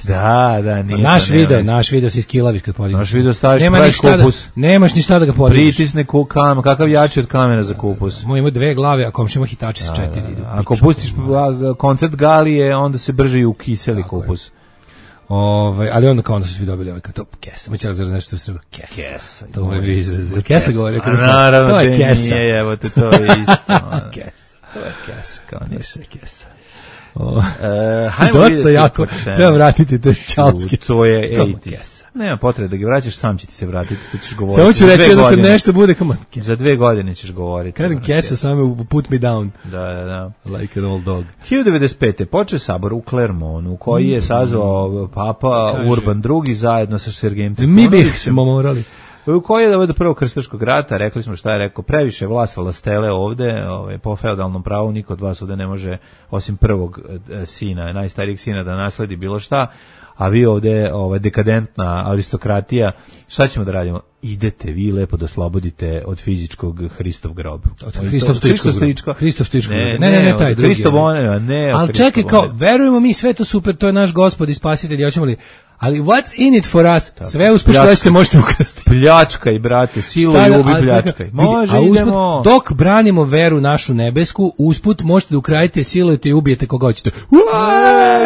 Da, da, nije. Naš video, naš video se iskilaviš kad podigneš. Naš video staviš pravi kupus. Nemaš ni šta da ga podigneš. Pritisne kamen, kakav jači od kamena za kupus. Moj ima dve glave, a komšija ima hitači sa četiri. Ako pustiš koncert Galije, onda se brže i ukiseli kupus. Ovaj, ali onda kao onda su svi dobili ovaj kao to kesa. Moće razvrati nešto u Srbu. Kesa. Kesa. To mu je bio izraz. Kesa govori. Naravno, to je kesa. Nije, evo te, to je isto. Kesa. To je kesa, kao ništa. Kesa. Uh, dosta jako, treba vratiti te čalske. To je osamdeset. Nema potrebe da ga vraćaš, sam će ti se vratiti, to ćeš govoriti. Samo ću reći da kad nešto bude kao za dve godine ćeš govoriti. Kažem kesa, samo put me down. Da, da, da. Like an old dog. hiljadu devedeset pete. počeo sabor u Clermontu, koji je sazvao Papa Kaže. Urban drugi zajedno sa Sergejem Trifunovićem. Mi bih smo morali. U kojoj je do prvog krstaškog rata, rekli smo šta je rekao, previše vlast valastele ovde, ovaj, po feudalnom pravu niko od vas ovde ne može, osim prvog e, sina, najstarijeg sina da nasledi bilo šta, a vi ovde ovaj, dekadentna aristokratija, šta ćemo da radimo? Idete vi lepo da slobodite od fizičkog Hristov grob. Hristov Stoičkog. Hristov Stoičkog. Ne, ne, ne, ne, taj drugi. Hristov one, ne. Ali čekaj, kao, verujemo mi sve to super, to je naš Gospod i Spasitelj, hoćemo li, Ali what's in it for us? Tako, sve usput što ste možete ukrasti. Pljačkaj, brate, silu i ubi pljačkaj. Može, a usput, idemo. dok branimo veru našu nebesku, usput možete da ukradete, silujete i ubijete koga hoćete. E,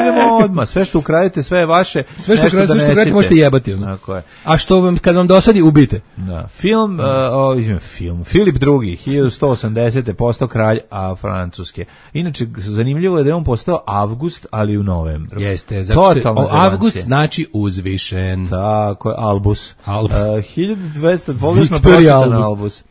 idemo odmah, sve što ukradete, sve je vaše. Sve što ukradete, sve što ukradete možete jebati. Tako je. A što vam, kad vam dosadi, ubijte. Da. Film, uh, o, izvim, film, Filip drugi, hiljadu sto osamdesete postao kralj a Francuske. Inače, zanimljivo je da je on postao Avgust, ali u novembru. Jeste, zato što o, Avgust znači uzvišen. Tako je, Albus. Albus. Uh, hiljadu dvesta, pogrešno pročitan Albus.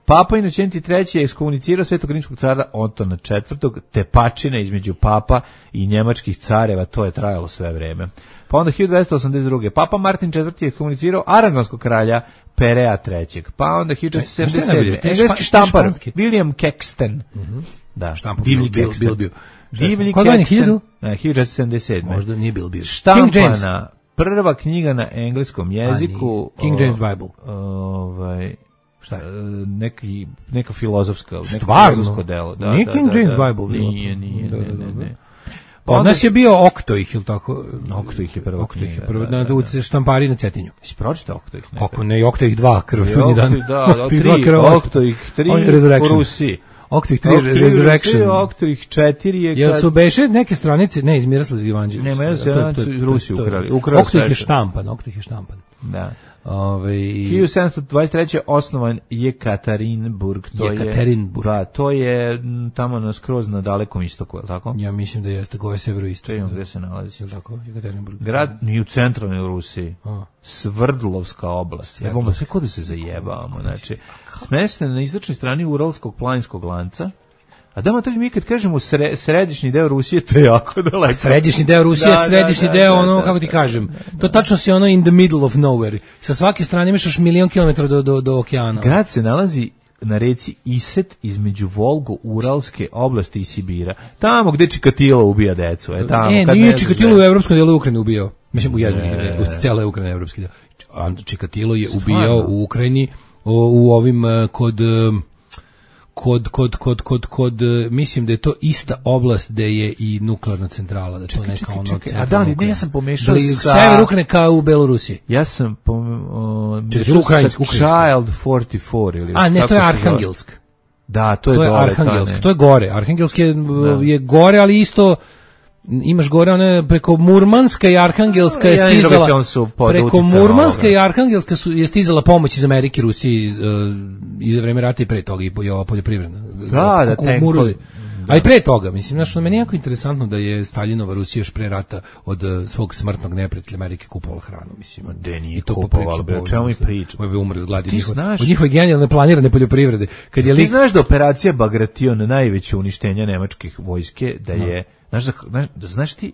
Papa Inocenti treći je ekskomunicirao Svetog rimskog cara Otona četvrtog, tepačina između papa i njemačkih careva, to je trajalo sve vreme. Pa onda hiljadu dvesta osamdeset druge. Papa Martin četvrti je ekskomunicirao aragonskog kralja Perea trećeg. Pa onda hiljadu četiristo sedamdeset sedme. Engleski štampar William Caxton. Mm-hmm. Da, štampar divlji bil, Caxton. Bil, bil, bil. Divlji Kod Caxton. hiljadu? Ne, hiljadu četiristo sedamdeset sedme. Možda nije bil bil. Štampana prva knjiga na engleskom jeziku. King James Bible. Ovaj... Šta je? Neki, neka filozofska, neko filozofsko delo. Da, nije da, King da, James da, Bible. Nije, nije, ne, ne, ne. Pa od nas je bio Oktoih, ili tako? Oktoih je prva Oktoih knjiga. je prva, da, da, da, štampari na Cetinju. Si pročitao Oktoih nekada? Kako ne, Oktoih dva, krv sudnji dan. Da, da, tri, Oktoih tri u Rusiji. Oktoih tri, Resurrection. Oktoih četiri je... Jel su beše neke stranice, ne, iz Miroslavlja Ivanđelja. Nema, ja se iz Rusije ukrali. Oktoih je štampan, Oktoih je štampan. Da. Ove, hiljadu sedamsto dvadeset treće osnovan je Jekaterinburg, to je Jekaterinburg. Da, to je tamo na skroz na dalekom istoku, je li tako? Ja mislim da jeste, gore severoistok. To gde se nalazi. Je li tako? Jekaterinburg. Grad ni u centralnoj Rusiji. A. Svrdlovska oblast. Evo, sve kod da se zajebavamo, znači. Smešten na istočnoj strani Uralskog planinskog lanca. A da, mater, mi kad kažemo sre, središnji deo Rusije, to je jako daleko. Središnji deo Rusije, da, središnji da, deo, da, ono, da, kako ti da, kažem, da, da, to tačno si ono in the middle of nowhere. Sa svake strane imaš još milion kilometara do, do, do okeana. Grad se nalazi na reci Iset između Volgo-Uralske oblasti i Sibira. Tamo gde Čikatilo ubija decu. E, tamo, e, kad nije ne Čikatilo u evropskom delu Ukrajine ubijao. Mislim, u jednom, u cijela Ukrajina je evropski deo. Čikatilo je ubijao u Ukrajini, u, u ovim, kod... Kod, kod, kod, kod, kod, mislim da je to ista oblast gde je i nuklearna centrala, da je to neka ono centralna. A da, ne, ja sam pomešao sa... Sever Ukrajine kao u Belorusiji. Ja sam pomešao sa Child četrdeset četiri ili... A, ne, to je Arhangelsk. Da, to je, to je dole. Arhangelsk, to je gore. Arhangelsk je, je gore, ali isto... Imaš gore one preko Murmanska i Arhangelska je stizala preko Murmanska i Arhangelska su je stizala pomoć iz Amerike, Rusije iz, uh, iz vreme rata i pre toga i ova poljoprivredna. Da, da, tenkovi. A i pre toga, mislim, znaš, meni je jako interesantno da je Staljinova Rusija još pre rata od uh, svog smrtnog neprijatelja Amerike kupovala hranu, mislim. De nije kupovala, bre, o čemu mi priča? Ovo je umre od gladi, njihove, od njihove genijalne planirane poljoprivrede. Kad je ti lik... znaš da operacija Bagration, najveće uništenje nemačkih vojske, da je... Znaš, znaš, znaš ti,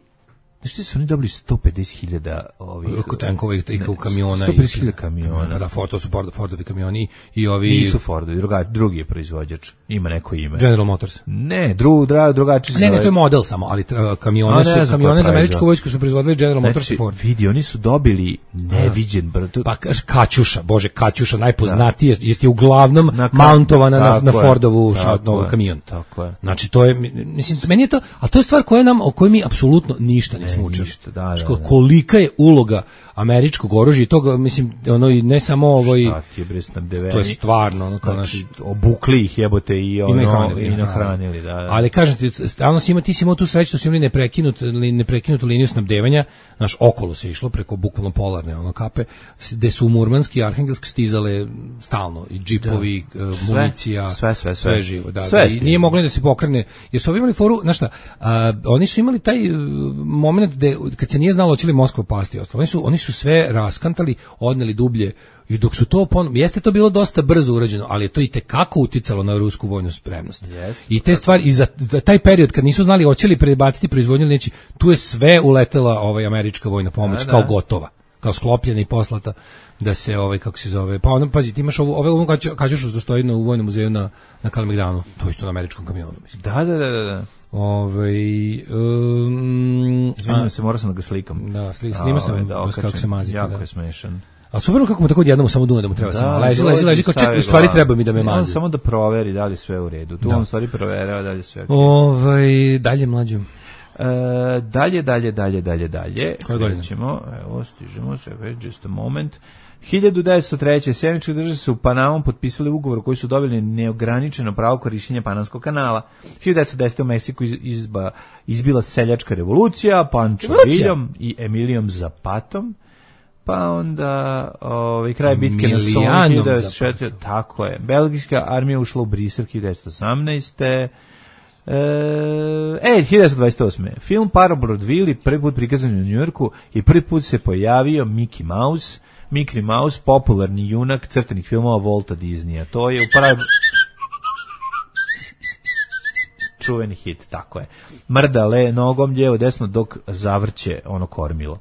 znaš ti su oni dobili sto pedeset hiljada ovih... Tankova i kamiona. sto pedeset hiljada kamiona. Da, to su Ford, Fordovi kamioni i ovi... Nisu Fordovi, druga, drugi je proizvođač. Ima neko ime. General Motors. Ne, dru, dra, drugačiji se... Ne, ne, to je model samo, ali kamione su, kamione za američku vojsku su proizvodili General Motors znači, i Ford. Vidi, oni su dobili neviđen brdo. Pa Kaćuša, bože, Kaćuša, najpoznatije, da. Jeste uglavnom na, mountovana na, na Fordovu šatnovu kamion. Tako je. Znači, to je, mislim, meni je to, ali to je stvar koja nam, o kojoj mi apsolutno ništa ne smo učili. Da, da, da. Kolika je uloga američkog oružja i toga, mislim, ono i ne samo ovoj... Šta ti je bre, to je stvarno, ono kao znači, naš... obukli ih jebote i ono, i nahranili, nahranili da, da. Ali kažem ti, stalno si ima, ti si imao tu sreću, su imali neprekinut, neprekinutu liniju snabdevanja, naš okolo se išlo preko bukvalno polarne ono kape, gde su u Murmanski i Arhangelsk stizale stalno i džipovi, da. Sve, municija, sve, sve, sve. sve živo. Da, sve da, i nije moglo da se pokrene, jer su ovi imali foru, znaš šta, a, oni su imali taj uh, moment gde, kad se nije znalo hoće li Moskva pasti, ostalo, oni su, oni su sve raskantali, odneli dublje. I dok su to pon... jeste to bilo dosta brzo urađeno, ali je to i tekako uticalo na rusku vojnu spremnost. Jeste, I te stvari i za, za taj period kad nisu znali hoće li prebaciti proizvodnju ili neće, tu je sve uletela ovaj američka vojna pomoć da, kao da. Gotova, kao sklopljena i poslata da se ovaj kako se zove. Pa onda pazi, ti imaš ovo ove ovo kažeš što stoji na u vojnom muzeju na na Kalemegdanu, to je isto na američkom kamionu, mislim. Da, da, da, da. Ovaj um, izvinjavam se, morao sam da ga slikam. Da, slik, snima sam da, kako se mazi. Jako da. je smešan. A super kako mu tako jednom samo dune da mu treba da, samo leži, leži, leži, kao ček, u stvari treba mi da me mazi. On samo da proveri da li sve u redu. Tu da. on stvari proverava da li sve. Ovaj dalje mlađe. E, dalje, dalje, dalje, dalje, dalje. Koje godine? Ćemo, evo, stižemo, just a moment. hiljadu devetsto treće. Sjevernjačke države su u Panamom potpisali ugovor koji su dobili neograničeno pravo korišćenja Panamskog kanala. hiljadu devetsto desete. u Meksiku izba, izbila seljačka revolucija, Pancho Villom i Emilijom Zapatom. Pa onda ovaj kraj bitke na Somme hiljadu devetsto četvrte. Tako je. Belgijska armija ušla u Brisel hiljadu devetsto osamnaeste. E, hiljadu devetsto dvadeset osme. Film Parabrodvili prvi put prikazan u Njujorku i prvi put se pojavio Mickey Mouse. Mickey Mouse, popularni junak crtanih filmova Walta Disneya. To je u pravi... čuveni hit, tako je. Mrda le nogom lijevo desno dok zavrće ono kormilo.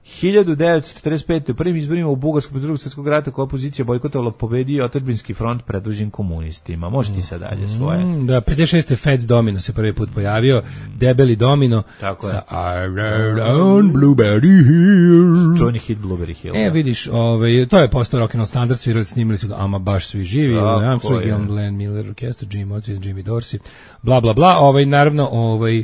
hiljadu devetsto četrdeset pete. u prvim izborima u Bugarskog drugog svjetskog rata koja opozicija bojkotovala pobedio otadžbinski front predvođen komunistima. Može ti sad dalje svoje. Mm, da, pedeset šeste. Fats Domino se prvi put pojavio. Debeli Domino tako sa I rode on Blueberry Hill. Čuveni hit Blueberry Hill. E, vidiš, ovaj, to je postao rock and roll standard, svirali, snimali su ga ama baš svi živi. Armstrong, Glenn Miller Orchestra, Jim Morrison, Jimmy Dorsey, bla, bla, bla. Ovaj, naravno, ovaj,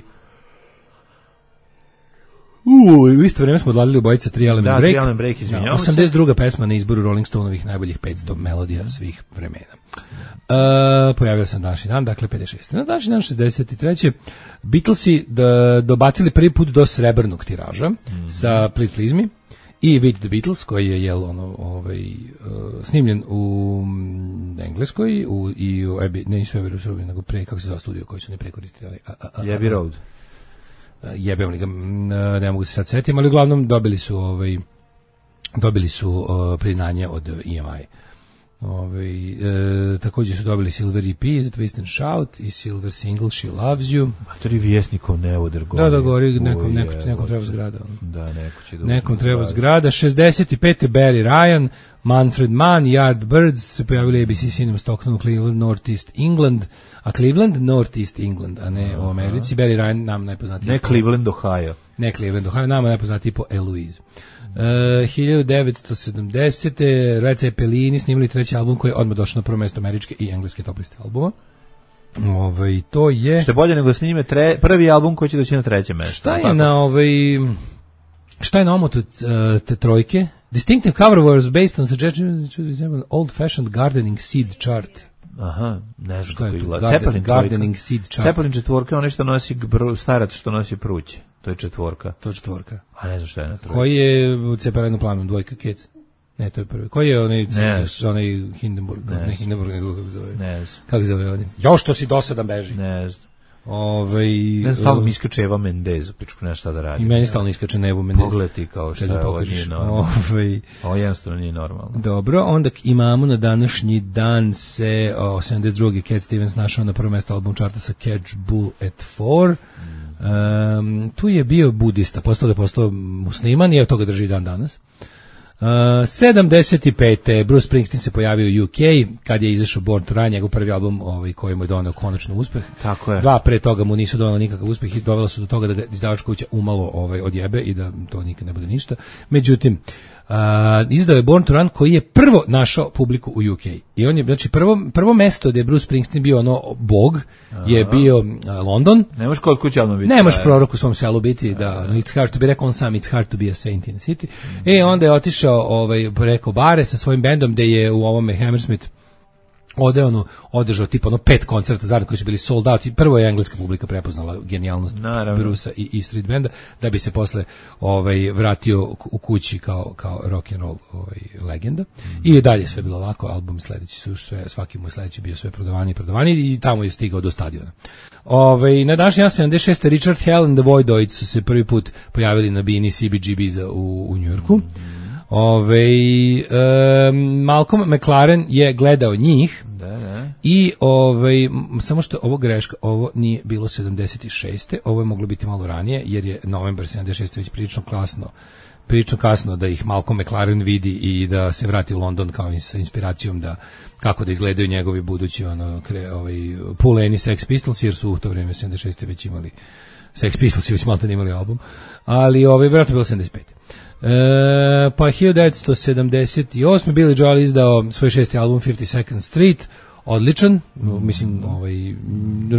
U, u isto vrijeme smo odladili u bojica tri Element da, Break. tri Element Break, izvinjavam se. osamdeset druga pesma na izboru Rolling Stoneovih najboljih petsto melodija svih vremena. Uh, pojavio sam današnji dan, dakle pedeset šeste. Na današnji dan šezdeset treće. Beatlesi da, dobacili prvi put do srebrnog tiraža mm-hmm. sa Please Please Me i With the Beatles, koji je jel, ono, ovaj, uh, snimljen u Engleskoj u, i u Abbey, ne nisu Abbey Road, nego pre, kako se zove studio koji su ne prekoristili. Abbey Road. Jebem li ga, ne mogu se sad setim, ali uglavnom dobili su ovaj dobili su uh, priznanje od E M I. Ovaj e, takođe su dobili Silver E P za Twist and Shout i Silver Single She Loves You. Matori Vjesnikov Nevoder gori. Da, da gori, nekom, nekom, nekom treba zgrada. Da, neko će da nekom treba zgrada. šezdeset pete. Barry Ryan, Manfred Mann, Yardbirds se pojavili A B C Cinema Stockton, Cleveland, Northeast England, a Cleveland, Northeast England, a ne u Americi. Barry Ryan nam najpoznatiji. Ne Cleveland, Ohio. Ne Cleveland, Ohio, nama najpoznatiji po Eloise. Uh, hiljadu devetsto sedamdesete. Led Zeppelini snimali treći album koji je odmah došao na prvo mesto američke i engleske top liste albuma. Ovaj to je što je bolje nego da snime tre, prvi album koji će doći na treće mesto. Šta je tako? na ovaj šta je na omotu te trojke? Distinctive cover was based on suggestion old fashioned gardening seed chart. Aha, ne znam kako izgleda. Zeppelin gardening seed chart. Zeppelin četvorka, onaj što nosi starac što nosi pruće. To je četvorka. To je četvorka. A ne znam šta je na trojka. Koji je u Zeppelinu planom dvojka Kec? Ne, to je prvi. Koji je onaj, onaj Hindenburg? Ne, ne Hindenburg, nego kako zove? Ne znam. Kako zove ovdje? Jo, što si dosadan beži? Ne znam. Ove, ne znam, stalno mi iskače Eva Mendez, pičku nešto šta da radi. I meni stalno iskače na Evu Mendez. Pogledaj kao šta je, ovo nije normalno. Ove, ovo jednostavno nije normalno. Dobro, onda imamo na današnji dan se o, sedamdeset druge. Cat Stevens našao na prvo mjesto album charta sa Catch Bull at Four. Mm. Um, tu je bio budista, postao da je postao musliman i evo toga drži dan danas. Uh, sedamdeset pete. Bruce Springsteen se pojavio u U K kad je izašao Born to Run, njegov prvi album ovaj, koji mu je doneo konačno uspeh. Tako je. Dva pre toga mu nisu doneli nikakav uspeh i dovelo su do toga da ga izdavačka kuća umalo ovaj, odjebe i da to nikad ne bude ništa. Međutim, uh, izdao je Born to Run koji je prvo našao publiku u U K. I on je, znači, prvo, prvo mesto gdje je Bruce Springsteen bio ono bog je Aha. bio uh, London. Ne možeš kod kuće album biti. Ne možeš prorok u svom selu biti, da, no, it's hard to be, rekao on sam, it's hard to be a saint in a city. Mm. E, onda je otišao ovaj, preko bare sa svojim bendom gde je u ovome Hammersmith Ode ono, održao tipa ono pet koncerta zajedno koji su bili sold out i prvo je engleska publika prepoznala genijalnost Brusa i, i Street Banda da bi se posle ovaj, vratio u kući kao, kao rock and roll ovaj, legenda. Mm. I dalje sve bilo lako, album sledeći su sve, svaki mu sledeći bio sve prodavani i prodavani i tamo je stigao do stadiona. Ovaj, na današnji dan sedamdeset šeste. Richard Hell and the Voidoids su se prvi put pojavili na bini C B G B-za u, u Njujorku. Mm. Ove, um, Malcolm McLaren je gledao njih da, da. I ove, samo što ovo greška, ovo nije bilo sedamdeset šeste. Ovo je moglo biti malo ranije jer je novembar sedamdeset šeste već prilično kasno, prilično kasno da ih Malcolm McLaren vidi i da se vrati u London kao sa inspiracijom da kako da izgledaju njegovi budući ono, kre, ovaj, puleni Sex Pistols jer su u to vrijeme sedamdeset šeste već imali Sex Pistols i već malo imali album, ali ovaj, vjerojatno bilo sedamdeset pete. E, pa hiljadu devetsto sedamdeset osme. Billy Joel izdao svoj šesti album fifty second Street. odličan, mislim, ovaj,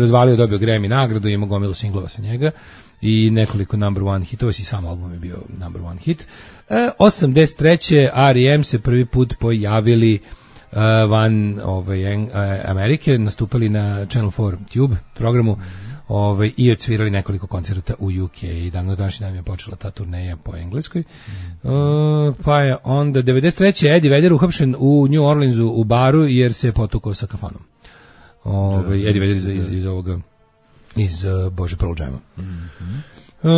razvalio, dobio Grammy nagradu, ima gomilu singlova sa njega i nekoliko number one hitova, i sam album je bio number one hit. E, osamdeset treće R E M se prvi put pojavili uh, van ovaj, uh, Amerike, nastupali na Channel four Tube programu, ovaj, i odsvirali nekoliko koncerta u U K i danas današnji dan je počela ta turneja po engleskoj. Uh, pa je onda devedeset treće Eddie Vedder uhapšen u New Orleansu u baru jer se je potukao sa kafanom. Ovaj, Eddie Vedder iz, iz, iz ovoga iz uh, Bože Pearl Jama. Mm-hmm. Uh,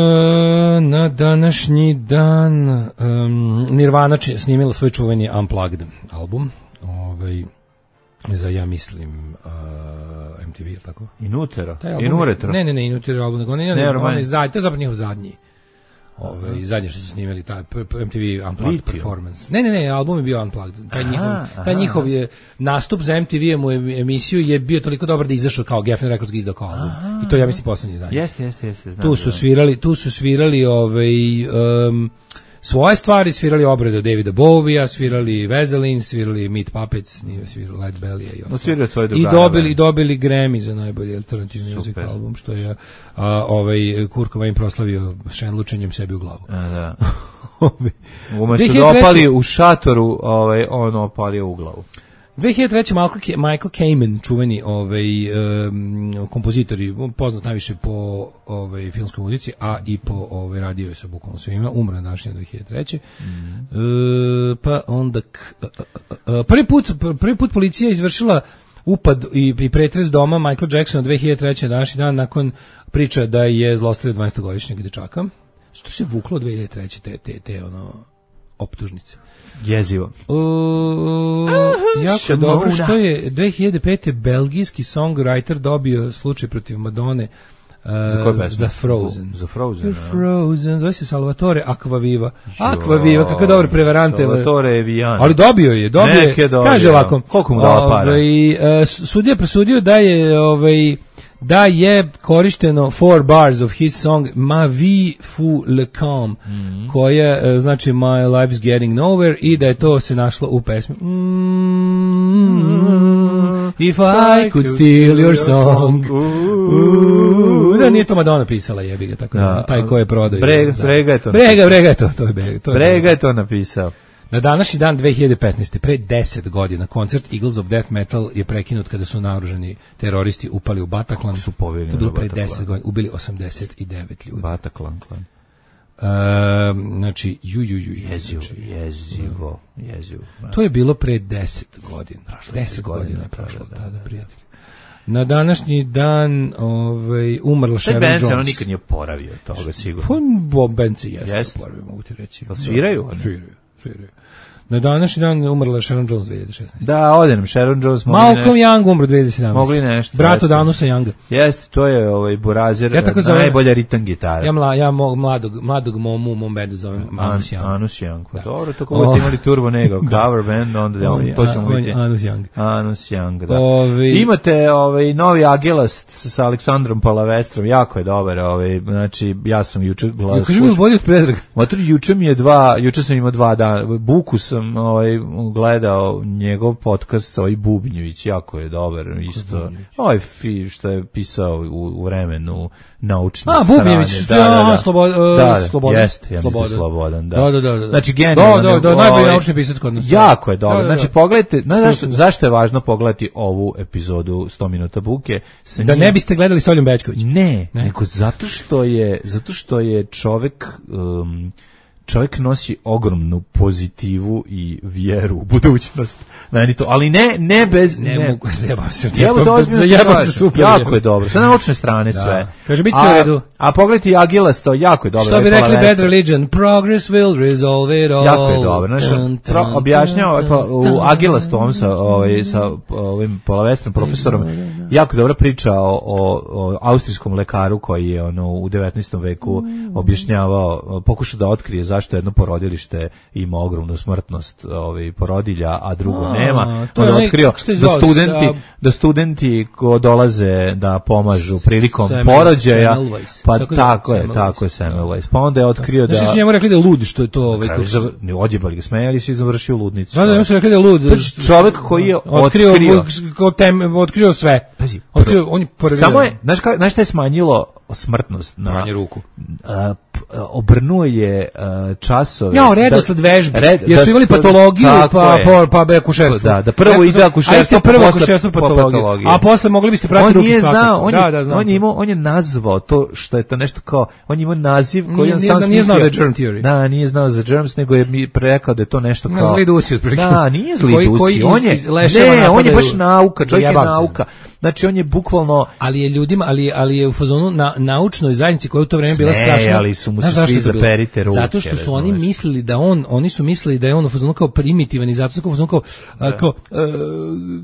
na današnji dan um, Nirvana či, snimila svoj čuveni Unplugged album, ovaj, za, ja mislim, uh, M T V, tako? Inutero? Inuretro? Ne, ne, ne, Inutero album, nego ne, ne, ne, ne, zadnji, to je zapravo njihov zadnji. Ove, uh-huh. Zadnje što su snimali taj M T V Unplugged Litio. Performance. Ne, ne, ne, album je bio Unplugged. Taj aha, njihov, aha. taj njihov je nastup za M T V-em u emisiju je bio toliko dobar da izašao kao Geffen Records ga izdao kao album. Aha. I to ja mislim poslednji zadnji. Jeste, jeste, jeste. Tu su svirali, tu su svirali ovaj um, svoje stvari, svirali obrade od Davida Bowie-a, svirali Vaseline, svirali Meat Puppets, nije svirali Light Belly-a i ostalo. I dobili, dobili Grammy za najbolji alternativni music album, što je a, ovaj Kurt Cobain proslavio šenlučenjem sebi u glavu. A, da. Umesto da opali u šatoru, ovaj, on opalio u glavu. dve hiljade treće Michael Kamen, čuveni ovaj um, kompozitor i poznat najviše po ovaj filmskoj muzici, a i po ovaj radio je sa bukvalno svima, umro današnje dve hiljade treće. Mm. E, pa onda k, a, a, a, prvi put prvi put policija izvršila upad i, i pretres doma Michael Jacksona dve hiljade treće današnji dan nakon priča da je zlostavljao dvanaestogodišnjeg dečaka. Što se vuklo dve hiljade treće te te te ono optužnice. Jezivo. Uh, jako dobro što je dve hiljade pete belgijski songwriter dobio slučaj protiv Madone uh, za, za Frozen. Za Frozen. Frozen, zove se Salvatore Acquaviva. Acquaviva, kako dobro prevarante. Salvatore Vian. Ali dobio je, dobio je. Kaže ovako. Koliko mu dala para? Ovaj, uh, sudija presudio da je ovaj da je korišteno four bars of his song Ma vie fou le calm, mm-hmm. koja znači My life's getting nowhere, i da je to se našlo u pesmi mm-hmm. If I could steal your song. Ooh. Da nije to Madonna pisala, jebi ga, tako da, taj ko je prodao. Brega, brega je to. Brega, brega je to, to je Brega. To je brega je to napisao. Na današnji dan dve hiljade petnaeste pre deset godina, koncert Eagles of Death Metal je prekinut kada su naoružani teroristi upali u Bataclan. Su poveli na pre deset godina, ubili osamdeset devet ljudi. Bataclan klan. Uh, znači, ju, ju, ju, jezivo, znači, jezivo, jezivo. To je bilo pre deset godina. deset godina je prošlo tada, prijatelji. Na današnji dan ovaj, umrla Sharon Jones. Taj band se nikad nije oporavio toga, sigurno. Pa, band se jeste oporavio, mogu ti reći. Pa sviraju? Da, sviraju, sviraju. Na današnji dan umrla Sharon Jones dve hiljade šesnaeste. Da, ode nam Sharon Jones. Malcolm Young umro dve hiljade sedamnaeste. Mogli nešto. Brato Danusa Younga. Jeste, to je ovaj burazer, ja najbolja ritam gitara. Ja, mla, ja mog, mladog, mladog momu u mom bendu zovem Anus Young. Anus Young. Da. Dobro, tako oh. imali Turbo Nego, cover band, onda oh, to ćemo vidjeti. Anus Young. Anus Young, da. Ovi... Imate ovaj, novi Agilast sa Aleksandrom Palavestrom, jako je dobar. Ovaj, znači, ja sam juče gledao. Kaži mi u bolji od Predraga. Motor, juče mi je dva, juče sam imao dva dana. Buku sam ovaj, gledao njegov podcast, ovaj Bubnjević, jako je dobar, isto. Ovaj fi što je pisao u, u vremenu naučne A, strane. Bubnjević, da, da, da. Aha, slobo, uh, da, da, Slobodan. Jeste, ja mislim Slobodan, da. Da, da, da, da. Znači, genijalno. Da, da, da, najbolji naučni pisac kod nas. Jako je dobro. Da, da, da. Znači, pogledajte, no, zašto, zašto je važno pogledati ovu epizodu sto minuta buke? Da njim... ne biste gledali s Oljom Bećković. Ne, ne, nego zato što je, zato što je čovek... Um, čovjek nosi ogromnu pozitivu i vjeru u budućnost. Meni to, ali ne ne bez ne, ne. mogu zajebam se. Zajebam se super. Jako je dobro. Sa naučne strane da. Sve. Kaže bit će u redu. A pogledajte Agilas, to jako je dobro. Što bi rekli Bad Religion, progress will resolve it all. Jako je dobro. Znači, objašnjava pa, u Agilas tom sa ovaj sa ovim Palavestrom profesorom jako dobra priča o, o, o austrijskom lekaru koji je ono u devetnaestom veku objašnjavao, pokušao da otkrije zašto jedno porodilište ima ogromnu smrtnost ovaj porodilja, a drugo a, nema. On je otkrio da studenti, da studenti ko dolaze da pomažu prilikom Samuel, porođaja, Semmelweis. pa tako, tako je, je, tako je Semmelweis. Pa onda je otkrio da... Znači su njemu rekli da je lud, što je to... Ovaj, Kraju, zav... Ne, odjebali ga, smejali se i završio ludnicu. Da, da, njemu su rekli da je lud. Čovjek koji je otkrio... Otkrio, tem, otkrio sve. Pazi, otkrio, on je prvi... Samo je, znaš, ka, znaš šta je smanjilo smrtnost? Na Pranje ruku. A, obrnuo je uh, časove. Ja, redosled vežbe. Red, jer su imali patologiju, pa, pa, pa be akušerstvo. Da, da prvo ide akušerstvo, pa prvo akušerstvo, patologiju. A posle mogli biste pratiti ruke svakako. On, da, je, da, znam. on, je imao, on je nazvao to što je to nešto kao, on je imao naziv koji on sam smislio. Nije znao da je germ theory. Da, nije znao za germs, nego je mi rekao da je to nešto kao... Zli dusi, otprilike. Da, nije zli koji, dusi. Koji on je, ne, on je baš nauka, čovjek je nauka. Znači, on je bukvalno... Ali je ljudima, ali, ali je u fazonu na naučnoj zajednici koja je u to vreme bila strašna. Ali su mu se svi zaperite ruke. Zato što su oni mislili da on, oni su mislili da je on u fazonu kao primitivan i zato su kao u fazonu kao, a, kao, a,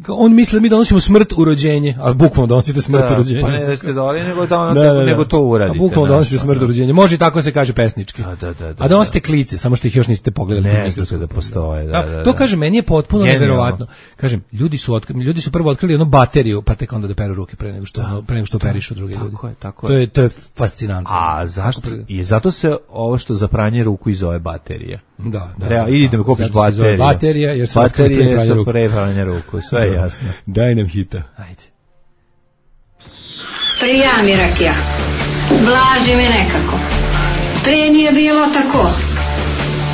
kao on misli da mi donosimo smrt u rođenje, a bukvalno donosite smrt da, u rođenje. Pa ne da ste doli, nego, da ono, da, da, da. nego to uradite. A bukvalno donosite smrt u rođenje. Može i tako se kaže pesnički. Da, da, da, da, a donosite klice, samo što ih još niste pogledali. Ne, znate da postoje. Da, da, da. To kaže, meni je potpuno neverovatno. Kažem, ljudi su, otkri, ljudi su prvo otkrili jednu bateriju, pa tek onda da peru ruke pre nego što, da, pre nego što operišu druge ljudi. Tako je, tako to je. To je fascinantno. A zašto? I zato se ovo što za pranje ruku i zove baterija. Da, da. Treba, da, idite mi kupiš bateriju. Baterija, jer su baterije su pre pranje ruku, sve je jasno. Daj nam hita. Ajde. Prija mi rakija. Blaži mi nekako. Prije nije bilo tako.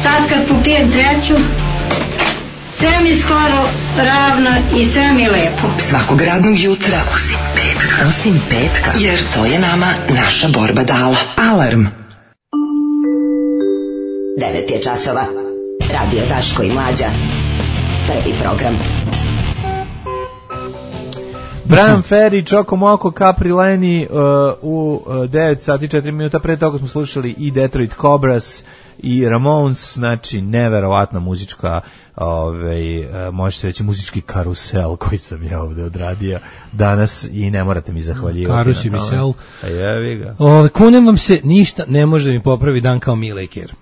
Sad kad popijem treću, sve mi skoro ravno i sve mi lepo. Svakog radnog jutra, osim petka, osim petka, jer to je nama naša borba dala. Alarm. devet je časova. Radio Daško i Mlađa. Prvi program. Brian Ferry, Čoko Moko, Capri Leni uh, u uh, devet sati četiri minuta. Pre toga smo slušali i Detroit Cobras i Ramones, znači neverovatna muzička, ovaj, uh, može se reći muzički karusel koji sam ja ovde odradio danas i ne morate mi zahvaljivati. Karusi mi sel. A jevi ga. Ove, kunem vam se, ništa ne može mi popravi dan kao Mile i Ker.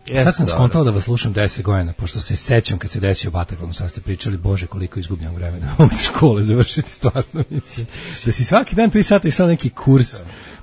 Yes, sad sam skontala da vas slušam deset godina, pošto se sećam kad se desio Bataclan, sad ste pričali, bože koliko izgubljam vremena u škole završiti, stvarno mislim. Da si svaki dan tri sata išao neki kurs,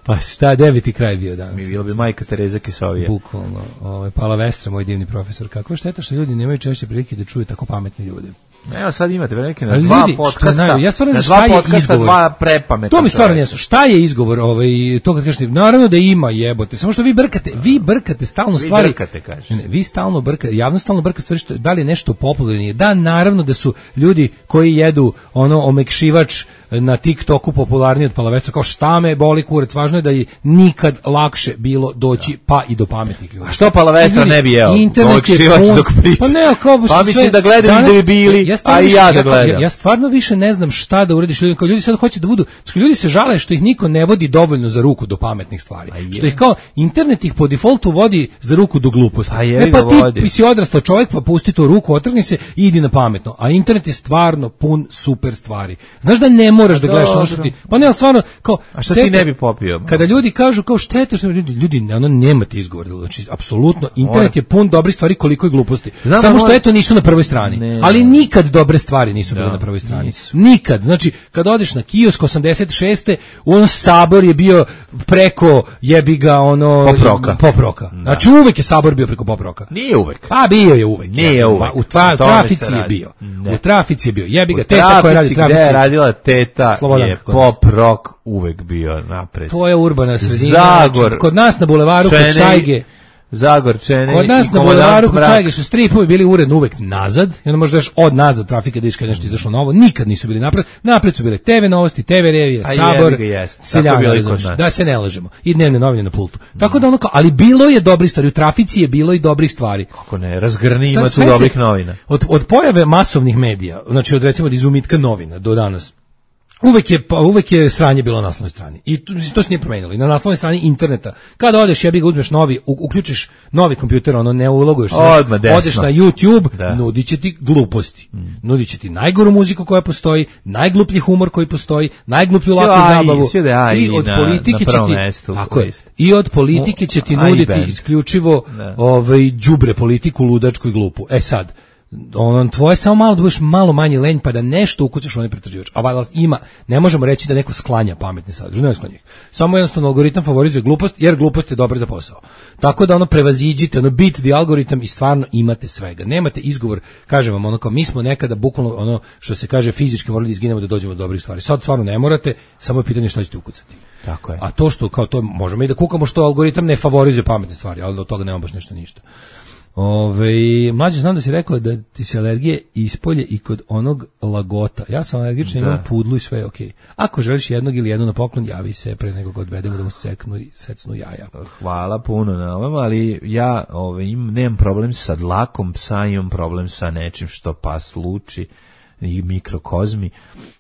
pa šta, deveti kraj bio danas. Mi bilo bi majka Tereza Kisovija. Bukvalno, ovaj, Pala Vestra, moj divni profesor, kakva šteta što ljudi nemaju češće prilike da čuju tako pametni ljudi. Evo sad imate velike na ali dva ljudi, podcasta, znaju, ja stvarno na šta dva je podcasta, izgovor. Dva prepametna. To mi stvarno nije jasno. Šta je izgovor ovaj, to kad kažete, naravno da ima jebote, samo što vi brkate, vi brkate stalno vi stvari. Brkate, kažeš. Ne, vi stalno brkate, javno stalno brkate stvari, što, da li je nešto popularno. Da, naravno da su ljudi koji jedu ono omekšivač na TikToku popularniji od Palavestra, kao šta me boli kurac, važno je da je nikad lakše bilo doći pa i do pametnih ljudi. A što Palavestra ne bi jeo? Omekšivač dok priča. Pa ne, kao pa mislim da gledaju da je bili, ja a i ja da gledam. Ja, ja stvarno više ne znam šta da uradiš ljudima, kao ljudi sad hoće da budu, što ljudi se žale što ih niko ne vodi dovoljno za ruku do pametnih stvari. Što ih kao internet ih po defaultu vodi za ruku do gluposti. E pa ti, ti si odrastao čovjek, pa pusti tu ruku, otrgni se i idi na pametno. A internet je stvarno pun super stvari. Znaš da ne moraš da gledaš ono što ti, pa ne, ali stvarno, kao, a šta ti ne bi popio? Kada ljudi kažu kao šteta što ljudi, ljudi ono nemate izgovor, znači apsolutno internet je pun dobrih stvari koliko i gluposti. Znam, samo što eto nisu na prvoj strani. Ne, ali nikad dobre stvari nisu bile na prvoj strani. Nisu. Nikad. Znači kad odeš na kiosk osamdeset šeste on Sabor je bio preko jebi ga ono poproka. Poproka. Znači uvek je Sabor bio preko poproka. Nije uvek. A bio je uvek. Nije uvek. U tva, trafici je bio. Ne. U trafici je bio. Jebi ga teta koja radi trafici. Gde je radila teta je pop rock uvek bio napred. To je urbana sredina. Zagor. Znači, kod nas na bulevaru kod Štajge. Zagorčene. Kod nas na bulevaru kod Štajge su stripovi bili uredno uvek nazad. I onda možda još od nazad trafike da iš kad nešto izašlo novo. Nikad nisu bili napred. Napred su bile te ve novosti, te ve revije, Sabor, Seljana, da se ne lažemo. I dnevne novine na pultu. Mm. Tako da ono kao, ali bilo je dobrih stvari. U trafici je bilo i dobrih stvari. Kako ne, razgrni ima tu dobrih novina. Od, od pojave masovnih medija, znači od recimo od izumitka novina do danas, Uvek je, pa, uvek je sranje bilo na naslovnoj strani. I to, to se nije promenilo. I na naslovnoj strani interneta, kada odeš, ja bih ga uzmeš novi, u, uključiš novi kompjuter, ono ne uloguješ, odeš na YouTube, da. Nudit će ti gluposti. Mm. Nudit će ti najgoru muziku koja postoji, najgluplji humor koji postoji, najgluplju laku zabavu. I od na, politike na će ti, mestu, tako je, i od politike će ti nuditi isključivo ovaj, đubre politiku, ludačku i glupu. E sad, ono tvoje samo malo da budeš malo manje lenj pa da nešto ukucaš onaj pretraživač. A valjda ima, ne možemo reći da neko sklanja pametni sadržaj, ne sklanja ih. Samo jednostavno algoritam favorizuje glupost jer glupost je dobra za posao. Tako da ono prevaziđite, ono beat the algoritam i stvarno imate svega. Nemate izgovor, kažem vam ono kao mi smo nekada bukvalno ono što se kaže fizički morali da izginemo da dođemo do dobrih stvari. Sad stvarno ne morate, samo je pitanje šta ćete ukucati. Tako je. A to što kao to možemo i da kukamo što algoritam ne favorizuje pametne stvari, ali od toga nema baš nešto ništa. Ove, mlađe, znam da si rekao da ti se alergije ispolje i kod onog lagota. Ja sam alergičan, imam pudlu i sve je okej. Ako želiš jednog ili jednu na poklon, javi se pre nego ga odvedemo da mu seknu i secnu jaja. Hvala puno na ovom, ali ja ove, im, nemam problem sa dlakom psa, imam problem sa nečim što pas luči i mikrokozmi,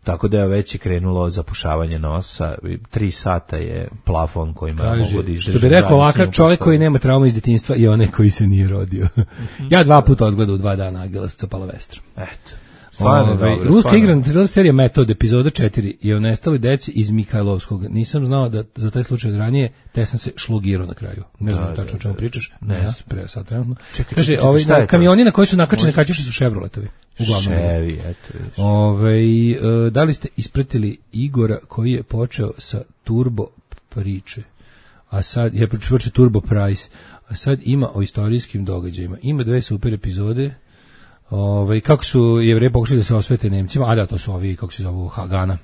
tako da je već krenulo zapušavanje nosa. Tri sata je plafon kojima Kaži, mogu da izdržim. Što bi rekao ovakav čovjek koji nema trauma iz djetinjstva i onaj koji se nije rodio. Ja dva puta odgledao u dva dana Agela sa Palavestrom. Eto. Stvarno, Ove, dobro, ruska stvarno. igrana thriller serija Metod, epizoda četiri je o nestali deci iz Mihajlovskog. Nisam znao da za taj slučaj od ranije, te sam se šlogirao na kraju. Ne znam tačno o čemu pričaš. Ne, ja, pre sad trenutno. Čekaj, Kaže, čekaj, ovaj, šta je to? kamioni na koji su nakačene kaćuše su Chevroletovi. Uglavnom. Chevy, eto. vidiš. Ove, e, da li ste ispratili Igora koji je počeo sa turbo priče? A sad, je počeo turbo price, a sad ima o istorijskim događajima. Ima dve super epizode. Ove, kako su Jevreji pokušali da se osvete Nemcima, a da, to su ovi, kako se zovu, Hagana.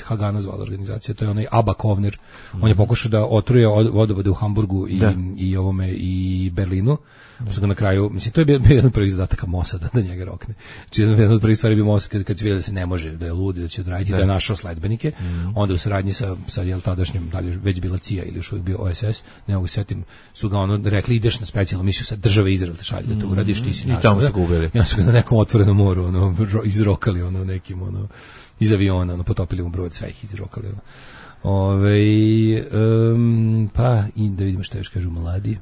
Hagana zvala organizacija, to je onaj Abba Kovner. Mm. On je pokušao da otruje vodovode u Hamburgu i, i ovome i Berlinu. Mm. Su ga na kraju, mislim, to je bio, bio jedan prvi zadataka Mossada da njega rokne. Znači, jedan od prvih stvari bio Mossad kad, kad se vidio da se ne može, da je ludi, da će odraditi, da je našao sledbenike. Mm. Onda u saradnji sa, sa jel, tadašnjim, da li je već bila C I A ili još uvijek bio O S S, ne mogu setim, su ga ono rekli, ideš na specijalnu misiju sa države Izrael te šalje da to uradiš, ti si I tamo su ga ubili. Ja su ga na nekom otvorenom moru ono, izrokali ono, nekim ono, iz aviona, ono, potopili u brod, sve ih izrokali. Ono. Ove, um, pa, i da vidimo šta još kažu mladi.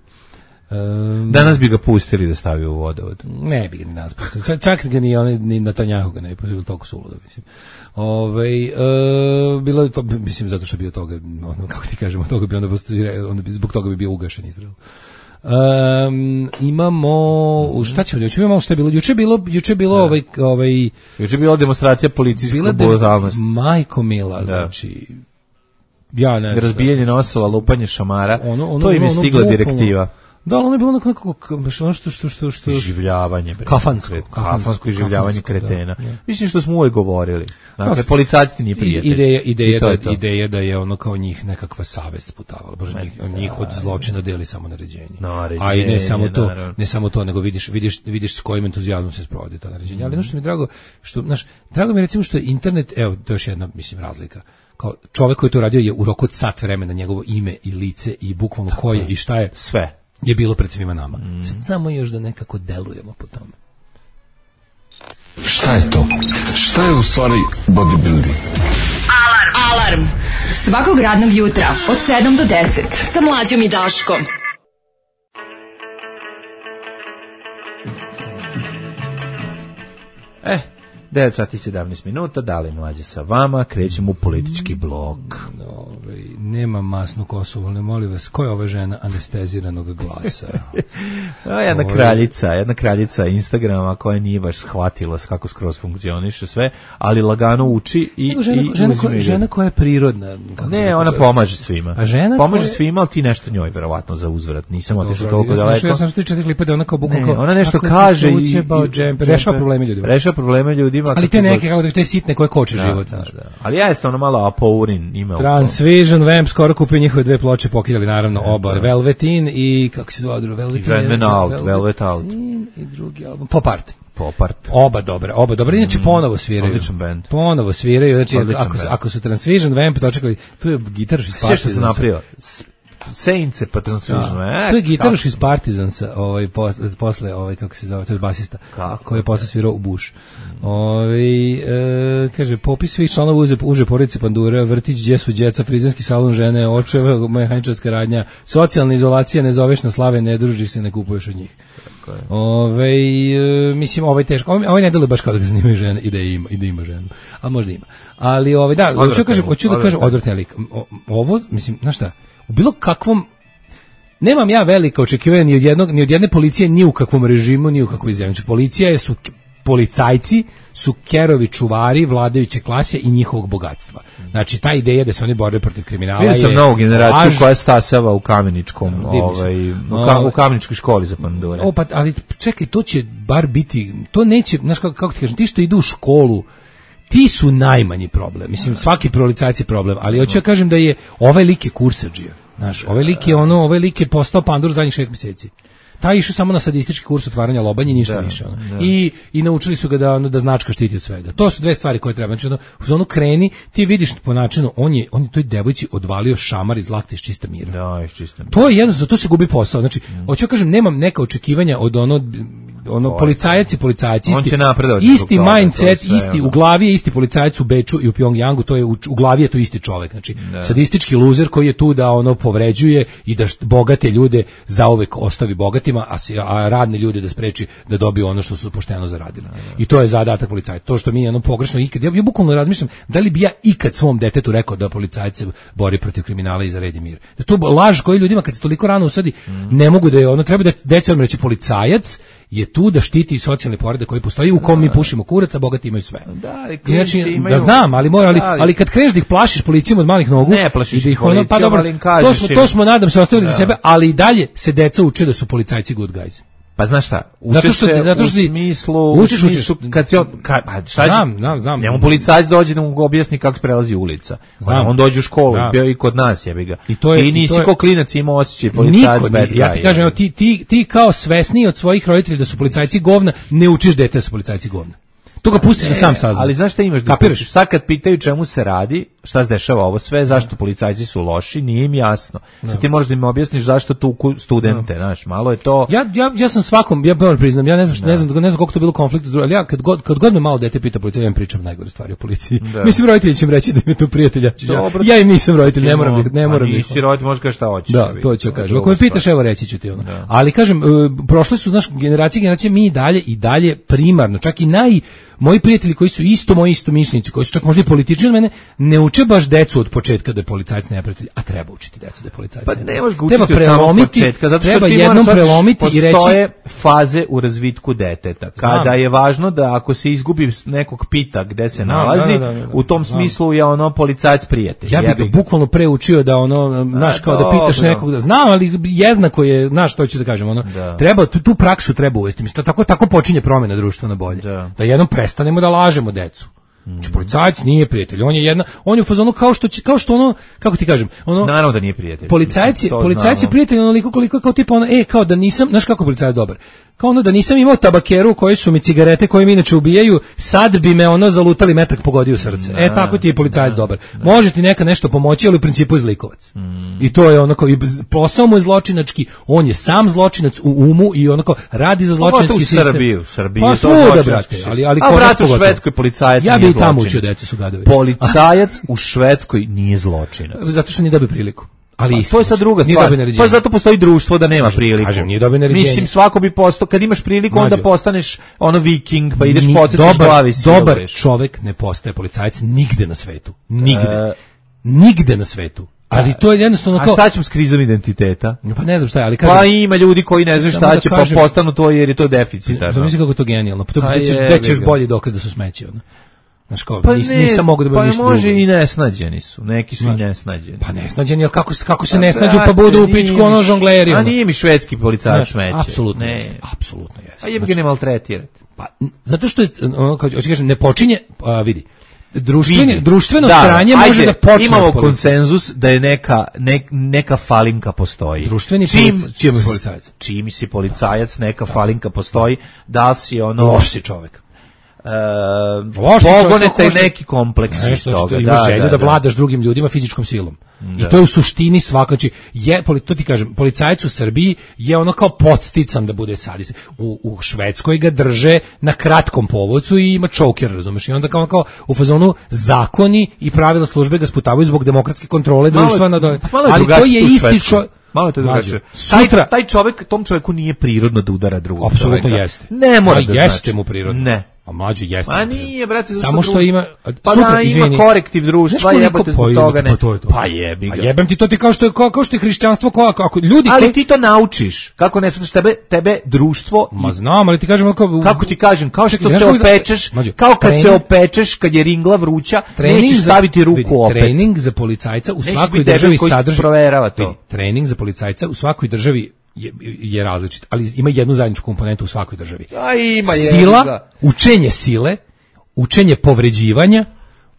Um, danas bi ga pustili da stavi u vodovod. Ne bi ga ni danas pustili. Čak ga ni, oni, ni Netanjahu ga ne bi pustili, toliko suludo, mislim. Ove, uh, bilo je to, mislim, zato što bi od toga, ono, kako ti kažemo, toga bi onda, onda bi, zbog toga bi bio ugašen Izrael. Um, imamo šta ćemo juče imamo šta je bilo juče bilo juče bilo ovaj ovaj juče bila demonstracija policijske brutalnosti. Majko mila, da. Znači ja ne razbijanje nosova, lupanje šamara, ono, ono, to im je ono, stigla ono, direktiva. Da, ono je bilo nekako ono što što što što življavanje, kafansko, kafansko življavanje kretena. Da, mislim što smo uvek govorili. Dakle, policajci nije prijatelj. Ideja, ideja da, je ideja da je ono kao njih nekakva savest sputavala, baš njih, njih od zločina deli samo naređenje. naređenje. A i ne samo to, ne samo to, nego vidiš, vidiš, vidiš s kojim entuzijazmom se sprovodi to naređenje. Mm. Ali ono što mi je drago, što, znaš, drago mi je recimo što je internet, evo, to je još jedna, mislim, razlika. Kao čovjek koji to radio je u roku od sat vremena njegovo ime i lice i bukvalno ko je i šta je. Sve. Je bilo pred svima nama. Mm. Sad samo još da nekako delujemo po tome. Šta je to? Šta je u stvari bodybuilding? Alarm! Alarm! Svakog radnog jutra od sedam do deset sa Mlađom i Daškom. Eh, devet sati i sedamnaest minuta, dali Mlađe sa vama, krećemo u politički blok. Ove, nema masnu kosu, ali molim vas, ko je ova žena anesteziranog glasa? A, jedna Ove... kraljica, jedna kraljica Instagrama koja nije baš shvatila kako skroz funkcioniše sve, ali lagano uči i, žena, i žena, ko, žena koja je prirodna. Ne, ona pomaže svima. A žena pomaže koja... svima, ali ti nešto njoj verovatno za uzvrat. Nisam otišao toliko daleko. Ja sam što četiri klipa da ona kao bukvalno ona nešto kaže i, i rešava probleme ljudima. Rešava probleme ljudima. Ali te neke kako da te sitne koje koče da, život, da, da. Ali ja jesam ono malo apourin ima. Transvision Vamp skoro kupio njihove dve ploče, pokidali naravno oba, da. Velvetin i kako se zove drugo, Velvetin, Velvet Out, Velvet Out i drugi album Pop Art. Pop Art. Oba dobre, oba dobre, inače ponovo sviraju. Odličan band. Ponovo sviraju, znači Odličan ako, band. ako su Transvision Vamp dočekali, tu je gitaraš iz Partizansa. Sve što se napravio. Sejnce pa Transvision. E, to je gitaraš iz Partizansa, ovaj posle, posle ovaj kako se zove, to je basista, kako? Koji je posle svirao u Bush. Mm. Ovaj e, kaže popis svih članova uže, uže porodice Pandura, vrtić, gdje su djeca, frizerski salon, žene, očeva, mehaničarska radnja, socijalna izolacija, ne zoveš na slave, ne družiš se, ne kupuješ od njih. Ove, e, mislim, ovaj teško, ovaj, ovaj ne deluje baš kao da ga zanimaju žene i da ima, i da ima ženu, a možda ima. Ali ovaj da, hoću da kažem, hoću da kažem odvratan lik. Ovo, mislim, znaš šta, u bilo kakvom nemam ja velika očekivanja ni od jednog, ni od jedne policije, ni u kakvom režimu, ni u kakvoj zemlji. Policija je su policajci su kerovi čuvari vladajuće klase i njihovog bogatstva. Znači, ta ideja da se oni bore protiv kriminala je... Vidio sam novu generaciju laž, koja stasava u Kameničkom, no, ovaj, u, ka, u Kameničkoj školi za pandure. O, pa, ali čekaj, to će bar biti, to neće, znaš kako, kako ti kažem, ti što idu u školu, ti su najmanji problem. Mislim, svaki policajci je problem, ali hoću ja kažem da je ovaj lik je kursadžija. Znaš, ovaj lik je ono, ovaj lik je postao pandur zadnjih šest mjeseci. Taj išao samo na sadistički kurs otvaranja lobanje, ništa da, više. Ono. Da. I, I naučili su ga da, ono, da značka štiti od svega. To su dve stvari koje treba. Znači, ono, u zonu kreni, ti vidiš po načinu, on je, on je toj devojci odvalio šamar iz lakta iz čista mira. Da, iz čista mira. To je jedno, za to se gubi posao. Znači, mm. hoću kažem, nemam neka očekivanja od ono, ono policajac i policajac, isti, isti mindset, sve, isti, ono. U glavi je isti policajac u Beču i u Pjongjangu, to je u, u glavi je to isti čovjek. Znači, da. Sadistički luzer koji je tu da ono povređuje i da bogate ljude zauvek ostavi bogatima, a, si, a radne ljude da spreči da dobiju ono što su pošteno zaradili. Da, da. I to je zadatak policajca. To što mi je ono pogrešno ikad, ja, ja bukvalno razmišljam, da li bi ja ikad svom detetu rekao da policajac se bori protiv kriminala i za red i mir. Da to laž koji ljudima kad se toliko rano usadi, mm. ne mogu da je ono, treba da deca vam reći policajac je tu da štiti socijalni poredak koji postoji u kom mi pušimo kurac, a bogati imaju sve. Da, znači, imaju... da znam, ali mora, ali, ali kad kreneš da ih plašiš policijom od malih nogu, ne plašiš da ih ono, policijom, pa dobro, ali im kažeš to smo, to smo nadam se ostavili da. Za sebe, ali i dalje se deca uče da su policajci good guys. Pa znaš šta, učiš što, se zato što u smislu, učiš, u smislu učiš. Kad si on, kad, šta znam, znam, znam. Njemu policajac dođe da mu objasni kako se prelazi ulica. Znam. On dođe u školu, znam. Bio i kod nas, jebi ga. I, to je, I nisi i to je, ko klinac imao osjećaj policajac bad guy. Ja ti kažem, ti, ti, ti kao svesni od svojih roditelja da su policajci govna, ne učiš dete da su policajci govna. To ga pustiš da sam sazna. Ali znaš šta imaš da kapiraš? Sad kad pitaju čemu se radi, šta se dešava ovo sve, zašto policajci su loši, nije im jasno. No. Sad ti možeš da im objasniš zašto tuku studente, no. Znaš, malo je to... Ja, ja, ja sam svakom, ja moram priznam, ja ne znam, no. ne znam, ne znam koliko to bilo konflikta, ali ja kad god, kad god me malo dete pita policaj, ja im pričam najgore stvari o policiji. Da. Mislim, roditelji će im reći da im je to prijatelj, ja, ja im nisam roditelj, ne moram da ne moram. Nisi roditelj, možeš kažeš šta hoćeš. Da, to ću kažem. Ako me pitaš, evo reći ću ti ono. Da. Ali kažem, prošle su, znaš, generacije, generacije, mi i dalje i dalje primarno, čak i naj moji prijatelji koji su isto moji istomišljenici, koji su čak možda i politični od mene, ne uče baš decu od početka da je policajac neprijatelj, a treba učiti decu da je policajac pa neprijatelj. Pa ne možeš ga učiti od samog početka, zato što treba ti jednom prelomiti i reći... Postoje faze u razvitku deteta, kada znam. Je važno da ako se izgubi nekog pita gde se znam, nalazi, da, da, da, da, u tom znam. Smislu je ono policajac prijatelj. Ja bih ga bukvalno preučio da ono, znaš, kao da pitaš nekog, da znam, ali jednako je, znaš, što ću da kažem, ono, da. Treba, tu, tu praksu treba uvesti, mislim, tako, tako počinje promjena društva na bolje, da, da jednom prestanemo da lažemo decu. Znači, policajac nije prijatelj, on je jedna, on je u fazonu kao što će, kao što ono, kako ti kažem, ono naravno da nije prijatelj. Policajac je, policajac je prijatelj onoliko koliko kao tipa ono, e, kao da nisam, znaš kako policajac dobar. Kao ono da nisam imao tabakeru koji su mi cigarete koje mi inače ubijaju, sad bi me ono zalutali metak pogodio u srce. Da, e, tako ti je policajac da, dobar. Da. Može ti neka nešto pomoći, ali u principu je zlikovac. Mm. I to je ono kao, posao mu je zločinački, on je sam zločinac u umu i onako radi za zločinački sistem. U Srbiji, u Srbiji pa, je to zločinački. Ali, ali a brat u Švedskoj policajac ja bi i tamo učio decu su gadovi. Policajac u Švedskoj nije zločinac. Zato što nije dobio priliku. Ali pa, to je sad druga stvar. Pa zato postoji društvo da nema priliku. Kažem, nije dobio naređenje. Mislim, svako bi postao, kad imaš priliku, onda postaneš ono viking, pa ideš podsjetiš glavi. Dobar čovek ne postaje policajac nigde na svetu. Nigde. E, nigde na svetu. Ali to je jednostavno kao... A šta ćemo s krizom identiteta? Pa ne znam šta je, ali kažem... Pa ima ljudi koji ne znaju šta će, pa postanu to jer je to deficitarno. Zamisli kako je to genijalno. Pa to gde ćeš bolji dokaz da su smeći, ono. Znaš kao, pa nis, nisam mogu da budem pa ništa može drugo. I nesnađeni su, neki su znaš, i nesnađeni. Pa nesnađeni, ali kako, kako se nesnađu pa budu u pičku ono žongleri. A nije mi švedski policajac smeće. Apsolutno ne. Apsolutno jeste. A jebi ga ne maltretirati. Pa, zato što je, ono, kao ću kažem, ne počinje, a, vidi, društveni, društveno da, sranje ajde, može da počne. Imamo konsenzus da je neka, ne, neka falinka postoji. Društveni čim, čim je policajac. Čim si policajac, neka da. Falinka postoji, da li si ono... Loš si čovek. Uh, pogonete neki kompleks iz toga. Imaš da, želju da, da, da vladaš drugim ljudima fizičkom silom. Da. I to je u suštini svako, znači, je, to ti kažem, policajac u Srbiji je ono kao podstican da bude sadist. U, u Švedskoj ga drže na kratkom povodcu i ima čoker, razumeš? I onda kao, kao u fazonu zakoni i pravila službe ga sputavaju zbog demokratske kontrole društva. Malo, na ali to je isti čovjek. Malo je to drugačije. Taj, taj čovjek, tom čovjeku nije prirodno da udara drugog. Apsolutno jeste. Ne mora da, da jeste znači. mu prirodno. Ne. A mlađe jeste. A nije, brate, samo što ima pa sutra, da, izvini, ima korektiv društva, jebote zbog toga ne. Pa, to je to. Pa jebi ga. A jebem ti to ti kao što je kao, kao što je hrišćanstvo, kao ako ljudi ali koji... ti to naučiš. Kako ne shvataš tebe, tebe društvo. Ma znam, ali ti kažem kao kako ti kažem, kao što čekaj, se opečeš, mađu, kao kad trening, se opečeš kad je ringla vruća, nećeš staviti ruku vidi, opet. Trening za policajca u nećeš svakoj državi sadrži proverava to. Vidi, trening za policajca u svakoj državi je, je različit, ali ima jednu zajedničku komponentu u svakoj državi. A ima je. Sila, učenje sile, učenje povređivanja,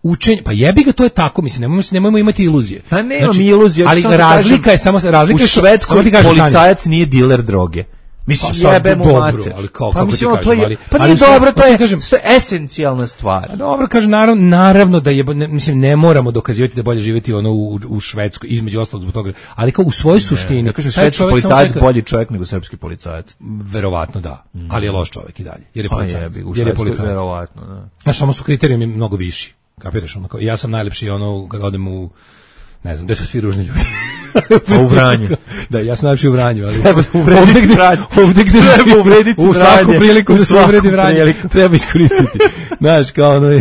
učenje, pa jebi ga, to je tako, mislim, nemojmo, nemojmo imati iluzije. Pa nemam znači, iluzije. Ali razlika kažem, je samo, razlika u Švedskoj policajac nije diler droge. Mislim, pa, jebe mu mater. Ali kao, pa kako mislim, ti kažem, ali, pa ali, nije dobro, to je, kažem, to je esencijalna stvar. A dobro, kažem, naravno, naravno da je, ne, mislim, ne moramo dokazivati da je bolje živjeti ono u, u Švedskoj, između ostalog zbog toga, ali kao u svojoj suštini. Ne, kažem, švedski policajac čeka, bolji čovjek nego srpski policajac. Verovatno da, mm. ali je loš čovjek i dalje, jer je policajac. Pa jebi, u Švedskoj verovatno, da. Znaš, samo su kriterijumi mnogo viši, kapiraš, ono, kao, ja sam najlepši ono, kad odem u, ne znam, gde su svi ružni ljudi. A u Vranju. Da, ja sam najlepši u Vranju, ali treba uvrediti Vranju. Ovdje gde treba uvrediti u svaku priliku da se uvredi Vranju, treba iskoristiti. Znaš, kao ono,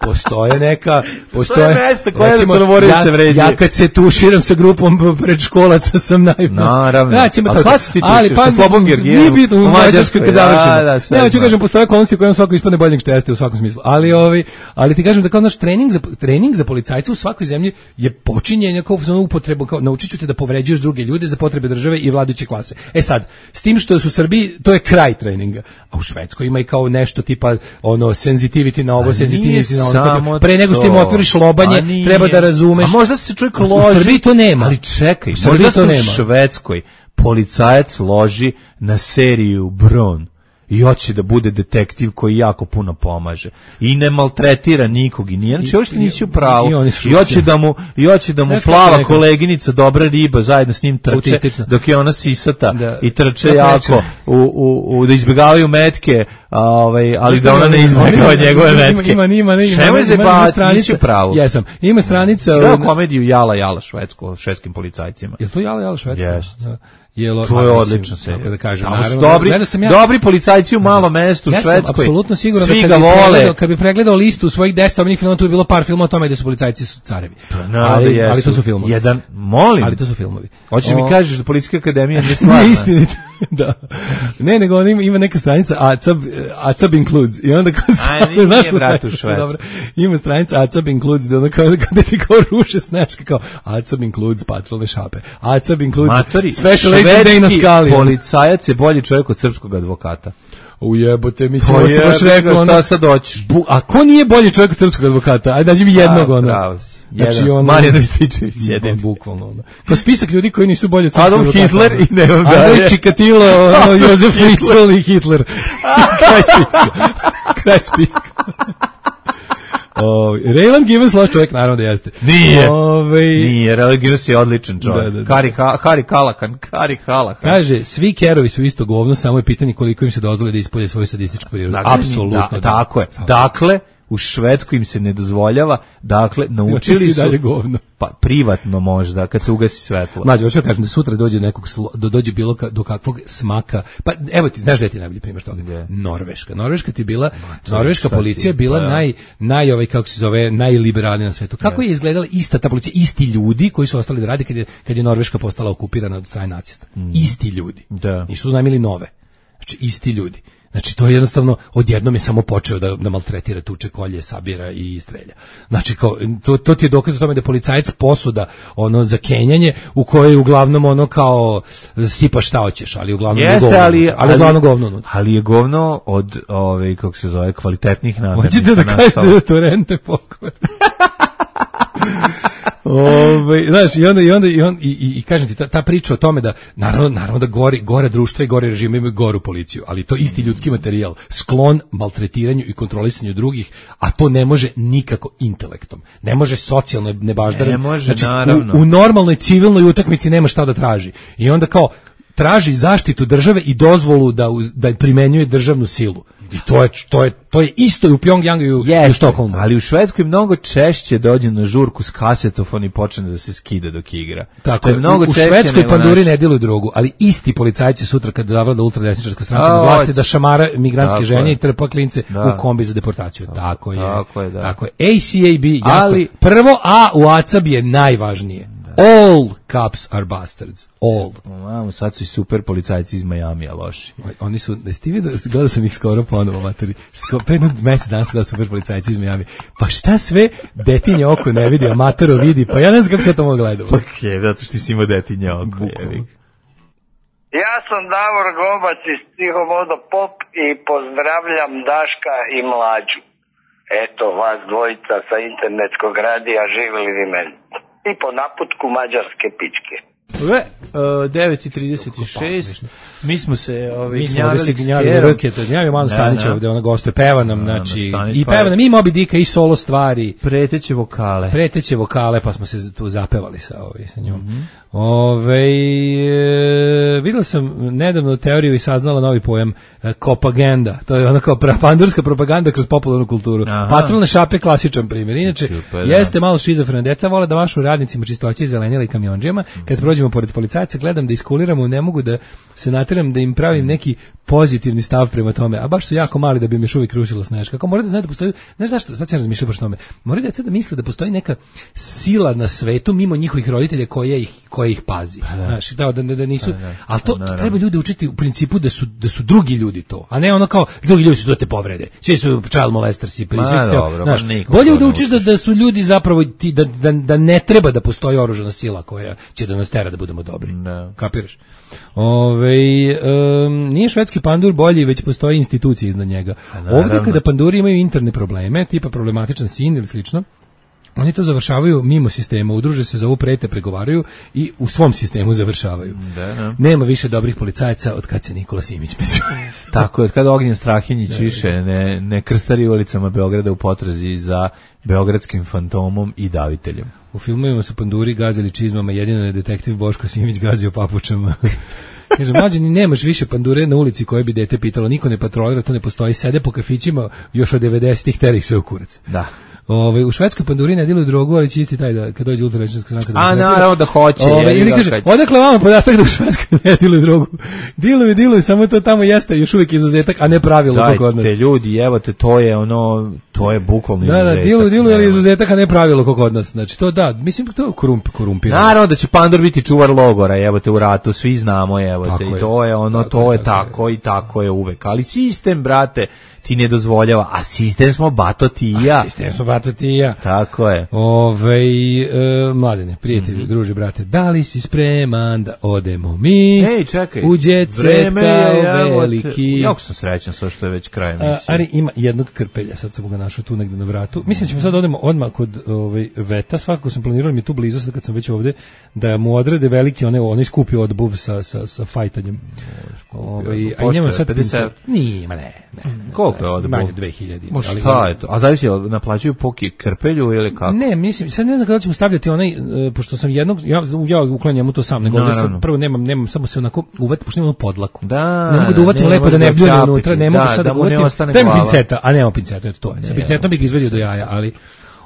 postoje neka, postoje mesta koja recimo, da moraju ja, se vređati. Ja kad se tuširam sa grupom predškolaca sam najbolji. Naravno. Znači, a kad si ti tušiš pa, sa Slobom Gergijevom? Nije bitno, u Mađarskoj kad završimo. Da, da, ne, hoću kažem, postoje okolnosti u kojima svako ispadne boljeg što jeste u svakom smislu. Ali, ovi, ali ti kažem da kao naš trening za, trening za policajca u svakoj zemlji je počinjenje kao za upotrebu, kao naučit ću te da povređuješ druge ljude za potrebe države i vladajuće klase. E sad, s tim što su u Srbiji, to je kraj treninga. A u Švedskoj ima i kao nešto tipa ono senzitivity na ovo, senzitivity na ono. Pre nego što im otvoriš lobanje, treba da razumeš. A možda se čovjek loži. U Srbiji to nema. Ali čekaj, možda se u Švedskoj policajac loži na seriju Bron i hoće da bude detektiv koji jako puno pomaže i ne maltretira nikog i nije, znači uopšte nisi u pravu i, i hoće da mu, i hoće da mu Neš plava koleginica dobra riba zajedno s njim trče autistično. Dok je ona sisata da. I trče da jako u, u, u, da izbjegavaju metke a, ovaj, ali Šta da ona ne izbjegava njegove metke ima, ima, ima, ima, Šemo ima, se ima, ba, stranica, nisi u pravu jesam, ima stranica Svrao komediju Jala Jala švedsko, švedskim policajcima je to Jala Jala švedsko? Yes. Jelo, to je odlično se. Da kažem, tamo su dobri, ja, dobri policajci u malom mestu u ja Švedskoj. Ja sam apsolutno siguran Svi da kad bi, pregledao, kad bi pregledao listu svojih deset omiljenih filmova, tu bi bilo par filmova o tome da su policajci su carevi. No, ali, da ali to su filmovi. Jedan, molim. Ali to su filmovi. Hoćeš mi kažeš da Policijska akademija nije stvarna? Ne istinito. Da. Ne, nego on ima, ima neka stranica Acab, Acab includes i onda kao stavno, znaš što brat u Švedsku. Ima stranica Acab includes da onda kao, kada ti kao ruše sneška kao Acab includes patrolne šape. Acab includes Matori, special agent day na skali. Policajac je bolji čovjek od srpskog advokata. Ujebote, mislim, pa ovo se baš rekao, ono, šta sad doćiš? Bu, a ko nije bolji čovjek od srpskog advokata? Ajde, dađi mi jednog, ono. Pravo si. Znači, ono, Marijan Rističević, jedan. Bukvalno, ono. Ko spisak ljudi koji nisu bolji od srpskog Adolf advokata. Hitler i ne vam dalje. Andrej Čikatilo, ono, Jozef Fritzl i Hitler. Kraj spiska. Kraj spiska. Oh, Raylan Givens loš čovjek, naravno da jeste. Nije, Ove... nije, Raylan Givens je odličan čovjek. Da, da, da. Harry, ha, Harry Callahan, Harry Callahan. Kaže, svi kerovi su isto govno, samo je pitanje koliko im se dozvoli da ispolje svoju sadističku prirodu. Dakle, apsolutno. Da, da. Tako je. Dakle, u Švedskoj im se ne dozvoljava, dakle, naučili su, pa privatno možda, kad se ugasi svetlo. Mlađe, hoću kažem da sutra dođe nekog, do, dođe bilo ka, do kakvog smaka, pa evo ti, znaš da je ti najbolji primjer toga? Yeah. Norveška. Norveška ti bila, Ma, norveška policija je bila pa, ja. naj, naj, ovaj, kako se zove, najliberalnija na svetu. Kako yeah. je izgledala ista ta policija, isti ljudi koji su ostali da radi kad je, kad je Norveška postala okupirana od strane nacista. Mm. Isti ljudi. Da. Nisu najmili nove. Znači, isti ljudi. Znači, to je jednostavno, odjednom je samo počeo da, da maltretira, tuče, kolje, sabira i strelja. Znači, kao, to, to ti je dokaz o tome da je policajac posuda, ono, za kenjanje, u kojoj uglavnom, ono, kao, sipaš šta hoćeš, ali uglavnom Jeste, je govno. Ali, ali, ali uglavnom govno. Ali je govno od, ove, kako se zove, kvalitetnih namirnica. Hoćete da kažete da to rente pokoj. Ove, znaš, i onda, i onda, i, on, i, i, i kažem ti, ta, ta priča o tome da, naravno, naravno da gori, gore društva i gore režime imaju goru policiju, ali to isti ljudski materijal, sklon maltretiranju i kontrolisanju drugih, a to ne može nikako intelektom, ne može socijalno nebaždarenje. Ne može, znači, naravno. U, u normalnoj civilnoj utakmici nema šta da traži. I onda kao, traži zaštitu države i dozvolu da uz, da primenjuje državnu silu. I to je to je to je isto i u Pjongjangu i u, u Stokholmu. Ali u Švedskoj mnogo češće dođe na žurku s kasetofon i počne da se skida dok igra. Tako je, mnogo u, u Švedskoj panduri ne diluju drogu, ali isti policajci sutra kad zavlada ultradesničarska stranka na vlasti da šamara migrantske žene i trpa klince da. u kombi za deportaciju. Tako je. Tako je, da. Tako je. A C A B, ali prvo A u A C A B je najvažnije. All cops are bastards. All. Mamo, sad su i super policajci iz Majamija loši. Oni su, da ste vidio, gledao sam ih skoro ponovo, materi. Pre jednog mjesec dana sam gledao super policajci iz Majamija. Pa šta sve detinje oko ne vidi, a matero vidi, pa ja ne znam kako se to mogu gledati. Pa je, zato što ti si imao detinje oko. Ja sam Davor Gobac iz Psihomodo Pop i pozdravljam Daška i Mlađu. Eto, vas dvojica sa internetskog radija, živjeli vi meni. I po naputku mađarske pičke. Ove, uh, devet i trideset šest, mi smo se ovi, mi smo ovdje se gnjavili ruke, to gnjavili malo Stanića ovdje, ona gostuje, peva nam, znači, i peva nam i Moby Dicka i solo stvari. Preteće vokale. Preteće vokale, pa smo se tu zapevali sa, ovi, sa njom. Mm-hmm. Ove, e, videla sam nedavno teoriju i saznala novi pojam e, kopagenda, to je ona kao pandurska propaganda kroz popularnu kulturu. Aha. Patrolne šape klasičan primjer. Inače, super, jeste malo šizofrena, deca vole da mašu radnicima čistoće, zelenjela i kamionđima, kad mm. prođemo pored policajca, gledam da iskuliramo, ne mogu da se nateram da im pravim neki pozitivni stav prema tome, a baš su jako mali da bi im još uvijek rušila sneška. Kako morate da znate da postoji, znaš zašto, sad sam razmišljao baš tome, morate deca da misle da postoji neka sila na svetu mimo njihovih roditelja koja ih koja ih pazi. Pa da. Znaš, da, da, da nisu, ali to, to treba ljude učiti u principu da su, da su drugi ljudi to, a ne ono kao drugi ljudi su to te povrede. Svi su child molestersi, pri svih steo. Znaš, bolje da učiš da, da su ljudi zapravo ti, da, da, da ne treba da postoji oružana sila koja će da nas tera da budemo dobri. No. Kapiraš? Ove, um, nije švedski pandur bolji, već postoji institucije iznad njega. Ovdje kada panduri imaju interne probleme, tipa problematičan sin ili slično, oni to završavaju mimo sistema, udruže se za ovu prete, pregovaraju i u svom sistemu završavaju. Da, da. Nema više dobrih policajaca od kad se Nikola Simić među. Tako je, od kada Ognjen Strahinjić više ne, ne krstari ulicama Beograda u potrazi za beogradskim fantomom i daviteljem. U filmovima su panduri gazili čizmama, jedino je detektiv Boško Simić gazio papučama. Kaže, mlađe, ni nemaš više pandure na ulici koje bi dete pitalo, niko ne patrolira, to ne postoji, sede po kafićima još od devedesetih, tera ih sve u kurac. Da. Ove, u Švedskoj panduri ne diluju drogu, ali će isti taj da kad dođe ultrarežimska stranka da. A naravno da hoće. Ove, ili kaže, kad... odakle vama podatak da u Švedskoj ne diluju drogu? Diluju, diluju, samo to tamo jeste još uvijek izuzetak, a ne pravilo kako od nas. Dajte ljudi, evo te, to je ono, to je bukvalno da, izuzetak. Da, diluju, diluju, ali izuzetak, a ne pravilo kako od nas. Znači to da, mislim to je korump, korumpirano. Naravno da će pandur biti čuvar logora, evo te u ratu, svi znamo, evo te, i to je ono, tako to je tako, tako i tako je uvek. Ali sistem, brate, ti ne dozvoljava, a sistem smo bato ti i ja. A sistem smo bato ti i ja. Tako je. Ove, e, mladene, prijatelji, mm-hmm. druže, brate, da li si spreman da odemo mi? Ej, čekaj. U jet set kao veliki. Jako sam srećan sa što je već kraj emisije. Ali ima jednog krpelja, sad sam ga našao tu negde na vratu. Mislim da ćemo sad odemo odmah kod ovaj, Veta, svakako sam planirao mi tu blizu, sad kad sam već ovde, da mu odrede veliki, one, onaj skupi odbuv sa, sa, sa fajtanjem. Ove, a i njemu sad pedeset. Nije, ma ne, ne. Koliko je odbuv? Manje dve hiljade. Ma šta je to? A zavisi, naplaćuju po krpelju ili kako? Ne, mislim, sad ne znam kada ćemo stavljati onaj, uh, pošto sam jednog, ja, ja uklanjam mu to sam, nego ovdje sam, prvo nemam, nemam, samo se onako uvati, pošto nemam podlaku. Da, ne mogu da uvatim lepo da ne bljune unutra, ne mogu da, sad da, da uvatim, da imam pinceta, a nemam pinceta, eto to je. Sa pincetom bih izvedio do jaja, ali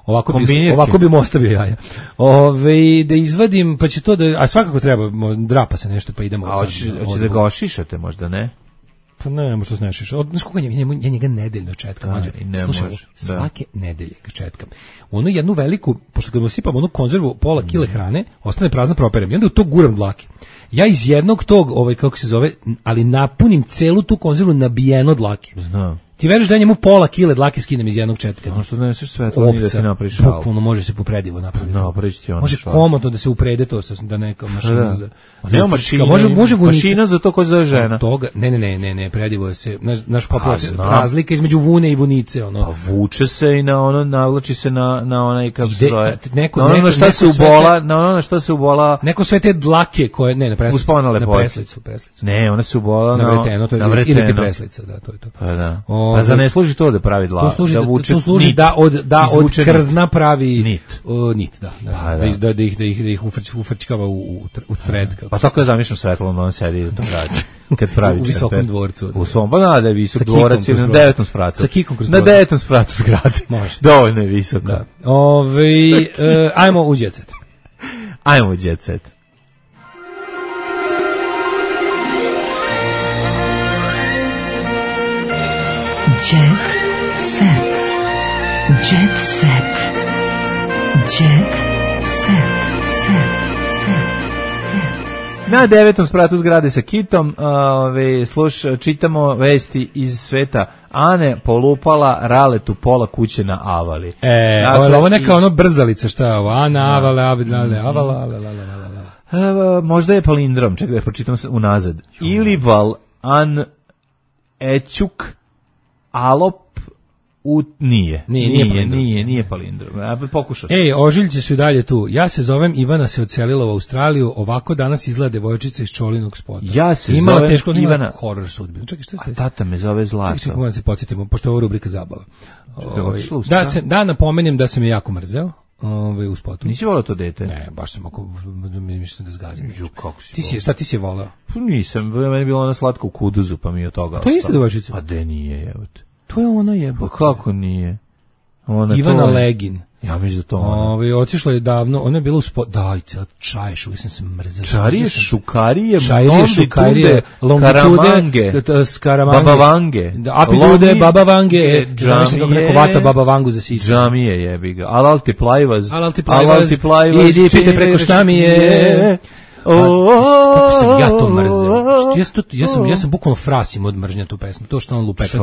ovako bi, ovako bi mu ostavio jaja. Ove, da izvadim, pa će to da, a svakako treba, drapa se nešto, pa idemo. A hoće da ga ošišate možda, ne? Pa ne, možda se nešiš. Od, znaš koga njemu, ja njega nedeljno četkam. Da, slušaj, može, svake da. nedelje ga četkam. U onu jednu veliku, pošto kad mu sipam onu konzervu pola mm. kile hrane, ostane prazna properem. I onda u to guram dlake. Ja iz jednog tog, ovaj, kako se zove, ali napunim celu tu konzervu nabijeno dlake. Znam. Ti veriš da ja njemu pola kile dlake skinem iz jednog četka? No što doneseš sve, to nije da ti napraviš šalu. Bukvalno može se popredivo napraviti. No, ti ono može komotno da se uprede to, da neka mašina da. za... Nema mašina, može, može mašina za to koja zove žena. Toga, ne, ne, ne, ne, ne, predivo se, naš, naš pa, razlika između vune i vunice, ono. Pa vuče se i na ono, navlači se na, na onaj, kako se zove, neko, na ono neko, šta se ubola, na ono šta se ubola... Neko sve te dlake koje, ne, na preslicu. Na preslicu, preslicu. Ne, ona se ubola na, na vreteno, to je, na vreteno. Ili ti preslica, da, to je to. Pa da. O, pa za ne služi to da pravi dlav, to služi da da, vuče to služi nit. da od da od krzna pravi nit, o, nit da, da, pa, da. Da, da ih da ih da ih ufrč, ufrčkava u u, u thread kako. Pa tako je zamišljam Svetlana, on sedi u tom gradu kad pravi u visokom dvorcu. U svom, pa da, da je visok dvorac na devetom spratu. Sa kikom kroz na devetom spratu zgrade. Može. Dovoljno je visoko. Da. Ovaj uh, ajmo u Jet Set. Ajmo u Jet Set. Jet Set. Jet Set. Jet Set. Set. Set. Na devetom spratu zgrade sa Kitom, ove, sluš, čitamo vesti iz sveta. Ane polupala Raletu pola kuće na Avali. E, dakle, ovo neka ono brzalica, šta je ovo? Ana, Avale, Avale, Avala, Avala, možda je palindrom, čekaj da pročitam unazad. Ilival, An, Ećuk, Alop, U, nije. Nije, nije, nije, nije, nije palindrom. Ja bih pokušao. Ej, ožiljci su i dalje tu. Ja se zovem Ivana, se odselila u Australiju, ovako danas izgleda devojčica iz Čolinog spota. Ja se Imala zovem teško, Ivana. Horror sudbinu. Čekaj, šta ste? A tata me zove Zlato. Čekaj, čekaj, moram se podsjetimo, pošto je ovo rubrika zabava. Čekaj, Ove, otišla u da, stan? se, da napomenem da sam je jako mrzeo. Ove, u spotu. Nisi volao to dete? Ne, baš sam ako mislim da zgazim. Ju, kako si ti si, šta ti si je volao? Pa nisam, meni je bilo ona slatka u kuduzu, pa mi je od toga. To je isto devojčica? Pa de nije, jebote. To je ona jebote. Pa kako nije? Ona Ivana to... Legin. Ja mislim da to ona. Ove, otišla je davno, ona je bila u spot, daj, cijela čaješ, uvijek sam se mrzao. Čarije, šukarije, čarije, šukarije, longitude, skaramange, babavange, apitude, babavange, zamišljam kako neko vata babavangu za sisa. Džamije jebi ga, alal ti plajvaz, alal ti plajvaz, idi pite preko šta mi je. Kako sam ja to mrzeo. Ja sam, ja sam, ja sam bukvalno frasim od mržnja tu pesmu. To što on lupeta.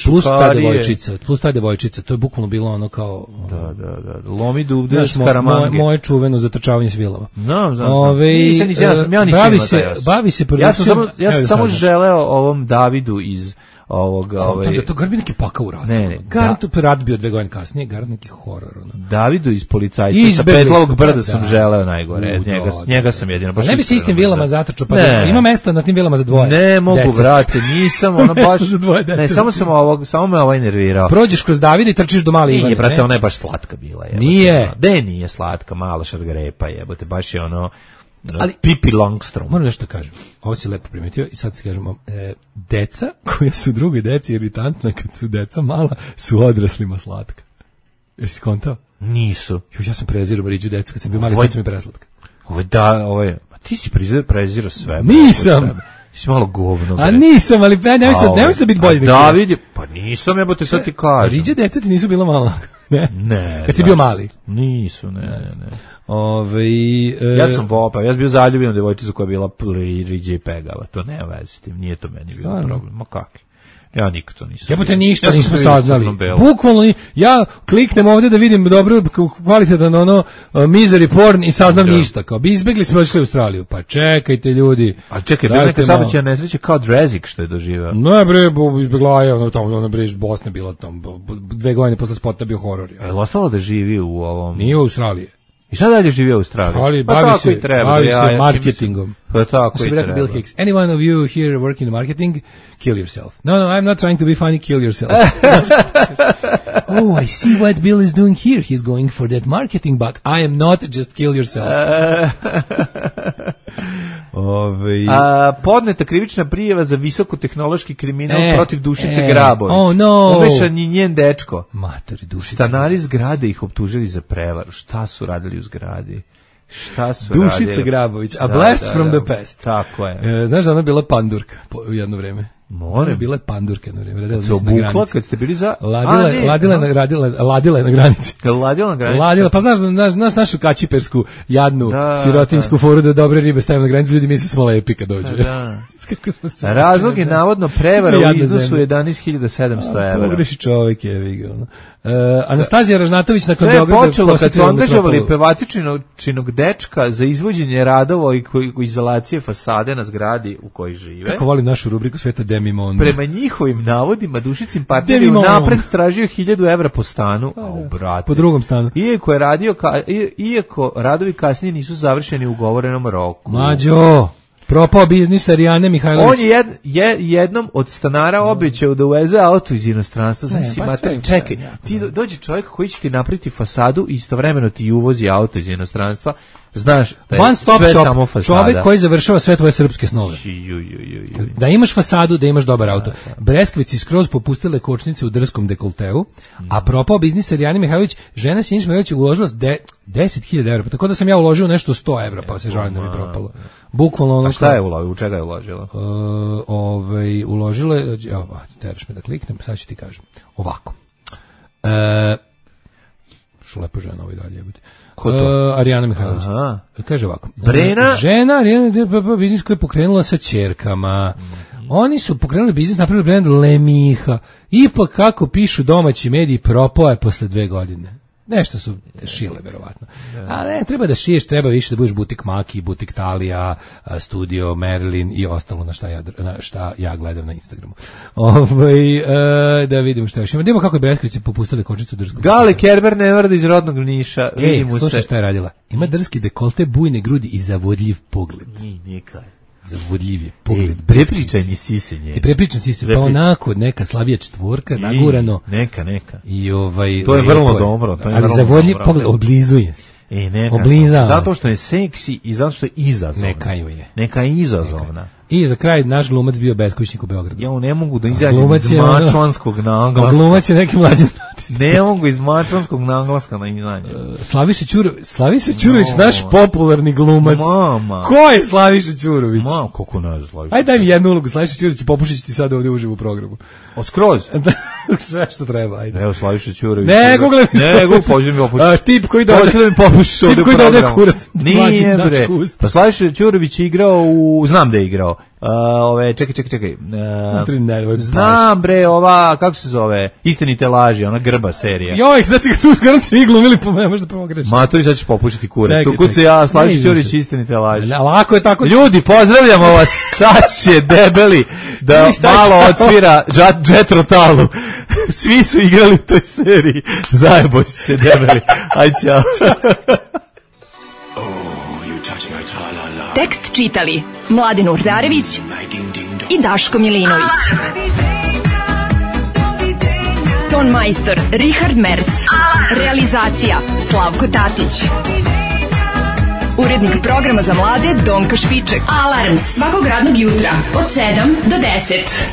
Plus ta devojčica. Plus ta devojčica. To je bukvalno bilo ono kao... Da, da, da. Lomi dubde, skaramange. Moje, moje čuveno zatrčavanje svilava. Znam, znam. Ove, nisam, nisam, ja, sam, ja nisam bavi se, bavi se ja sam samo, ja sam samo želeo ovom Davidu iz... ovoga, ovaj da to garbi neki pakao u radu. Ne, ne. Garant da, rad bio dve godine kasnije, garant neki horor ono. Davidu iz Policajca sa Petlovog brda da, sam želeo najgore. U, njega, da, njega sam jedino baš. Ne bi se istim vilama zatrčao, pa da, ima mesta na tim vilama za dvoje. Ne mogu, brate, nisam ono baš. Ne, samo sam ovog, samo me ovaj nervirao. Prođeš kroz Davida i trčiš do male Ivane. Nije, brate, ona je baš slatka bila, je. Nije. De nije slatka, mala šargarepa, jebote, baš je ono. Ali Pippi Longstrom. Moram nešto kažem. Ovo si lepo primetio i sad se kažemo, e, deca koja su drugoj deci iritantna kad su deca mala, su odraslima slatka. Jesi skontao? Nisu. Jo, ja sam prezirao Mariđu decu kad sam bio mali, sad sam mi preslatka. Ovo da, ovo je, a ti si prezirao sve. Nisam. Ti si malo govno. A nisam, ali ja nemoj se, nemoj se biti bolji. David je, pa nisam, jebote, sad ti kažem. Riđe deca ti nisu bila mala. Ne? Ne. Kad si bio mali? Nisu, ne, ne, ne. Ove, e... Ja sam vopa, ja sam bio zaljubljen u devojčicu koja je bila riđe i pegava, to nema veze s tim, nije to meni bilo problem, ma kakvi. Ja nikad to nisam. Jebote, ništa ja nismo saznali. Bukvalno, ja kliknem ovdje da vidim dobro, kvalitetan ono, uh, misery porn i saznam ja. Ništa. Kao bi izbjegli smo išli u Australiju. Pa čekajte ljudi. Ali čekaj, bio neka saobraćajna nesreća kao Drezik što je doživao. Ne bre, izbjegla je, ono tamo, ono bre, Bosna bila tamo, dve godine posle spota bio horor. Je li ostalo da živi u ovom... Nije u Australiji. I sad dalje živi u Australiji. Ali pa bavi se, treba, bavi ja, se ja, marketingom. Pa tako i treba. Bill Hicks, any one of you here working in marketing, kill yourself. No, no, I'm not trying to be funny, kill yourself. Oh, I see what Bill is doing here. He's going for that marketing bug. I am not, just kill yourself. Ove... A, podneta krivična prijava za visokotehnološki kriminal e, protiv Dušice e, Grabović. Oh no. Umešan je njen dečko. Matori, Dušice. Stanari zgrade ih optužili za prevaru. Šta su radili u zgradi? Šta su Dušica radili? Grabović, a blast da, da, from da, the past. Tako je. E, znaš da ona bila pandurka po, u jedno vreme? More. Bila je pandurka jedno vreme. Radila se obukla kad ste bili za... Ladila, a, ne, ladila, no. radila, ladila je na granici. Ladila na granici? Ladila, pa znaš, znaš, znaš našu kačipersku, jadnu, da, sirotinsku da. foru da dobre ribe stavimo na granici, ljudi misle smo lepi kad dođu. Da. Razlog je navodno prevara u iznosu jedanaest hiljada sedamsto evra. Pogreši čovjek je, vidio. Uh, Anastazija Ražnatović nakon Sve je Beograda počelo kad su angažovali pevačičinog dečka za izvođenje radova i izolacije fasade na zgradi u kojoj žive. Kako volim našu rubriku Sveta Demimon. Prema njihovim navodima Dušicin partner je napred tražio hiljadu evra po stanu, a u brate. Po drugom stanu. Iako je radio ka, iako radovi kasnije nisu završeni u ugovorenom roku. Mađo. propao biznis Arijane Mihajlović. On je, jed, je jednom od stanara obećao da uveze auto iz inostranstva. Znači, pa mater, čekaj, ti do, dođe čovjek koji će ti napraviti fasadu i istovremeno ti uvozi auto iz inostranstva. Znaš, da je One stop sve shop, samo fasada. čovjek koji završava sve tvoje srpske snove. Ju, ju, ju, ju. Da imaš fasadu, da imaš dobar auto. Breskvici skroz popustile kočnice u drskom dekolteu, a propao biznis Arijane Mihajlović, žena Siniša Mihajlović uložila deset hiljada evra, pa tako da sam ja uložio nešto sto evra, pa se žalim da mi propalo. Bukvalno ono. A šta je uložila? U čega je uložila? Uh, ovaj, uložila je, evo, teraš me da kliknem, sad ću ti kažem. Ovako. Uh, što lepo žena ovaj dalje bude. Ko to? Uh, Arijana Mihajlović. Kaže ovako. Brena? Žena Arijana biznis koji je pokrenula sa ćerkama. Mm. Oni su pokrenuli biznis, napravili brend Lemiha. Ipak kako pišu domaći mediji, propao je posle dve godine. Nešto su šile, verovatno. A ne, treba da šiješ, treba više da budeš butik Maki, butik Talija, studio Marilyn i ostalo na šta ja, na šta ja gledam na Instagramu. Ovaj e, da vidimo šta još ima. Da vidimo kako je Breskvici popustili kočnicu drskog. Gale Kerber ne vrdi iz rodnog Niša. Vidimo se. Slušaj šta je radila. Ima drski dekolte, bujne grudi i zavodljiv pogled. Ni, nikaj. Zavodljiv je pogled. E, prepričaj mi sisenje. Ti prepričam sisenje, pa onako neka slabija četvorka, nagurano. Neka, neka. I ovaj, to je vrlo dobro. To je ali zavodljiv pogled, oblizuje se. E, neka. Oblizava. Zato što je seksi i zato što je izazovna. Neka ju je. Neka je izazovna. I za kraj naš glumac bio beskućnik u Beogradu. Ja ne mogu da izađem iz mačvanskog naglaska. Glumac je neki mlađi znati. Ne mogu iz mačvanskog naglaska da izađem. Uh, Slaviša Ćurović, Slaviša Ćurović, no. Naš popularni glumac. Mama. Ko je Slaviša Ćurović? Mama, kako ne znaš Slaviša? Ajde daj mi jednu ulogu, Slaviša Ćurović, popušit ti sad ovdje uživo u programu. O, skroz? Sve što treba, ajde. Evo Slaviša Ćurović. Ne, google mi. Ne, google, pođe mi popušiš. Uh, tip koji dođe. Hoće da mi popušiš ovdje u programu. Tip koji dođe kurac. Nije, bre. Pa Slaviša Ćurović je igrao u, znam da je igrao. Uh, ove, čekaj, čekaj, čekaj. Uh, znam, bre, ova, kako se zove? Istinite laži, ona grba serija. Joj, znači ga tu skoro svi glumili, po me možda pogreš. Ma, to i sad ćeš popušiti kurac. Kud se ja, Slaviša Ćurović, istinite laži. Ne, lako je tako. Ljudi, pozdravljamo vas, sad će debeli da malo odsvira Jet Rotalu. Svi su igrali u toj seriji. Zajeboj se, debeli. Aj, ćao. Tekst čitali Mladen Urdarević i Daško Milinović. Ton majstor Richard Merc. Realizacija Slavko Tatić. Urednik programa za mlade Donka Špiček. Alarms svakog radnog jutra od sedam do deset.